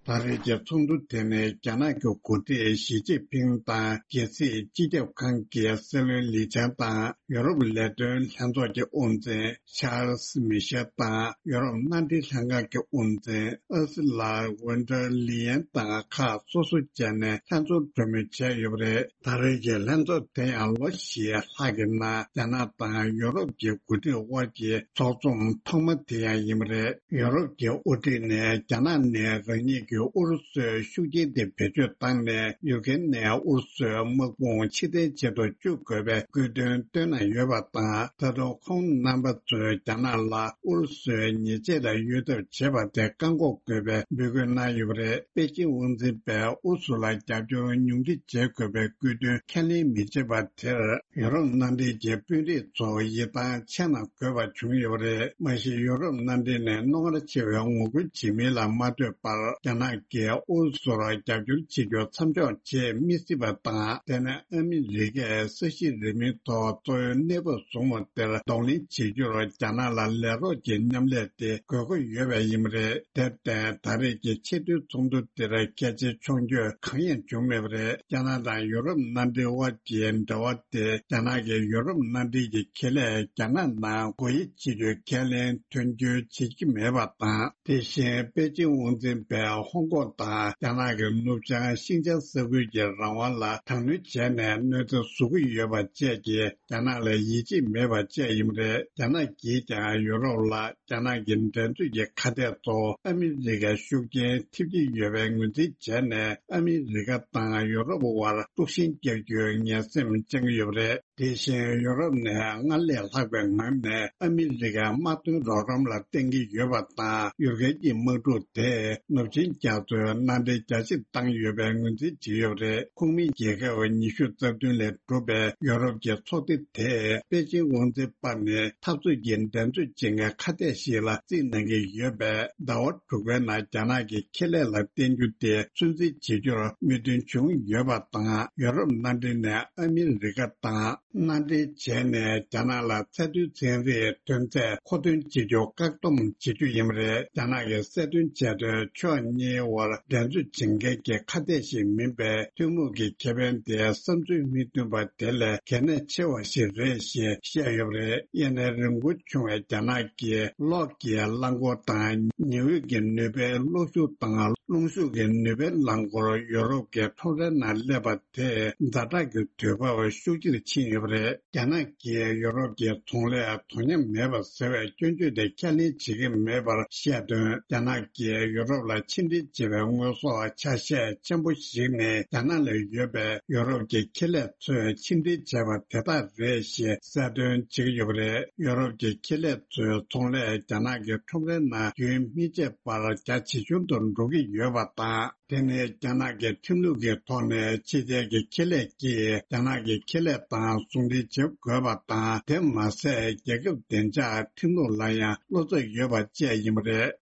ད་རེས་ཀྱི་ཚོགས་འདུ་དེ་ནི་རྒྱ་ནག་གི་འགོ་ཁྲིད་ཞི་ཅིན་ཕིང་དང་། རྒྱལ་སྲིད་སྤྱི་ཁྱབ་ཁང་གི་སྲིད་བློན་ལི་ཆང་དང་། ཡུ་རོབ་ལས་དོན་ལྷན་ཚོགས་ཀྱི་དབུ་འཛིན་ཆཱལ་སི་མི་ཤེལ་དང་། ཡུ་རོབ་མནའ་འབྲེལ་ལྷན་ཁང་གི་དབུ་འཛིན་ཨར་སི་ལ་ཝོན་ཌར་ལི་ཡན་དང་ཁག་སོ་སོ་བཅས་ནས་ལྷན་ཚོགས་གྲོས་མོལ་བྱས་ཡོད་པ་རེད། ད་རེས་ཀྱི་ལྷན་ཚོགས་དེ་ཡང་ལོ་བཞིའི་ལྷག་གི་ནང་རྒྱ་ནག་དང་ཡུ་རོབ་ཀྱི་འགོ་ཁྲིད་དབར་གྱི་ཚོགས་འཛོམས་ཐོག་མ་དེ་ཡང་ཡིན་པ་རེད། ཡུ་རོབ་ཀྱི་དབུ་ཁྲིད་ནས་རྒྱ་ནག་ནས་རང་ཉིད་ཀྱི་ཨུ་རུ་སུའི་ཤུགས་རྐྱེན་དེ་བེད་སྤྱོད་བཏང་ནས་ཡུ་ཀེ་རེན་ནས་ཨུ་རུ་སུའི་དམག་དཔུང་ཕྱིར་འཐེན་བྱེད་དུ་བཅུག་དགོས་པའི་བསྐུལ་དོན་བཏོན་གནང་ཡོད་པ་དང་། ད་དུང་ཁོང་རྣམ་པ་ཚོས་རྒྱ་ནག་ལ་ཨུ་རུ་སུའི་ཉེས་ཆད་ལ་གཡོལ་ཐབས་བྱེད་པ་དེ་བཀག་འགོག་དགོས་པའི་འབོད་སྐུལ་གནང་ཡོད་པ་རེད། པེ་ཅིང་དབང་འཛིན་པས་ཨུ་རུ་སུ་ལ་རྒྱབ་སྐྱོར་ཉུང་འཕྲི་བྱེད་དགོས་པའི་བསྐུལ་དོན་ཁས་ལེན་མི་བྱེད་པ་དེར། ཡུ་རོབ་མནའ་འབྲེལ་གྱི་དཔོན་རིགས་ཚོ་ཡིད་ཐང་ཆད་ན་དགོས་པ་བྱུང་ཡོད་པ་རེད། མ་གཞི་ཡུ་རོབ་མནའ་འབྲེལ་ནས་རྣོ་ངར་ཆེ་བའི་ངོ་རྒོལ་བྱེད་མིན་ལ་མ་ལྟོས་པར། རྒྱ་ནག་གིས་ཨུ་རུ་སུར་རྒྱབ་སྐྱོར་བྱེད་རྒྱུ་མཚམས་འཇོག་བྱེད་མི་སྲིད་པ་དང་། དེ་ནས་ཨ་མི་རི་ཀས་ས་གཞི་རིམ་མེའི་ཐོག་གཙོ་བོའི་གནས་བབ་བཟུང་བ་དེར་གདོང་ལེན་བྱེད་རྒྱུར་རྒྱ་ནག་ལ་ལས་རོགས་ཀྱི་མཉམ་ལས་དེ་དགོས་མཁོ་ཡོད་པ་ཡིན་པ་རེད། དེར་བརྟེན། ད་རེས་ཀྱི་ཆེས་མཐོའི་ཚོགས་འདུ་དེར་གལ་ཆེའི་མཆོང་སྐྱོད་གང་ཡང་བྱུང་མེད་པ་རེད། རྒྱ་ནག་དང་ཡུ་རོབ་མནའ་འབྲེལ་དབར་གྱི་འབྲེལ་བ་དེ། རྒྱ་ནག་གིས་ཡུ་རོབ་མནའ་འབྲེལ་གྱི་ཁེ་ལས་རྒྱ་ནག་ནང་སྒོ་དབྱེ་བྱེད་རྒྱུའི་ཁས་ལེན་དོན་འཁྱོལ་བྱེད་ཀྱི་མེད་པ་དང་། དེ་བཞིན་པེ་ཅིང་དབང་འཛིན་པས་ཧོང་ཀོང་དང་རྒྱ་ནག་གི་ནུབ་བྱང་ཤིན་ཅང་ས་ཁུལ་གྱི་རང་དབང་ལ་དྲག་གནོན་བྱས་ནས་གནོད་འཚེ་བཟོ་གི་ཡོད་པ་བཅས་ཀྱིས། རྒྱ་ནག་ལ་ཡིད་ཆེས་མེད་པ་བཅས་ཡིན་པ་རེད། རྒྱ་ནག་གིས་ཀྱང་ཡུ་རོབ་ལ་རྒྱ་ནག་གི་འགྲན་རྩོད་ཀྱི་ཁ་གཏད་ཐོག་ཨ་མི་རི་ཀའི་ཤུགས་རྐྱེན་ཐེབས་ཀྱི་ཡོད་པའི་ངོས་འཛིན་བྱས་ནས། ཨ་མི་རི་ཀ་དང་ཡུ་རོབ་དབར་དཀྲུག་ཤིང་རྒྱག་རྒྱུའི་ངན་སེམས་བཅངས་ཀྱི་ཡོད་པ་རེད། དེ་བཞིན་ཡུ་རོབ་ནས་སྔར་ལས་ལྷག་པའི་ངང་ནས་ཨ་མི་རི་ཀའི་དམག་དོན་རོགས་རམ་ལ་བརྟེན་གྱི་ཡོད་པ་དང་། ཡུལ་སྐད་ཀྱི་དམག་འཁྲུག་དེས་ནུབ་ཆིངས་རྒྱ་མཚོའི་མནའ་འབྲེལ་རྒྱ་ཆེར་བཏང་ཡོད་པའི་ངོས་འཛིན་བྱས་ཡོད་པ་རེད། ཁོངས་མི་རྒྱལ་ཁབ་ཉི་ཤུ་རྩ་བདུན་ལས་གྲུབ་པའི་ཡོ་རོབ་ཀྱི་ཚོགས་སྡེ་དེས་པེ་ཅིང་དབང་འཛིན་པ་ནི་འཐབ་རྩོད་ཀྱི་འགྲན་རྩོད་བྱེད་མཁན་ཁ་གཏད་ཞིག་ལ་རྩིས་གནང་གི་ཡོད་པས། ཟླ་བ་དྲུག་པའི་ནང་རྒྱ་ནག་གི་ཁེ་ལས་ལ་བརྟེན་རྒྱུ་དེ་ཚོད་འཛིན་བྱེད་རྒྱུར་མོས་མཐུན་བྱུང་ཡོད་པ་དང་། ཡོ་རོབ་མནའ་འབྲེལ་ནས་ཨ་མི་རི་ཀ་དང་མནའ་འབྲེལ་བྱས་ནས་རྒྱ་ནག་ལ་ཚད་མཐོའི་ཚན་རིག་ཐོན་རྫས་མཁོ་འདོན་བྱེད་རྒྱུ་བཀག་སྡོམ་བྱེད་རྒྱུ་ཡིན་པ་རེད། རྒྱ་ནག་གིས་གསལ་སྟོན་བྱས་དོན། ཕྱོགས་གཉིས་དབར་འགྲན་རྩོད་བྱེད་མཁན་གྱི་ཁ་གཏད་ཞིག་མིན་པའི་ཐུན་མོང་གི་ཁེ་ཕན་དེ་བསམ་ཚུལ་མི་མཐུན་པ་དེ་ལས་གལ་གནད་ཆེ་བ་ཞིག་རེད་ཞེས་བཤད་ཡོད་པ་རེད། དབྱར་གནས་རིང་པོ་བྱུང་བའི་རྒྱ་ནག་གི་གློག་གི་རླངས་འཁོར་དང་། ཉི་འོད་ཀྱི་ནུས་པའི་གློག་ཤུགས་དང་། རླུང་ཤུགས་ཀྱི་ནུས་པའི་རླངས་འཁོར་ཡོ་རོབ་ཀྱི་ཁྲོམ་རའི་ནང་སླེབས་པ་དེས་ཛ་དྲག་གི་དུས་བབ་ཤུགས་ཆེར་ཕྱིན་ཡོད་པ་རེད། རྒྱ་ནག་གིས་ཡོ་རོབ་ཀྱི་ཚོང་ལས་དོ་མཉམ་མེད་པ་ཟེར་བའི་སྐྱོན་བརྗོད་དེ་ཁས་ལེན་བྱེད་ཀྱི་མེད་པར་བཤད་དོན། རྒྱ་ནག་གིས་ཡོ་རོབ་ལ་ཕྱི་འབྲེལ་བྱེད་པའི་དངོས་ཟོག་ཆ་ཤས་ཆེན་པོ་ཞིག་ནི་རྒྱ་ནག་ལ་ཡོད་པའི་ཡོ་རོབ་ཀྱི་ཁེ་ལས་ཚོས་ཕྱི་འབྲེལ་བྱས་པ་དེ་དག་རེད་ཞེས་གསལ་སྟོན་བྱེད་ཀྱི་ཡོད་པ་རེད། ཡོ་རོབ་ཀྱི་ཁེ་ལས་ཚོའི་ཚོང་ལས་རྒྱ་ནག་གི་ཁྲོམ་རའི་ནང་རྒྱུན་སྨིན་བྱེད་པར་རྒྱ་ཇེ་ཆུང་དུ་འགྲོ་གི་ཡོད། ཡོད་པ་དང་། དེ་ནི་རྒྱ་ནག་གི་ཁྲིམས་ལུགས་ཀྱི་ཐོག་ནས་ཕྱི་རྒྱལ་གྱི་ཁེ་ལས་ཀྱིས་རྒྱ་ནག་གི་ཁེ་ལས་དང་ཟུང་འབྲེལ་བྱེད་དགོས་པ་དང་། དེ་མ་ཟད་རྒྱལ་ཁབ་བདེ་འཇགས་ཁྲིམས་ལུགས་ལ་ཡང་བློ་འཚབ་ཡོད་པ་བཅས་ཡིན་པ་རེད།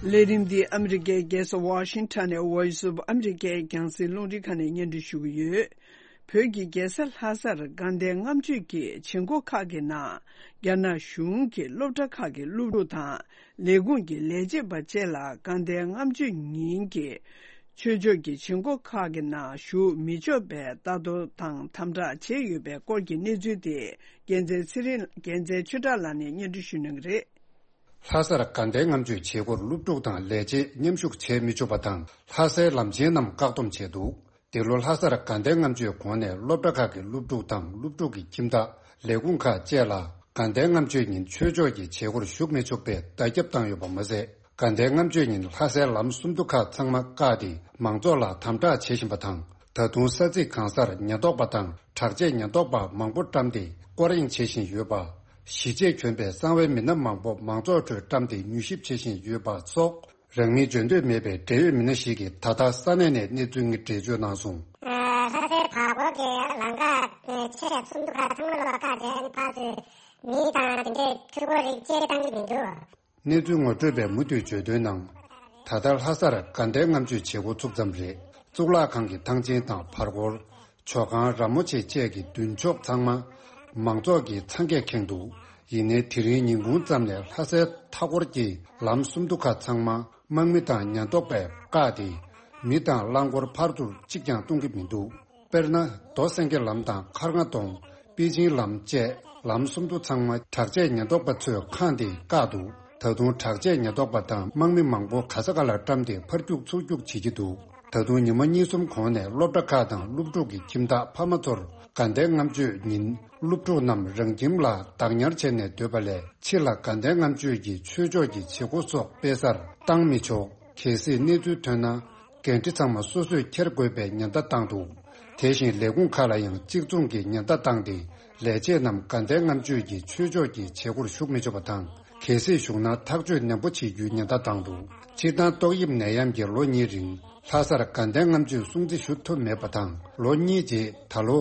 ལས་རིམ་འདི་ཨ་མི་རི་ཀའི་རྒྱལ་ས་ཝ་ཤིང་ཊོན་ནས་Voice of America རྒྱང་སྲིང་རླུང་འཕྲིན་ཁང་ནས་སྙན་སྒྲོན་ཞུ་གི་ཡོད། བོད་ཀྱི་རྒྱལ་ས་ལྷ་སར་དགའ་ལྡན་ལྔ་མཆོད་ཀྱི་བྱེད་སྒོ་ཁག་གི་ནང་། རྒྱ་ནག་གཞུང་གི་སློབ་གྲྭ་ཁག་གི་སློབ་ཕྲུག་དང་། ལས་ཁུངས་ཀྱི་ལས་བྱེད་པ་བཅས་ལ་དགའ་ལྡན་ལྔ་མཆོད་ཉིན་གྱི་ཆོས་ཕྱོགས་ཀྱི་བྱེད་སྒོ་ཁག་གི་ནང་ཞུགས་མི་ཆོག་པའི་ལྟ་རྟོག་དང་དམ་དྲག་བྱས་ཡོད་པའི་སྐོར་གྱི་གནས་ཚུལ་དེ། རྒྱལ་མཚན་ཚེ་རིང་། རྒྱལ་མཚན་ཆོས་གྲགས་ལགས་ནས་སྙན་སྒྲོན་ཞུ་གནང་གི་རེད། ལྷ་སར་དགའ་ལྡན་ལྔ་མཆོད་བྱེད་སྒོར་སློབ་ཕྲུག་དང་ལས་བྱེད་མཉམ་ཞུགས་བྱེད་མི་ཆོག་པ་དང་། ལྷ་སའི་ལམ་ཆེན་རྣམས་བཀག་སྡོམ་བྱས་འདུག། འདི་ལོ་ལྷ་སར་དགའ་ལྡན་ལྔ་མཆོད་གོང་ནས་སློབ་གྲྭ་ཁག་གི་སློབ་ཕྲུག་དང་སློབ་ཕྲུག་གི་ཁྱིམ་བདག་ལས་ཁུངས་ཁག་བཅས་ལ་དགའ་ལྡན་ལྔ་མཆོད་ཉིན་ཆོས་ཕྱོགས་ཀྱི་བྱེད་སྒོར་ཞུགས་མི་ཆོག་པའི་བརྡ་ཁྱབ་བཏང་ཡོད་པ་མ་ཟད། དགའ་ལྡན་ལྔ་མཆོད་ཉིན་ལྷ་སའི་ལམ་སུམ་མདོ་ཁག་ཚང་མ་བཀག་སྟེ་མང་ཚོགས་ལ་དམ་དྲག་བྱེད་བཞིན་པ་དང་། ད་དུང་ས་ཚིགས་གང་སར་ཉེན་རྟོག་པ་དང་དྲག་ཆས་ཉེན་རྟོག་པ་མང་པོ་བཀྲམ་སྟེ་སྐོར་གཡེང་བྱེད་བཞིན་ཡོད་པ། ཞི་བྱེད་གྱོན་པའི་གསང་བའི་མི་སྣ་མང་པོ་མང་ཚོགས་ཁྲོད་བཀྲམ་སྟེ་མྱུལ་ཞིབ་བྱེད་བཞིན་ཡོད་པ་སོགས། རང་མིང་བརྗོད་འདོད་མེད་པའི་འབྲེལ་ཡོད་མི་སྣ་ཞིག་གིས་ད་ལྟ་ས་གནས་ནས་གནས་ཚུལ་དངོས་འགྲེལ་བརྗོད་གནང་སོང་། ལྷ་སའི་བར་སྐོར་གྱི་ལམ་ཁ་ཆེ་ཤོས་སུམ་མདོ་ཁག་ཚང་མ་ལོག་པ་བཀག་བྱས་ནས་ཕར་ཚུར་མི་དང་དེ་འདྲའི་འཕྲུལ་འཁོར་རིགས་བཅས་བཏང་གི་མི་འདུག། གནས་ཚུལ་ངོ་སྤྲོད་པས་མུ་མཐུད་བརྗོད་དོན་ནང་། ད་ལྟ་ལྷ་སར་དགའ་ལྡན་ལྔ་མཆོད་བྱེད་སྒོ་ཚུགས་ཙམ་རེད། གཙུག་ལག་ཁང་གི་ཐང་ཆེན་དང་བར་སྐོར། ཇོ་ཁང་། ར་མོ་ཆེ་བཅས་ཀྱི་མདུན་ཕྱོགས་ཚང་མ་མང་ཚོགས་ཀྱིས་འཚང་ཁས་ཁེངས་འདུག། ཡིན་ནའི་དེ་རིང་ཉིན་གུང་ཙམ་ནས་ལྷ་སའི་མཐའ་འཁོར་གྱི་ལམ་སུམ་མདོ་ཁག་ཚང་མ་དམག་མི་དང་ཉེན་རྟོག་པས་བཀག་སྟེ། མི་དང་རླངས་འཁོར་ཕར་ཚུར་གཅིག་ཀྱང་གཏོང་གི་མི་འདུག། དཔེར་ན། རྡོ་སེང་གེ་ལམ་དང་མཁར་རྔ་གདོང་། པེ་ཅིང་ལམ་བཅས་ལམ་སུམ་མདོ་ཚང་མ་དྲག་ཆས་ཉེན་རྟོག་པ་ཚོས་ཁེངས་ཏེ་བཀག་འདུག། ད་དུང་དྲག་ཆས་ཉེན་རྟོག་པ་དང་དམག་མི་མང་པོ་ག་ས་ག་ལ་བཀྲམ་སྟེ་ཕར་རྒྱུག་ཚུར་རྒྱུག་བྱེད་ཀྱི་འདུག། ད་དུང་ཉི་མ་གཉིས་གསུམ་གོང་ནས་སློབ་གྲྭ་ཁག་དང་སློབ་ཕྲུག་གི་ཁྱིམ་བདག་ཕ་མ་ཚོར་དགའ་ལྡན་ལྔ་མཆོད་ཉིན་སློབ་ཕྲུག་རྣམས་རང་ཁྱིམ་ལ་བདག་ཉར་བྱས་ནས་སྡོད་པ་ལས། ཕྱི་ལ་དགའ་ལྡན་ལྔ་མཆོད་ཀྱི་ཆོས་ཕྱོགས་ཀྱི་བྱེད་སྒོ་སོགས་སྤེལ་སར་བཏང་མི་ཆོག། གལ་སྲིད་གནས་ཚུལ་ཐོན་ན། འགན་འཁྲི་ཚང་མ་སོ་སོས་འཁྱེར་དགོས་པའི་ཉེན་བརྡ་བཏང་འདུག། དེ་བཞིན་ལས་ཁུངས་ཁག་ལ་ཡང་གཅིག་མཚུངས་ཀྱི་ཉེན་བརྡ་བཏང་སྟེ། ལས་བྱེད་རྣམས་དགའ་ལྡན་ལྔ་མཆོད་ཀྱི་ཆོས་ཕྱོགས་ཀྱི་བྱེད་སྒོར་ཞུགས་མི་ཆོག་པ་དང་། གལ་སྲིད་ཞུགས་ན་ཐག་གཅོད་ནན་པོ་བྱེད་རྒྱུའི་ཉེན་བརྡ་བཏང་འདུག། སྤྱིར་བཏང་ཏོག་དབྱིབས་ནད་ཡམས་ཀྱིས་ལོ་གཉིས་རིང་ལྷ་སར་དགའ་ལྡན་ལྔ་མཆོད་སྲུང་བརྩི་ཞུ་ཐུབ་མེད་པ་དང་། ལོ་གཉིས་རྗེས་ད་ལོ།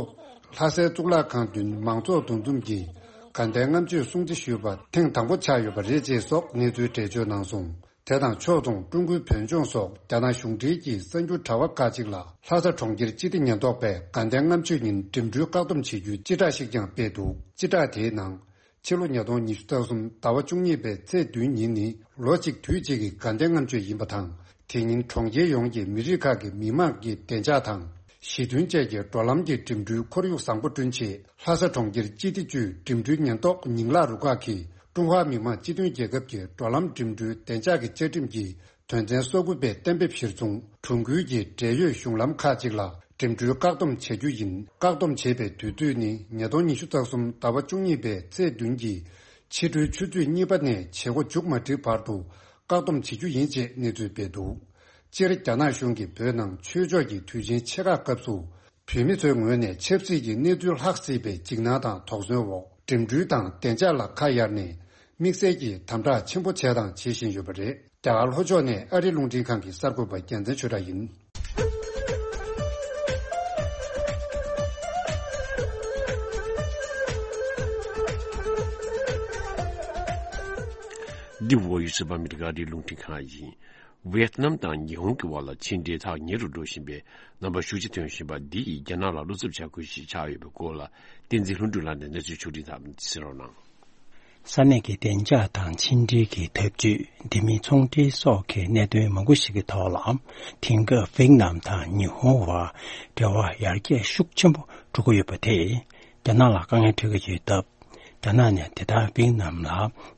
ལྷ་སའི་གཙུག་ལག་ཁང་མདུན་མང་ཚོགས་འདུ་འཛོམས་ཀྱིས་དགའ་ལྡན་ལྔ་མཆོད་སྲུང་བརྩི་ཞུས་པ་ཐེངས་དང་པོ་ཆགས་ཡོད་པ་རེད་ཅེས་སོགས་གནས་ཚུལ་འགྲེལ་བརྗོད་གནང་སོང་། དེ་དང་ཕྱོགས་མཚུངས་ཀྲུང་གོའི་བོད་ལྗོངས་སོགས་རྒྱ་ནག་གཞུང་འབྲེལ་གྱི་གསར་འགྱུར་དྲ་བ་ཁག་ཅིག་ལ། ལྷ་ས་གྲོང་ཁྱེར་སྤྱི་བདེ་ཉེན་རྟོག་པས་དགའ་ལྡན་ལྔ་མཆོད་ཉིན་འགྲིམ་འགྲུལ་བཀག་སྡོམ་བྱེད་རྒྱུའི་སྤྱི་བསྒྲགས་ཤིག་ཀྱང་སྤེལ་འདུག། སྤྱི་བསྒྲགས་དེའི་ནང་། ཕྱི་ལོ་ཉིས་སྟོང་ཉི་ཤུ་རྩ་གསུམ་ཟླ་བ་བཅུ་གཉིས་པའི་ཚེས་བདུན་ཉིན་ནི་ལོ་གཅིག་དུས་གཅིག་གི་དགའ་ལྡན་ལྔ་མཆོད་ཡིན་པ་དང་། དེ་ཉིན་གྲོང་ཁྱེར་ཡོངས་ཀྱི་མི་རིགས་ཁག་གི་མི་དམངས་ཀྱི་བདེ་འཇགས་དང་། ཞི་མཐུན་བཅས་ཀྱི་འགྲོ་ལམ་གྱི་འགྲིམ་འགྲུལ་ཁོར་ཡུག་བཟང་པོ་བསྐྲུན་ཆེད། ལྷ་ས་གྲོང་ཁྱེར་སྤྱི་བདེ་ཅུས་འགྲིམ་འགྲུལ་ཉེན་རྟོག་ཉིང་ལག་རུ་ཁག་གིས་ཀྲུང་ཧྭ་མི་དམངས་སྤྱི་མཐུན་རྒྱལ་ཁབ་ཀྱི་འགྲོ་ལམ་འགྲིམ་འགྲུལ་བདེ་འཇགས་ཀྱི་བཅའ་ཁྲིམས་ཀྱི་དོན་ཚན་སོ་དགུ་པའི་གཏན་འབེབས་གཞིར་བཟུང་། གྲོང་ཁུལ་གྱི་འབྲེལ་ཡོད་གཞུང་ལམ་ཁག་ཅིག་ལ་འགྲིམ་འགྲུལ་བཀག་སྡོམ་བྱ་རྒྱུ་ཡིན། བཀག་སྡོམ་བྱེད་པའི་དུས་ཚོད་ནི་ཉིས་སྟོང་ཉི་ཤུ་རྩ་གསུམ་ཟླ་བ་བཅུ་གཉིས་པའི་ཚེས་བདུན་གྱི་ཕྱི་དྲོའི་ཆུ་ཚོད་གཉིས་པ་ནས་བྱེད་སྒོ་མཇུག་མ་སྒྲིལ་བར་དུ་བཀག་སྡོམ་བྱེད་རྒྱུ་ཡིན་ཅེས་གནས་ཚུལ་སྤེལ་འདུག། སྤྱིར་རྒྱ་ནག་གཞུང་གིས་བོད་ནང་ཆོས་ཕྱོགས་ཀྱི་དུས་ཆེན་ཆེ་ཁག་སྐབས་སུ། བོད་མི་ཚོའི་ངོས་ནས་ཆབ་སྲིད་ཀྱི་གནས་ཚུལ་ལྷག་སྲིད་པའི་འཇིགས་སྣང་དང་དོགས་ཟོན་འོག་འགྲིམ་འགྲུལ་དང་བདེ་འཇགས་ལ་ཁ་གཡར་ནས་དམིགས་བསལ་གྱིས་དམ་དྲག་ཆེན་པོ་བྱས་དང་བྱེད་བཞིན་ཡོད་པ་རེད། རྒྱ་གར་ལྷོ་ཕྱོགས་ནས་ཨ་རི་རླུང་འཕྲིན་ཁང་གི་གསར་འགོད་པ་རྒྱལ་མཚན་ཆོས་གྲགས་ཡིན། འདི་བོད་ཡིག་ཟུར་པ་ཨ་མི་རི་ཀ་ཨ་རིའི་རླུང་འཕྲིན་ཁང་ཡིན། ཝེ་ཏི་ནམ་དང་ཉི་ཧོང་གི་བར་ལ་ཕྱི་འབྲེལ་ཐག་ཉེ་རུ་འགྲོ་བཞིན་པའི་རྣམ་པ་ཤུགས་ཆེ་ཐོན་བཞིན་པ་འདི་ཡིས་རྒྱ་ནག་ལ་བློ་འཚབ་བྱ་དགོས་ཤིག་ཆགས་ཡོད་པའི་སྐོར་ལ། བསྟན་འཛིན་ལྷུན་གྲུབ་ལགས་ནས་གནས་ཚུལ་ཕྱོགས་སྒྲིག་དང་གསན་རོགས་གནང་། ས་གནས་ཀྱི་བདེ་འཇགས་དང་ཕྱི་འབྲེལ་གྱི་འཐབ་ཇུས། དེ་མིན་ཚོང་འབྲེལ་སོགས་ཀྱི་གནད་དོན་མང་པོ་ཞིག་གི་ཐོག་ལ། དེང་སྐབས་ཝེ་ཏི་ནམ་དང་ཉི་ཧོང་བར་འབྲེལ་བ་ཡར་རྒྱས་ཤུགས་ཆེན་པོ་འགྲོ་གི་ཡོད་པ་དེས། རྒྱ་ནག་ལ་དཀའ་ངལ་འཕྲད་ཀྱི་ཡོད་སྟབས། རྒྱ་ནག་ནས་དེ་ལྟར་ཝེ་ཏི་ནམ་ལ་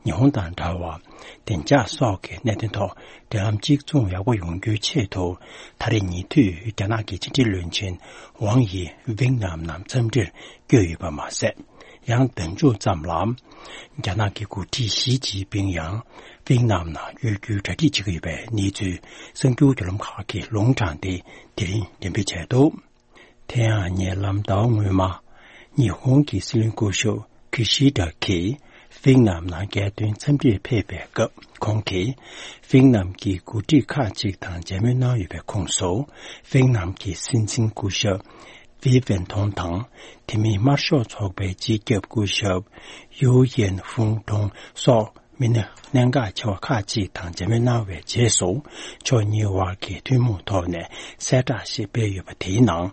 ཉི་ཧོང་དང་འདྲ་བར་བདེ་འཇགས་སོགས་ཀྱི་གནད་དོན་ཐོག་འབྲེལ་ལམ་གཅིག་མཚུངས་ཡག་པོ་ཡོང་རྒྱུའི་ཆེད་དུ། ད་རེས་ཉེ་དུས་རྒྱ་ནག་གི་ཕྱི་འབྲེལ་བློན་ཆེན་ཝང་ཡི་ཝེ་ཏི་ནམ་ནང་འཚམས་འདྲིར་བསྐྱོད་ཡོད་པ་མ་ཟད། ཡང་ཟླ་མཇུག་ཙམ་ལ་རྒྱ་ནག་གི་འགོ་ཁྲིད་ཞི་ཅིན་ཕིང་ཡང་ཝེ་ཏི་ནམ་ནང་བསྐྱོད་རྒྱུའི་གྲ་སྒྲིག་བྱེད་ཀྱི་ཡོད་པའི་གནས་ཚུལ་གསར་འགྱུར་བརྒྱུད་ལམ་ཁག་གིས་ལུང་དྲངས་ཏེ་དེ་རིང་འགྲེམས་སྤེལ་བྱས་འདུག། དེ་ཡང་ཉེ་ལམ་ཟླ་བ་སྔོན་མ། ཉི་ཧོང་གི་སྲིད་བློན་སྐུ་ཞབས་ཀི་ཤི་ད་གིས་ཝེད་ནམ་ནང་རྒྱལ་དོན་འཚམས་འདྲིར་ཕེབས་པའི་སྐབས། ཁོང་གིས་ཝེད་ནམ་གྱི་འགོ་ཁྲིད་ཁག་ཅིག་དང་མཇལ་མོལ་གནང་ཡོད་པའི་ཁོངས་སུ། ཝེད་ནམ་གྱི་སྲིད་འཛིན་སྐུ་ཞབས་ཝི་ཝེན་ཐོང་དང་། དེ་མིན་དམར་ཤོག་ཚོགས་པའི་སྤྱི་ཁྱབ་སྐུ་ཞབས་ཡུའུ་ཡན་ཧྥུང་ཀྲུང་སོགས། མི་སྣ་གནད་འགག་ཆེ་བ་ཁག་ཅིག་དང་མཇལ་མོལ་གནང་བའི་རྗེས་སུ། ཕྱོགས་གཉིས་དབར་གྱི་ཐུན་མོང་ཐོག་ནས་གསལ་བསྒྲགས་ཤིག་སྤེལ་ཡོད་པ། དེའི་ནང་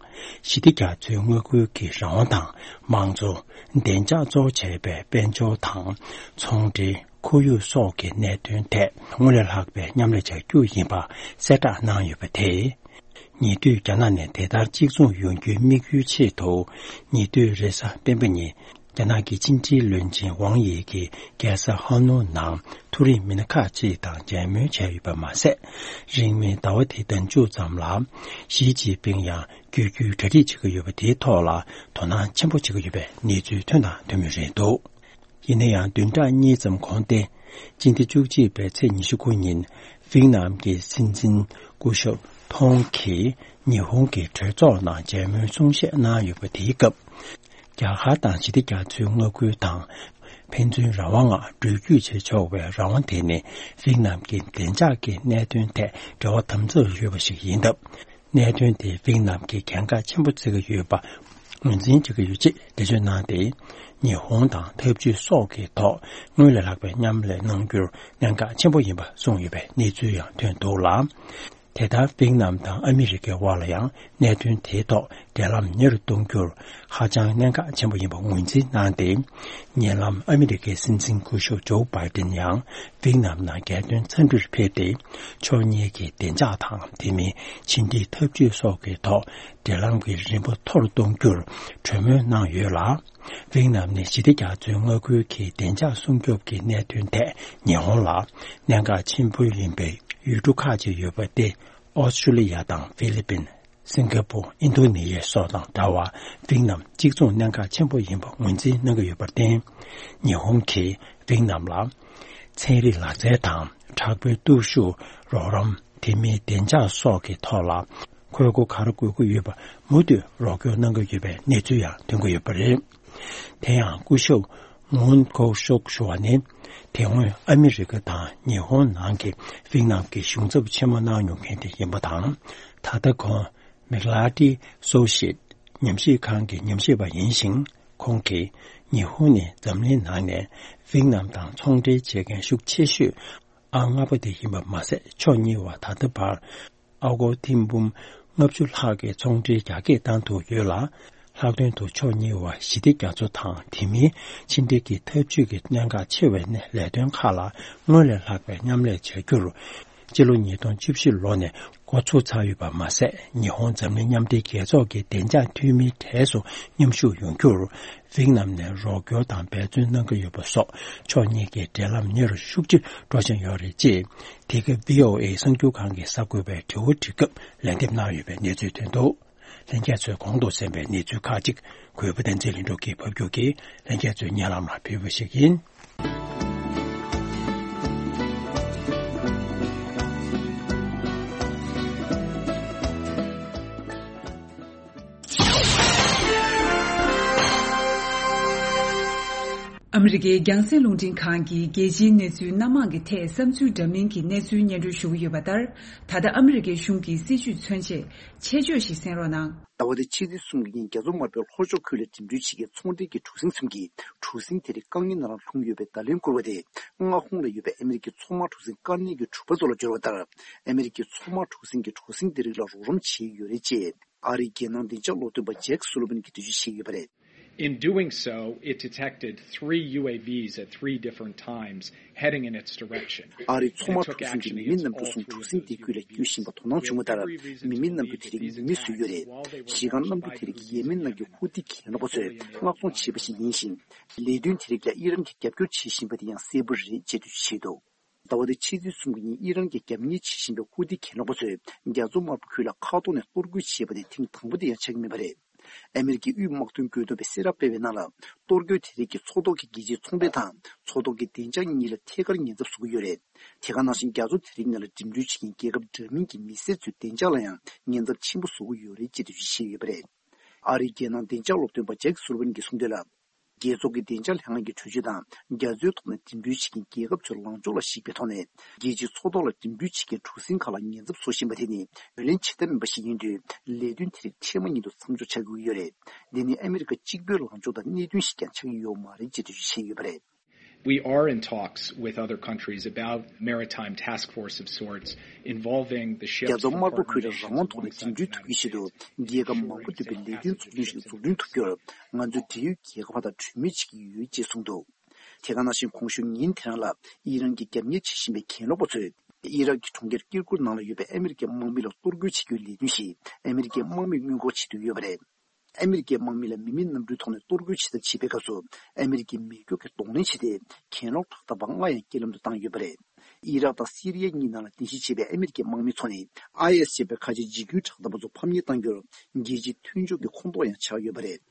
ཞི་བདེ་རྒྱ་མཚོའི་མངའ་ཁུལ་གྱི་རང་དབང་དང་། མང་གཙོ། བདེ་འཇགས་གཙོ་བྱས་པའི་དཔལ་འབྱོར་དང་། ཚོང་འབྲེལ། ཁོར་ཡུག་སོགས་ཀྱི་གནད་དོན་ཐད་སྔོན་ལས་ལྷག་པའི་མཉམ་ལས་བྱ་རྒྱུ་ཡིན་པ་གསལ་བསྒྲགས་གནང་ཡོད་པ་དེས། ཉེ་དུས་རྒྱ་ནག་ནས་དེ་ལྟར་གཅིག་མཚུངས་ཡོང་རྒྱུའི་དམིགས་ཡུལ་ཆེད་དུ། ཉེ་དུས་རེས་གཟའ་སྤེན་པ་ཉིན། རྒྱ་ནག་གི་ཕྱི་འབྲེལ་བློན་ཆེན་ཝང་དབྱི་གིས་རྒྱལ་ས་ཧ་ནོ་ནང་མཐོ་རིམ་མི་སྣ་ཁག་ཅིག་དང་མཇལ་མོལ་བྱས་ཡོད་པ་མ་ཟད། རིང་མིན་ཟླ་བ་འདིའི་ཟླ་མཇུག་ཙམ་ལ། ཞི་ཅིན་ཕིང་ཡང་བསྐྱོད་རྒྱུའི་གྲ་སྒྲིག་བྱེད་ཀྱི་ཡོད་པ། དེའི་ཐོག་ལ་དོ་སྣང་ཆེན་པོ་བྱེད་ཀྱི་ཡོད་པའི་གནས་ཚུལ་ཐོན་དང་ཐོན་མུས་རེད་འདུག་ཡིན་ན་ཡང་། བདུན་ཕྲག་གཉིས་ཙམ་གོང་སྟེ། སྤྱི་ཟླ་བཅུ་གཅིག་པའི་ཚེས་ཉི་ཤུ་དགུ་ཉིན། ཝེད་ནམ་གྱི་སྲིད་འཛིན་སྐུ་ཞབས་ཐོང་གིས་ཉི་ཧོང་གི་གྲོས་ཚོགས་ནང་མཇལ་མོལ་གསུང་བཤད་གནང་ཡོད་པ། དེའི་སྐབས། རྒྱ་གར་དང་ཞི་བདེ་རྒྱ་མཚོའི་མངའ་ཁུལ་དང་། ཕན་ཚུན་རང་དབང་ངང་འགྲུལ་སྐྱོད་བྱེད་ཆོག་པའི་རང་དབང་དེ་ནི། ཝེད་ནམ་གྱི་བདེ་འཇགས་ཀྱི་གནད་དོན་ཐད་འབྲེལ་བ་དམ་ཟབ་ཡོད་པ་ཞིག་ཡིན་སྟབས། གནད་དོན་དེ་ཝེད་ནམ་གྱིས་གལ་འགངས་ཆེན་པོ་བརྩི་གི་ཡོད་པ་ངོས་འཛིན་བྱེད་ཀྱི་ཡོད་ཅེས་འགྲེལ་བརྗོད་གནང་སྟེ། ཉི་ཧོང་དང་འཐབ་ཇུས་སོགས་ཀྱི་ཐོག་སྔོན་ལས་ལྷག་པའི་མཉམ་ལས་གནང་རྒྱུར་གནད་འགག་ཆེན་པོ་ཡིན་པ་གསུངས་ཡོད་པའི་གནས་ཚུལ་ཡང་ཐོན་འདུག་ལ། དེ་ལྟར་ཝེད་ནམ་དང་ཨ་མི་རི་ཀའི་དབར་ལ་ཡང་གནད་དོན་དེའི་ཐོག་འབྲེལ་ལམ་ཉེ་རུ་གཏོང་རྒྱུར་ཧ་ཅང་གནད་འགག་ཆེན་པོ་ཡིན་པ་ངོས་འཛིན་གནང་སྟེ། ཉེ་ལམ་ཨ་མི་རི་ཀའི་སྲིད་འཛིན་སྐུ་ཞབས་ཇོ་བྷའི་ཏིན་ཡང་ཝེད་ནམ་ནང་རྒྱལ་དོན་འཚམས་འདྲིར་ཕེབས་ཏེ། ཕྱོགས་གཉིས་ཀྱི་བདེ་འཇགས་དང་། དེ་མིན་ཕྱི་འབྲེལ་འཐབ་ཇུས་སོགས་ཀྱི་ཐོག་འབྲེལ་ལམ་གྱི་རིམ་པ་མཐོ་རུ་གཏོང་རྒྱུར་གྲོས་མོལ་གནང་ཡོད་ལ། ཝེད་ནམ་ནི་ཞི་བདེ་རྒྱ་མཚོའི་མངའ་ཁུལ་གྱི་བདེ་འཇགས་སྲུང་སྐྱོབ་ཀྱི་གནད་དོན་ཐད་ཉི་ཧོང་ལ་གནད་འགག་ཆེན་པོ་ཡིན་པའི་ཡུལ་གྲུ་ཁག་ཅིག་ཡོད་པ་སྟེ། ཨོ་སི་ཀྲུ་ལི་ཡ་དང་ཧྥི་ལི་པིན། སིང་ག་པུར། ཨིན་རྡོ་ནེ་ཤི་ཡ་སོགས་དང་འདྲ་བར། ཝེད་ནམ་གཅིག་མཚུངས་གནད་འགག་ཆེན་པོ་ཡིན་པ་ངོས་འཛིན་གནང་གི་ཡོད་པར་བརྟེན། ཉི་ཧོང་གིས་ཝེད་ནམ་ལ་ཚན་རིག་ལག་རྩལ་དང་། དྲག་པོའི་སྟོབས་ཤུགས། རོགས་རམ། དེ་མིན་བདེ་འཇགས་སོགས་ཀྱི་ཐོག་ལ་ཁོལ་སྒོ་ག་རེ་དགོས་ཀྱི་ཡོད་པ་མུ་མཐུད་རོགས་སྐྱོར་གནང་གི་ཡོད་པའི་གནས་ཚུལ་ཡང་ཐོན་གྱི་ཡོད་པ་རེད། དེ་ཡང་སྐུ་ཞབས་མུན་ཁོ་ཤོག་ཞུ་བ་ནི། དེ་སྔོན་ཨ་མི་རི་ཀ་དང་ཉི་ཧོང་ནང་གི་ཝེད་ནམ་གྱི་གཞུང་ཚབ་ཆེན་མོ་གནང་མྱོང་མཁན་དེ་ཡིན་པ་དང་། ད་ལྟ་ཁོང་མིག་ལ་ཏི་སོ་ཤེད་ཉམས་ཞིབ་ཁང་གི་ཉམས་ཞིབ་པ་ཡིན་ཞིང་། ཁོང་གིས་ཉི་ཧོང་ནི་འཛམ་གླིང་ནང་ནས་ཝེད་ནམ་དང་ཚོང་འབྲེལ་བྱེད་མཁན་ཤུགས་ཆེ་ཤོས་ཨང་ལྔ་པ་དེ་ཡིན་པ་མ་ཟད། ཕྱོགས་གཉིས་བར་ད་ལྟ་བར་ཨ་སྒོར་ཐེར་འབུམ་ལྔ་བཅུ་ལྷག་གི་ཚོང་འབྲེལ་རྒྱ་སྐྱེད་བཏང་ཐུབ་ཡོད་ལ། ལྷག་དོན་དུ་ཕྱོགས་གཉིས་བར་ཞི་བདེ་རྒྱ་མཚོ་དང་། དེ་མིན་ཕྱི་འབྲེལ་གྱི་འཐབ་ཇུས་ཀྱི་གནད་འགག་ཆེ་བའི་ལས་དོན་ཁག་ལ་སྔོན་ལས་ལྷག་པའི་མཉམ་ལས་བྱ་རྒྱུར། སྤྱི་ལོ་ཉིས་སྟོང་བཅུ་བཞི་ལོ་ནས་འགོ་ཚུགས་ཚར་ཡོད་པ་མ་ཟད། ཉི་ཧོང་འཛམ་གླིང་མཉམ་འབྲེལ་རྒྱལ་ཚོགས་ཀྱི་བདེ་འཇགས་འཐུས་མིའི་གྲས་སུ་མཉམ་ཞུགས་ཡོང་རྒྱུར། ཝེད་ནམ་ནས་རོགས་སྐྱོར་དང་འབད་བརྩོན་གནང་གི་ཡོད་པ་སོགས། ཕྱོགས་གཉིས་ཀྱི་འབྲེལ་ལམ་ཉེ་རུ་ཤུགས་ཆེ་འགྲོ་བཞིན་ཡོད་རེད་ཅེས། འདི་ག་བྷི་ཨོ་ཨེ་གསར་འགྱུར་ཁང་གིས་གསར་འགོད་པའི་དྲི་བ་དྲིས་སྐབས་ལན་འདེབས་གནང་ཡོད་པའི་གནས་ཚུལ་ཐོན་འདུག་ལྷན་རྒྱས་ཚོས་གོང་དུ་གསན་པའི་གནས་ཚུལ་ཁག་ཅིག་གུས་པ་བསྟན་འཛིན་ལྷུན་གྲུབ་ཀྱིས་ཕབ་སྒྱུར་གྱིས་ལྷན་རྒྱས་ཚོའི་སྙན་ལམ་ལ་ཕུལ་བ་ཞིག་ཡིན། ཨ་མི་རི་ཀའི་རྒྱང་སྲིང་རླུང་འཕྲིན་ཁང་གིས་རྒྱལ་སྤྱིའི་གནས་ཚུལ་སྣ་མང་གི་ཐད་བསམ་ཚུལ་འདྲ་མིན་གྱི་གནས་ཚུལ་སྙན་སྒྲོན་ཞུ་གི་ཡོད་པ་ལྟར། ད་ལྟ་ཨ་མི་རི་ཀའི་གཞུང་གི་སྲིད་བྱུས་མཚོན་ཆེད་ཆེད་བརྗོད་ཞིག་གསན་རོགས་གནང་། ཟླ་བ་འདིའི་ཕྱི་ཚེས་གསུམ་གྱི་ཉིན། རྒྱ་མཚོ་དམར་པོའི་ལྷོ་ཕྱོགས་ཁུལ་ལ་འགྲིམ་འགྲུལ་བྱེད་མཁན་ཚོང་འབྲེལ་གྱི་གྲུ་གཟིངས་ཚུན་གྱིས་གྲུ་གཟིངས་དེ་རིགས་དཀའ་ངལ་ནང་ལ་ལྷུང་ཡོད་པའི་བརྡ་ལན་བསྐུར་བ་དེ། མངའ་ཁོངས་ལ་ཡོད་པའི་ཨ་མི་རི་ཀའི་མཚོ་དམག་གྲུ་གཟིངས་དཀའ་གནད་ཀྱི་གྲུ་པ་ཚོ་ལ་བསྒྱུར་བ་ལྟར། ཨ་མི་རི་ཀའི་མཚོ་དམག་གྲུ་གཟིངས་ཀྱིས་གྲུ་གཟིངས་དེ་རིགས་ལ་རོགས་རམ་བྱས་ཡོད་རེད་ཅེས། ཨ་རིའི་རྒྱལ་ནང་བདེ་འཇགས་སློབ་སྟོན་པ་ཇེག་སུ་ལི་ཝན་གྱིས་འགྲེལ་བརྗོད་བྱས་ཡོད་པ་རེད། In doing so, it detected three U A Vs at three different times heading in its direction. ཨ་རིའི་མཚོ་དམག་གྲུ་གཟིངས་ཀྱིས་མི་མེད་གནམ་གྲུ་གསུམ་གྲུ་གཟིངས་དེ་ཁུལ་ལ་བསྐྱོད་བཞིན་པ་དོ་སྣང་བྱུང་བ་ལྟར། མི་མེད་གནམ་གྲུ་དེ་རིགས་མེ་མེ་བཟོས་ཡོད་རེད། གཞི་རྐང་གནམ་གྲུ་དེ་རིགས་ཡེ་མེན་ནང་གི་ཧུ་ཏི་གྱེན་ལོག་པ་ཚོས་མངགས་གཏོང་བྱས་པ་ཞིག་ཡིན་ཞིང་། ལས་དོན་དེ་རིགས་ལ་ཨི་རན་གྱིས་རྒྱབ་སྐྱོར་བྱེད་བཞིན་པ་དེ་ཡང་གསལ་པོ་རེད་ཅེས་འགྲེལ་བརྗོད་བྱས་འདུག་ཟླ་བ་འདིའི་ཕྱི་ཚེས་གསུམ་གྱི་ཉིན་ཨི་རན་གྱིས་རྒྱབ་གཉེར་བྱེད་བཞིན་པའི་ཧུ་ཏི་གྱེན་ལོག་པ་ཚོས་རྒྱ་མཚོ་དམར་པོ་ཁུལ་ལ་མཁའ་ཐོག་ནས་གཏོར་རྒོལ་བྱས་པ་དེ་ཐེངས་དང་པོ་དེ་ཡང་ཆགས་ཀྱི་མེད་པ་རེད། ཨ་མི་རི་ཀའི་དབུས་དམག་དོན་དགོས་འདུན་པས་གསལ་བསྒྲགས་སྤེལ་བའི་ནང་ལ། གཏོར་རྒོལ་དེ་རིགས་ཀྱིས་མཚོ་ཐོག་གི་རྒྱལ་སྤྱིའི་ཚོང་པ་དང་མཚོ་ཐོག་གི་བདེ་འཇགས་གཉིས་ལ་ཐད་ཀར་ཉེན་ཚབས་བཟོ་གི་ཡོད་རེད། དེ་ག་ནང་བཞིན་རྒྱ་མཚོ་དེ་རིགས་ནང་ལ་འགྲིམ་འགྲུལ་བྱེད་མཁན་རྒྱལ་ཁབ་འདྲ་མིན་གྱི་མི་སེར་ཚོའི་བདེ་འཇགས་ལ་ཡང་ཉེན་ཚབས་ཆེན་པོ་བཟོ་གི་ཡོད་རེད་ཅེས་འགྲེལ་བརྗོད་བྱས་ཡོད་པ་རེད། ཨ་རིའི་རྒྱལ་ནང་བདེ་འཇགས་སློབ་སྟོན་པ་ཇེག་སུ་ལི་ཝན་གྱིས་གསུངས་དོན་ལ། རྒྱལ་ཚོགས་ཀྱི་བདེ་འཇགས་ལྷན་ཁང་གི་གྲོས་ཆོད་དང་རྒྱ་མཚོའི་ཐོག་ནས་འགྲིམ་འགྲུལ་བྱེད་མཁན་རྒྱལ་ཁབ་ཚོའི་ལངས་ཕྱོགས་ལ་གཞིགས་པའི་ཐོག་ནས། རྒྱལ་སྤྱིའི་མཚོ་ཐོག་ལ་འགྲིམ་འགྲུལ་བྱེད་མཁན་གྲུ་གཟིངས་ཁག་ལ་ཉེན་ཚབས་བཟོ་བཞིན་པ་དེ་ནི་ངོས་ལེན་བྱེད་ཐབས་མིན་པ་ཞིག་ཡིན་དུས། ལས་དོན་དེ་རིགས་འཕྲལ་མ་ཉིད་དུ་མཚམས་འཇོག་བྱ་དགོས་ཀྱི་ཡོད་རེད། འདི་ནི་ཨ་མི་རི་ཀ་གཅིག་པུའི་ལངས་ཕྱོགས་དང་གནད་དོན་ཞིག་ཀྱང་ཆགས་ཀྱི་ཡོད་མ་རེད་ཅེས་འགྲེལ་བརྗོད་བྱས་ཡོད་པ་རེད། We are in talks with other countries about maritime task force of sorts involving the རྒྱ་ships མཚོ་དམར་པོ་ཁུལ་ལ་རང་དབང་ཐོག་ནས་འགྲིམ་འགྲུལ་ཐུབ་རྒྱུའི་ཆེད་དུ། རྒྱལ་ཁབ་མང་པོ་འདུས་པའི་ལས་དོན་ཚོགས་ཆུང་ཞིག་འཛུགས་སྐྲུན་ཐུབ་རྒྱུར། ང་ཚོས་འབྲེལ་ཡོད་རྒྱལ་ཁབ་དང་གྲོས་མོལ་བྱེད་ཀྱི་ཡོད་ཅེས་གསུངས་འདུག་དེ་ག་ནང་བཞིན་གོང་ཞུས་ཉིན་དེ་རང་ལ་ཨི་རན་གྱི་རྒྱབ་གཉེར་བྱེད་བཞིན་པའི་གྱེན་ལོག་པ་ཚོས་ཨི་རག་གི་གྲོང་ཁྱེར་ཀིར་ཀུག་ནང་ལ་ཡོད་པའི་ཨ་མི་རི་ཀའི་དམག་མི་ལ་གཏོར་རྒོལ་བྱེད་རྒྱུའི་ལས་དོན་ཞིག་ཨ་མི་རི་ཀའི་དམག་མིས་སྔོན་འགོག་བྱེད་འདོད་ཡོད་པ་རེད། ཨ་མི་རི་ཀའི་དམག་མི་ལ་མི་མེད་གནམ་གྲུའི་ཐོག་ནས་གཏོར་རྒོལ་བྱེད་ཐབས་བྱེད་པའི་སྐབས་སུ། ཨ་མི་རི་ཀའི་མེ་སྒྱོགས་ཀྱིས་གདོང་ལེན་བྱས་ཏེ། གྱེན་ལོག་དྲག་འཐབ་པ་ལྔ་ཡང་རྐྱེན་ལམ་དུ་བཏང་ཡོད་པ་རེད། ཨི་རག་དང་སི་རི་ཡ་གཉིས་ནང་ལ་རྟེན་གཞི་བྱས་པའི་ཨ་མི་རི་ཀའི་དམག་མི་ཚོ་ནི། ཨའི་ཨེས་ཞེས་པའི་ཁ་ཆེ་འཇིགས་སྐུལ་དྲག་འཐབ་པ་ཚོ་ཕམ་ཉེས་བཏང་རྒྱུར། རྒྱལ་སྤྱིའི་མཐུན་ཕྱོགས་ཀྱི་ཁོངས་གཏོགས་ཡང་ཆགས་ཡོད་པ་རེད།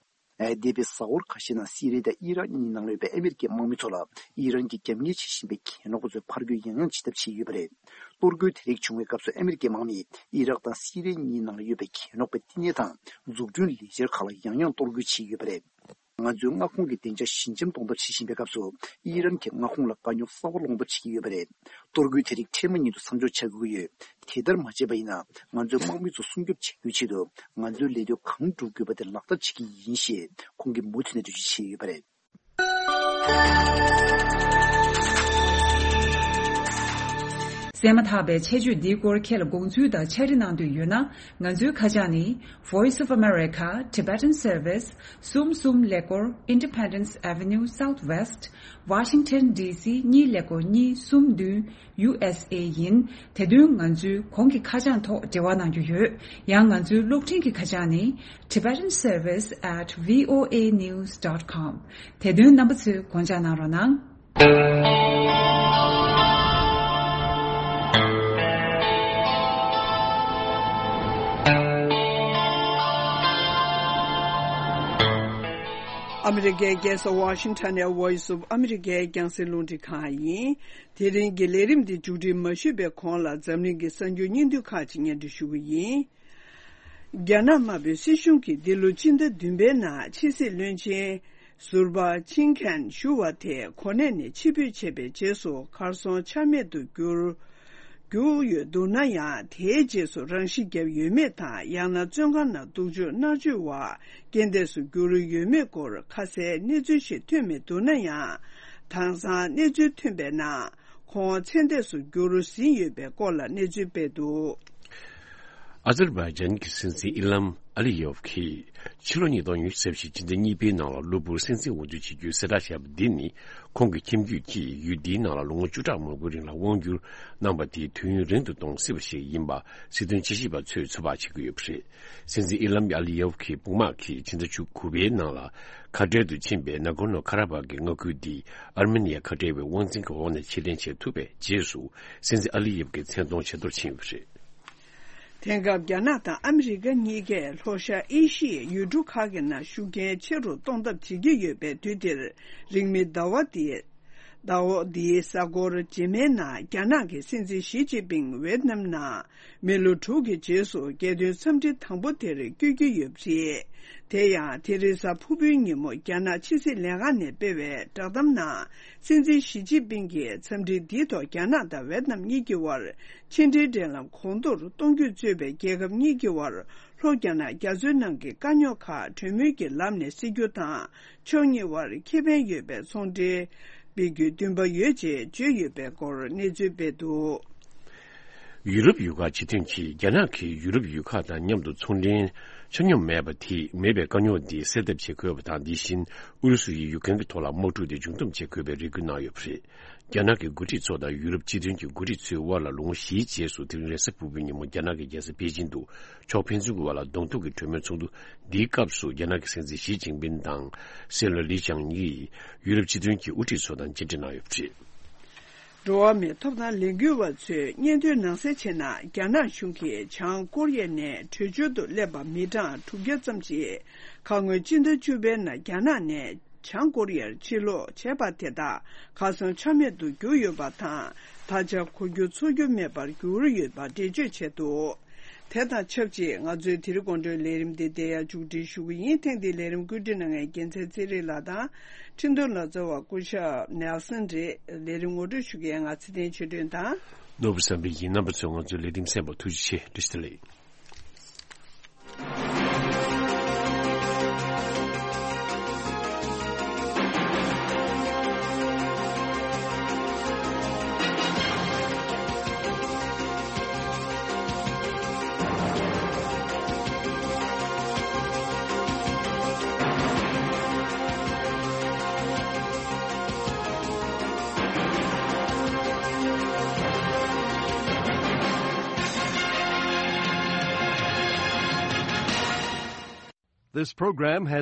ཨ། འདས་པའི་གཟའ་འཁོར་ཁ་ཤས་ནང་སི་རི་ཡ་དང་ཨི་རག་གཉིས་ནང་ལ་ཡོད་པའི་ཨ་མི་རི་ཀའི་དམག་མི་ཚོ་ལ་ཨི་རན་གྱིས་རྒྱབ་གཉེར་བྱེད་བཞིན་པའི་གྱེན་ལོག་པ་ཚོས་ཕར་རྒོལ་ཡང་ཡང་བྱེད་ཐབས་བྱས་ཡོད་པ་རེད། གཏོར་རྒོལ་དེ་རིགས་བྱུང་བའི་སྐབས་སུ་ཨ་མི་རི་ཀའི་དམག་མིས་ཨི་རག་དང་སི་རི་ཡ་གཉིས་ནང་ལ་ཡོད་པའི་གྱེན་ལོག་པའི་བསྟི་གནས་དང་འཛུགས་སྐྲུན་ལས་འཆར་ཁག་ལ་ཡང་ཡང་གཏོར་རྒོལ་བྱས་ཡོད་པ་རེད། ང་ཚོའི་མངའ་ཁོངས་ཀྱི་བདེ་འཇགས་ཞི་འཇམ་གཏོང་ཐབས་བྱེད་བཞིན་པའི་སྐབས་སུ། ཨི་རན་གྱི་མངའ་ཁོངས་ལ་དཀའ་རྙོག་གསར་པ་སློང་ཐབས་བྱེད་ཀྱི་ཡོད་པ་རེད། གཏོར་རྒོལ་དེ་རིགས་འཕྲལ་མ་ཉིད་དུ་མཚམས་འཇོག་བྱ་དགོས་ཀྱི་ཡོད། དེ་ལྟར་མ་བྱས་པ་ཡིན་ན། ང་ཚོའི་དམག་མི་ཚོ་སྲུང་སྐྱོབ་བྱེད་རྒྱུའི་ཆེད་དུ། ང་ཚོའི་ལས་དོན་གང་སྒྲུབ་དགོས་པ་དེ་ལག་བསྟར་བྱེད་ཀྱི་ཡིན་ཞེས། ཁོང་གིས་མུ་མཐུད་ནས་འགྲེལ་བརྗོད་བྱས་ཡོད་པ་རེད། གསན་མ་ཐག་པའི་ཆེད་བརྗོད་འདིའི་སྐོར་ཁྱེད་ལ་དགོངས་ཚུལ་དང་འཆར་གཞི་གནང་འདོད་ཡོད་ན། ང་ཚོའི་ཁ་བྱང་ནི། Voice of America Tibetan Service། གསུམ་གསུམ་ཀླད་ཀོར། Independence Avenue Southwest། Washington D C གཉིས་ཀླད་ཀོར་གཉིས་གསུམ་བདུན། U S A ཡིན། དེ་དོན་ང་ཚོའི་གོང་གི་ཁ་བྱང་ཐོག་འབྲེལ་བ་གནང་རྒྱུ་ཡོད། ཡང་ང་ཚོའི་གློག་འཕྲིན་གྱི་ཁ་བྱང་ནི། Tibetan Service at V O A news dot com། དེ་དོན་རྣམ་པ་ཚོས་དགོངས་འཇགས་གནང་རོགས་གནང་། ཨ་མི་རི་ཀའི་རྒྱལ་ས་ཝ་ཤིང་ཊོན་ནས་Voice of America རྒྱང་སྲིང་རླུང་འཕྲིན་ཁང་ཡིན། དེ་རིང་གི་ལས་རིམ་འདི་མཇུག་སྒྲིལ་མ་ཞུས་པའི་གོང་ལ་འཛམ་གླིང་གི་གསར་འགྱུར་སྙིང་བསྡུས་ཁག་ཅིག་སྙན་སྒྲོན་ཞུ་གི་ཡིན། རྒྱ་ནག་དམར་པོའི་སྲིད་གཞུང་གིས་འདི་ལོ་སྤྱི་ཟླ་བདུན་པའི་ནང་ཕྱི་སྲིད་བློན་ཆེན་ཟུར་པ་ཆིང་ཁན་ཞུ་བ་དེ་གོ་གནས་ནས་ཕྱིར་འབུད་བྱས་པའི་རྗེས་སུ་གར་སོང་ཆ་མེད་དུ་གྱུར། གྱུར་ཡོད་འདུག་ན་ཡང་། དེའི་རྗེས་སུ་རང་ཤི་བརྒྱབ་ཡོད་མེད་དང་། ཡང་ན་བཙོན་ཁང་ནང་སྡུག་སྦྱོང་མནར་གཅོད་འོག་རྐྱེན་འདས་སུ་གྱུར་ཡོད་མེད་སྐོར་ཁ་གསལ་གནས་ཚུལ་ཞིག་ཐོན་མི་འདུག་ན་ཡང་། དེང་སང་གནས་ཚུལ་ཐོན་པའི་ནང་། ཁོང་ཚེ་འདས་སུ་འགྱུར་ཟིན་ཡོད་པའི་སྐོར་ལ་གནས་ཚུལ་སྤེལ་འདུག། ཨ་ཛར་བྷའི་ཇན་གྱི་སྲིད་འཛིན་ཨི་ལམ་ཨ་ལི་ཡོབ་ཀྱིས་ཕྱི་ལོ་ཉིས་སྟོང་ཉི་ཤུ་རྩ་བཞི་ཕྱི་ཟླ་གཉིས་པའི་ནང་ལ་གློ་བུར་སྲིད་འཛིན་འོས་བསྡུ་བྱེད་རྒྱུའི་གསལ་བསྒྲགས་བྱས་པ་འདི་ནི། ཁོང་གི་ཁྱིམ་རྒྱུད་ཀྱིས་ཡུལ་འདིའི་ནང་ལ་ལོ་ངོ་བཅུ་ཕྲག་མང་པོའི་རིང་ལ་དབང་བསྒྱུར་གནང་བ་དེའི་དུས་ཡུན་རིང་དུ་གཏོང་སྲིད་པ་ཞིག་ཡིན་པ་སྲིད་དོན་དཔྱད་ཞིབ་པ་ཚོས་ཚོད་དཔག་བྱེད་ཀྱི་ཡོད་པ་རེད། སྲིད་འཛིན་ཨི་ལམ་ཨ་ལི་ཡོབ་ཀྱི་དཔུང་དམག་གིས་ཕྱི་ཟླ་བཅུ་དགུ་པའི་ནང་ལ་ཁ་བྲལ་དུ་ཕྱིན་པའི་ནཱ་གོར་ནོ་ཁ་ར་བྷག་གི་མངའ་ཁུལ་འདི་ཨར་མེ་ནི་ཡ་ཁ་བྲལ་བའི་དབང་འཛིན་གྱི་འོག་ནས་ཕྱིར་ལེན་བྱེད་ཐུབ་པའི་རྗེས་སུ། སྲིད་འཛིན་ཨ་ལི་ཡེབ་ཀྱི་མཚན་མཐོང་ཇེ་མཐོར་ཕྱིན་ཡོད་པ་རེད། དེང་སྐབས་རྒྱ་ནག་དང་ཨ་མི་རི་ཀ་གཉིས་ཀས་ལྷོ་ཤར་ཨེ་ཤི་ཡའི་ཡུལ་གྲུ་ཁག་གི་ནང་ཤུགས་རྐྱེན་ཆེ་རུ་གཏོང་ཐབས་བྱེད་ཀྱི་ཡོད་པའི་དུས་འདིར། རིང་མིན་ཟླ་བ་འདིའི་ཟླ་བ་འདིའི་གཟའ་འཁོར་རྗེས་མའི་ནང་རྒྱ་ནག་གི་སྲིད་འཛིན་ཞི་ཅིན་ཕིང་ཝེད་ནམ་ནང་མི་ལོ་དྲུག་གི་རྗེས་སུ་རྒྱལ་དོན་འཚམས་འདྲི་དང་པོ་དེར་བསྐྱོད་ཀྱི་ཡོད་པ་རེད། དེ་ཡང་དེ་རིང་གཟའ་ཕུར་བུའི་ཉིན་མོ་རྒྱ་ནག་ཕྱི་སྲིད་ལས་ཁང་ནས་སྤེལ་བའི་བསྒྲགས་གཏམ་ནང་། སྲིད་འཛིན་ཞི་ཅིན་ཕིང་གིས་འཚམས་འདྲི་འདིའི་ཐོག་རྒྱ་ནག་དང་ཝེད་ནམ་གཉིས་ཀྱི་དབར་ཕྱི་འབྲེལ་འབྲེལ་ལམ་གོང་མཐོར་གཏོང་རྒྱུ་གཙོས་པའི་རྒྱལ་ཁབ་གཉིས་ཀྱི་དབར་ལྷོ་རྒྱ་ནག་རྒྱ་མཚོའི་ནང་གི་དཀའ་རྙོག་ཁག་གྲོས་མོལ་གྱི་ལམ་ནས་སེལ་རྒྱུ་དང་། ཕྱོགས་གཉིས་དབར་ཁེ་ཕན་ཡོད་པའི་ཚོང་འབྲེལ་སྤེལ་རྒྱུའི་འདུན་པ་ཡོད་ཅེས་བརྗོད་ཡོད་པའི་སྐོར་གནས་ཚུལ་སྤེལ་འདུག། ཡུ་རོབ་ཡུལ་ཁག་སྤྱི་མཐུན་གྱིས་རྒྱ་ནག་གིས་ཡུ་རོབ་ཡུལ་ཁག་དང་མཉམ་དུ་ཚོང་འབྲེལ་ཆ་སྙོམས་མེད་པ་དེ་མེད་པའི་དཀའ་རྙོག་འདི་སེལ་ཐབས་བྱེད་དགོས་པ་དང་། དེ་བཞིན་ཨུ་རུ་སུ་ཡིས་ཡུ་ཀེན་གྱི་ཐོག་ལ་དམག་འཁྲུག་དེ་མཇུག་བསྡོམས་བྱེད་དགོས་པའི་རེ་སྐུལ་གནང་ཡོད་པ་རེད། རྒྱ་ནག་གི་འགོ་ཁྲིད་ཚོ་དང་ཡུ་རོབ་སྤྱི་མཐུན་གྱི་འགོ་ཁྲིད་ཚོའི་དབར་ལ་ལོ་ངོ་བཞིའི་རྗེས་སུ་དེ་རིང་རེས་གཟའ་ཕུར་བུའི་ཉིན་མོ་རྒྱ་ནག་གི་རྒྱལ་ས་པེ་ཅིན་དུ་ཕྱོགས་ཕན་ཚུན་གྱི་དབར་ལ་གདོང་ཐུག་གི་གྲོས་མོལ་ཚོགས་འདུ་འདིའི་སྐབས་སུ་རྒྱ་ནག་གི་སྲིད་འཛིན་ཞི་ཅིན་ཕིན་དང་སྲིད་བློན་ལི་ཅང་གིས་ཡུ་རོབ་སྤྱི་མཐུན་གྱི་དབུ་ཁྲིད་ཚོ་དང་མཇལ་འཕྲད་གནང་ཡོད་པ་རེད། འགྲོ་བ་མིའི་ཐོབ་ཐང་ལས་འགུལ་བ་ཚོས་སྙན་ཐོའི་ནང་གསལ་བྱས་ན། རྒྱ་ནག་གཞུང་གིས་བྱང་ཀོ་རི་ཡ་ནས་བྲོས་བྱོལ་དུ་སླེབས་པ་མི་གྲངས་དྲུག་བརྒྱ་ཙམ་ཞིག་ཁ་སྔོན་སྤྱི་ཟླ་བཅུ་པའི་ནང་རྒྱ་ནག་ནས་བྱང་ཀོ་རི་ཡར་ཕྱིར་ལོག་བྱས་པ་དེ་དག་གར་སོང་ཆ་མེད་དུ་གྱུར་ཡོད་པ་དང་། ད་ཆ་གོ་རྒྱུ་ཚོར་རྒྱུ་མེད་པར་གྱུར་ཡོད་པ་འགྲེལ་བརྗོད་བྱས་འདུག། དེ་དང་ཆབས་ཅིག་ང་ཚོའི་དེ་རིང་དགོང་དྲོའི་ལས་རིམ་འདི་འདིར་ཡང་མཇུག་སྒྲིལ་ཞུ་གི་ཡིན། ཐེངས་འདིའི་ལས་རིམ་བཀོད་སྒྲིག་གནང་མཁན་རྒྱལ་མཚན་ཚེ་རིང་ལགས་དང་། འཕྲིན་གཏོང་ལ་གཙོ་བ་སྐུ་ཞབས་ནེལ་སན་རེད། ལས་རིམ་ངོ་སྤྲོད་ཞུ་མཁན་ང་ཚེ་བརྟན་ཆོས་སྒྲོན་དང་། ནོར་བུ་བསམ་འཕེལ་ཡིན། རྣམ་པ་ཚོས་ང་ཚོའི་ལས་རིམ་གསན་པར་ཐུགས་རྗེ་ཆེ། བཀྲ་ཤིས་བདེ་ལེགས། This program has